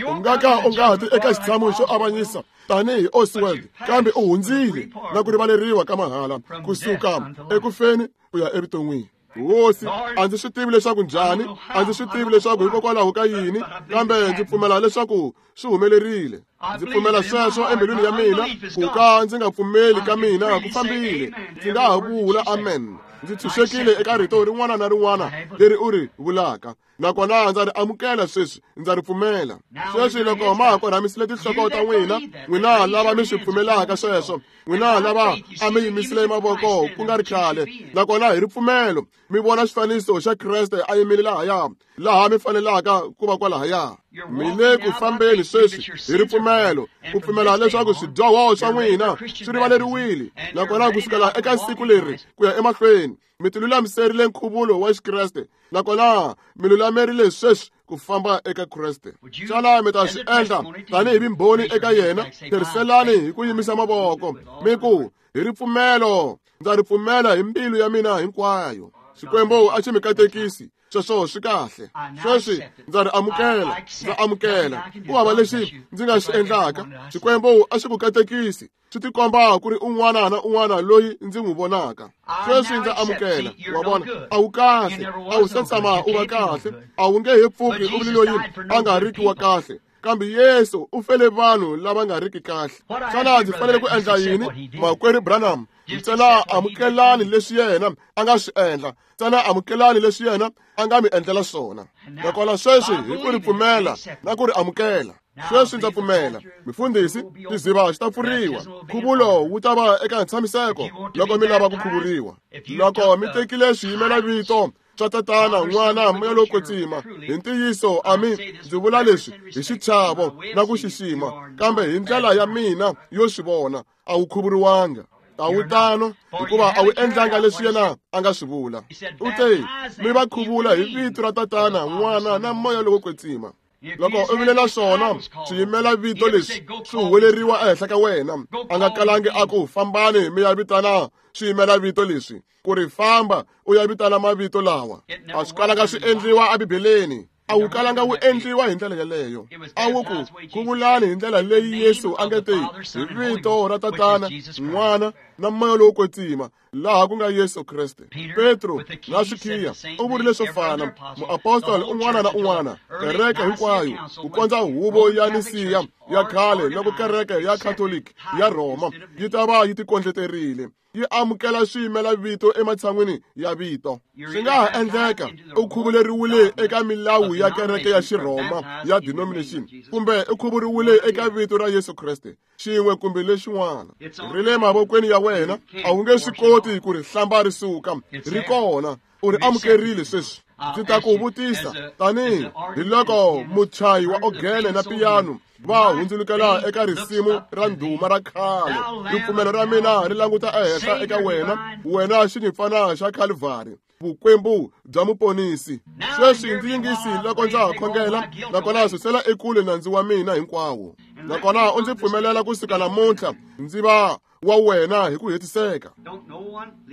U nga ka u nga ha ti eka xitshamo xo avanyisa tanihi Oswald, kambe u hundzile na ku rivaleriwa ka mahala kusuka ekufeni ku ya evuton'wini. Hosi, a ndzi swi tivi leswaku njhani, a ndzi swi tivi leswaku hikokwalaho ka yini, kambe ndzi pfumela leswaku swi humelerile. Ndzi pfumela sweswo embilwini ya mina, ku ka ndzi nga pfumeli ka mina ku fambile. Ndzi nga ha vula amen. Ndzi tshunxekile eka rito rin'wana na rin'wana leri u ri vulaka, nakona ndza ri amukela sweswi, ndza ri pfumela. Sweswi loko ma ha korhamisile tinhloko ta n'wina, n'wina lava mi swi pfumelaka sweswo, n'wina lava a mi yimisile mavoko ku nga ri khale, nakona hi ripfumelo mi vona xifaniso xa Kreste a yimile lahaya, laha mi fanelaka ku va kwalahaya. Mi le ku fambeni sweswi hi ripfumelo, ku pfumela leswaku swidyoho swa n'wina swi rivaleriwile, nakona kusukela eka siku leri ku ya emahlweni mi tilulamiserile nkhuvulo wa Xikreste, nakona mi lulamerile sweswi ku famba eka Kreste. Xana mi ta swi endla tanihi vimbhoni eka yena? Tirhiselani hi ku yimisa mavoko mi ku, hi ripfumelo ndza ri pfumela hi mbilu ya mina hinkwayo. Xikwembu a xi mi katekisi, sweswo swi kahle. Sweswi ndza ri amukela, ndza amukela. Ku hava lexi ndzi nga xi endlaka. Xikwembu a xi ku katekisi, swi tikomba ku ri un'wana na un'wana loyi ndzi n'wi vonaka. Sweswi ndza amukela. Wa vona, a wu kahle, a wu se tshama u va kahle, a wu nge he pfuki u vile loyi a nga riki wa kahle. Kambe Yesu u fele vanhu lava nga riki kahle. Xana ndzi fanele ku endla yini, Makwerhu Branham? Ntsena amukelani leswi yena a nga swi endla, ntsena amukelani leswi yena a nga mi endlela swona. Nakona sweswi hi ku ri pfumela na ku ri amukela. Sweswi ndza pfumela, mifundhisi, tiziva xi ta pfuriwa. Nkhuvulo wu ta va eka ntshamiseko loko mi lava ku khuvuriwa. Loko mi tekile swiyimela vito swa Tatana, N'wana, Moya lowo Kwetsima, hi ntiyiso ami ndzi vula leswi hi xichavo na ku xixima, kambe hi ndlela ya mina yo swi vona, a wu khuvuriwanga. A wu tano, hikuva a wu endlanga leswi yena a nga swi vula. U te, mi va khuvula hi vito ra Tatana, N'wana na Moya lowo Kwetsima. Loko u vilela swona, swiyimela vito leswi swi huweleriwa ehenhla ka wena. A nga kalangi a ku fambani mi ya vitana swiyimela vito leswi, ku ri famba u ya vitana mavito lawa. A swi kalanga swi endliwa eBibeleni. A wu kalanga wu endliwa hi ndlela yeleyo. A wu ku khuvulani hi ndlela leyi Yesu a nge te hi vito ra Tatana, N'wana na Moya lowo Kwetsima, laha ku nga Yesu Kreste. Petro na swikhiya u vurile swo fana. Muapostoli un'wana na un'wana, kereke hinkwayo, ku kondza huvo ya Nisiya ya khale loko kereke ya Catholic ya Rhoma yi ta va yi tikondleterile, yi amukela swiyimela vito ematshan'wini ya vito. Swi nga ha endleka u khuvuleriwile eka milawu ya kereke ya Xirhoma ya denomination, kumbe u khuvuriwile eka vito ra Yesu Kreste, xin'we kumbe lexin'wana. Ri le mavokweni ya wena, a wu nge swi koti ku ri hlamba ri suka. Ri kona, u ri amukerile sweswi. Ndzi ta ku vutisa tanihi hi loko muchayi wa ogene na piyano va hundzulukela eka risimu ra ndhuma ra khale. Ripfumelo ra mina ri languta ehenhla eka wena, wena xinyimpfana xa Calvary, vukwembu bya muponisi. Sweswi ndzi yingisi loko ndza ha khongela, nakona susela ekule nandzu wa mina hinkwawo. Nakona u ndzi pfumelela kusuka namuntlha ndzi va wa wena hi ku hetiseka.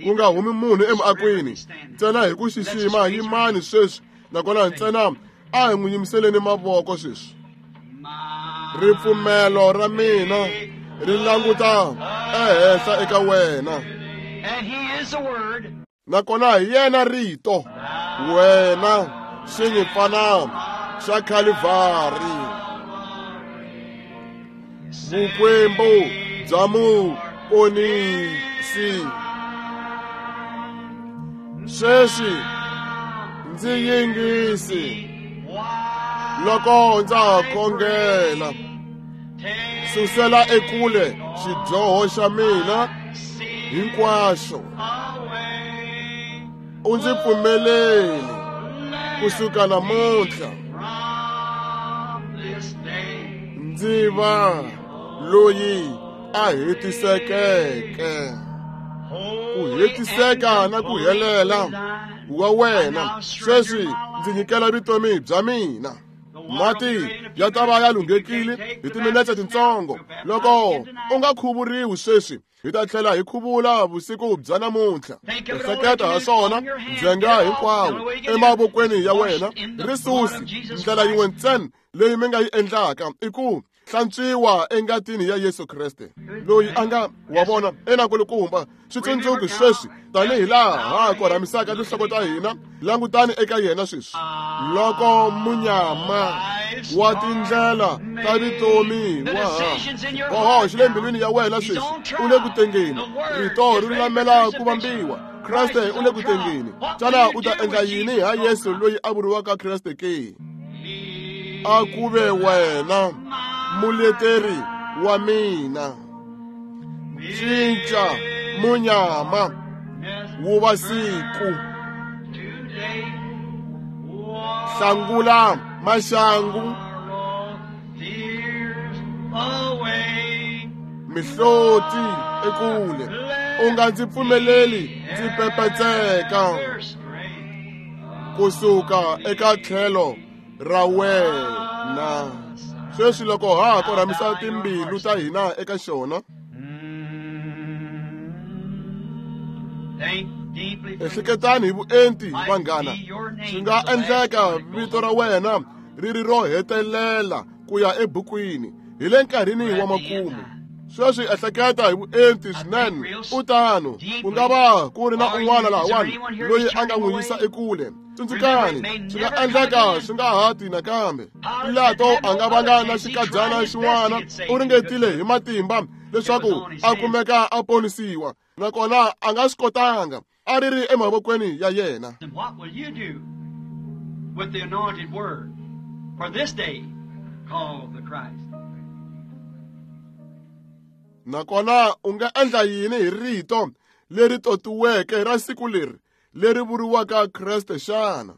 Ku nga humi munhu emuakweni, ntsena hi ku xixima yimani sweswi, nakona ntsena a hi n'wi yimiseleni mavoko sweswi. Ripfumelo ra mina ri languta ehenhla eka wena. Nakona hi yena rito, wena xinyimpfana xa Calvary, vukwembu bya muponisi. Sweswi ndzi yingisi loko ndza ha khongela. Susela ekule xidyoho xa mina hinkwaxo, u ndzi pfumeleli kusuka namuntlha ndzi va loyi a hetisekeke. Ku hetiseka na ku helela wa wena sweswi ndzi nyikela vutomi bya mina. Mati ya ta va ya lunghekile hi timinetse tintsongo. Loko u nga khuvuriwi sweswi, hi ta tlhela hi khuvula vusiku bya namuntlha. Ehleketa ha swona ndzhenga hinkwawo emavokweni ya wena. Ri susi. Ndlela yin'we ntsena leyi mi nga yi endlaka i ku hlantswiwa engatini ya Yesu Kreste, loyi a nga wa vona enakulukumba. Switsundzuki sweswi tanihi laha ha korhamisaka tinhloko ta hina, langutani eka yena sweswi. Loko munyama wa tindlela ta vutomi wa ha boho xi le mbilwini ya wena sweswi, u le ku tengeni. Rito ri lulamela ku vambiwa. Kreste u le ku tengeni. Xana u ta endla yini ha Yesu loyi a vuriwaka Kreste ke? A ku ve wena muleteri wa mina. Cinca munyama wu va siku, hlangula maxangu, mihloti ekule. U nga ndzi pfumeleli ndzi pepetseka kusuka eka tlhelo ra wena. Sweswi loko ha ha korhamisa timbilu ta hina eka xona, ehleketani hi vuenti vanghana. Swi nga endleka vito ra wena ri ri ro hetelela ku ya ebukwini hi le nkarhini wa makumu. Sweswi ehleketa hi vuenti swinene. U tano, ku nga va ku ri na un'wana lahawani loyi a nga n'wi yisa ekule. Tsundzukani, swi nga endleka swi nga ha ti nakambe. Pilato a nga vanga na xikadyana xin'wana, u ringetile hi matimba leswaku a kumeka a ponisiwa. Nakona a nga swi kotanga, a ri ri emavokweni ya yena. And what will you do with the anointed word for this day called the Christ? Nakona u nga endla yini hi rito leri totiweke ra siku leri, leri vuriwaka Kreste xana?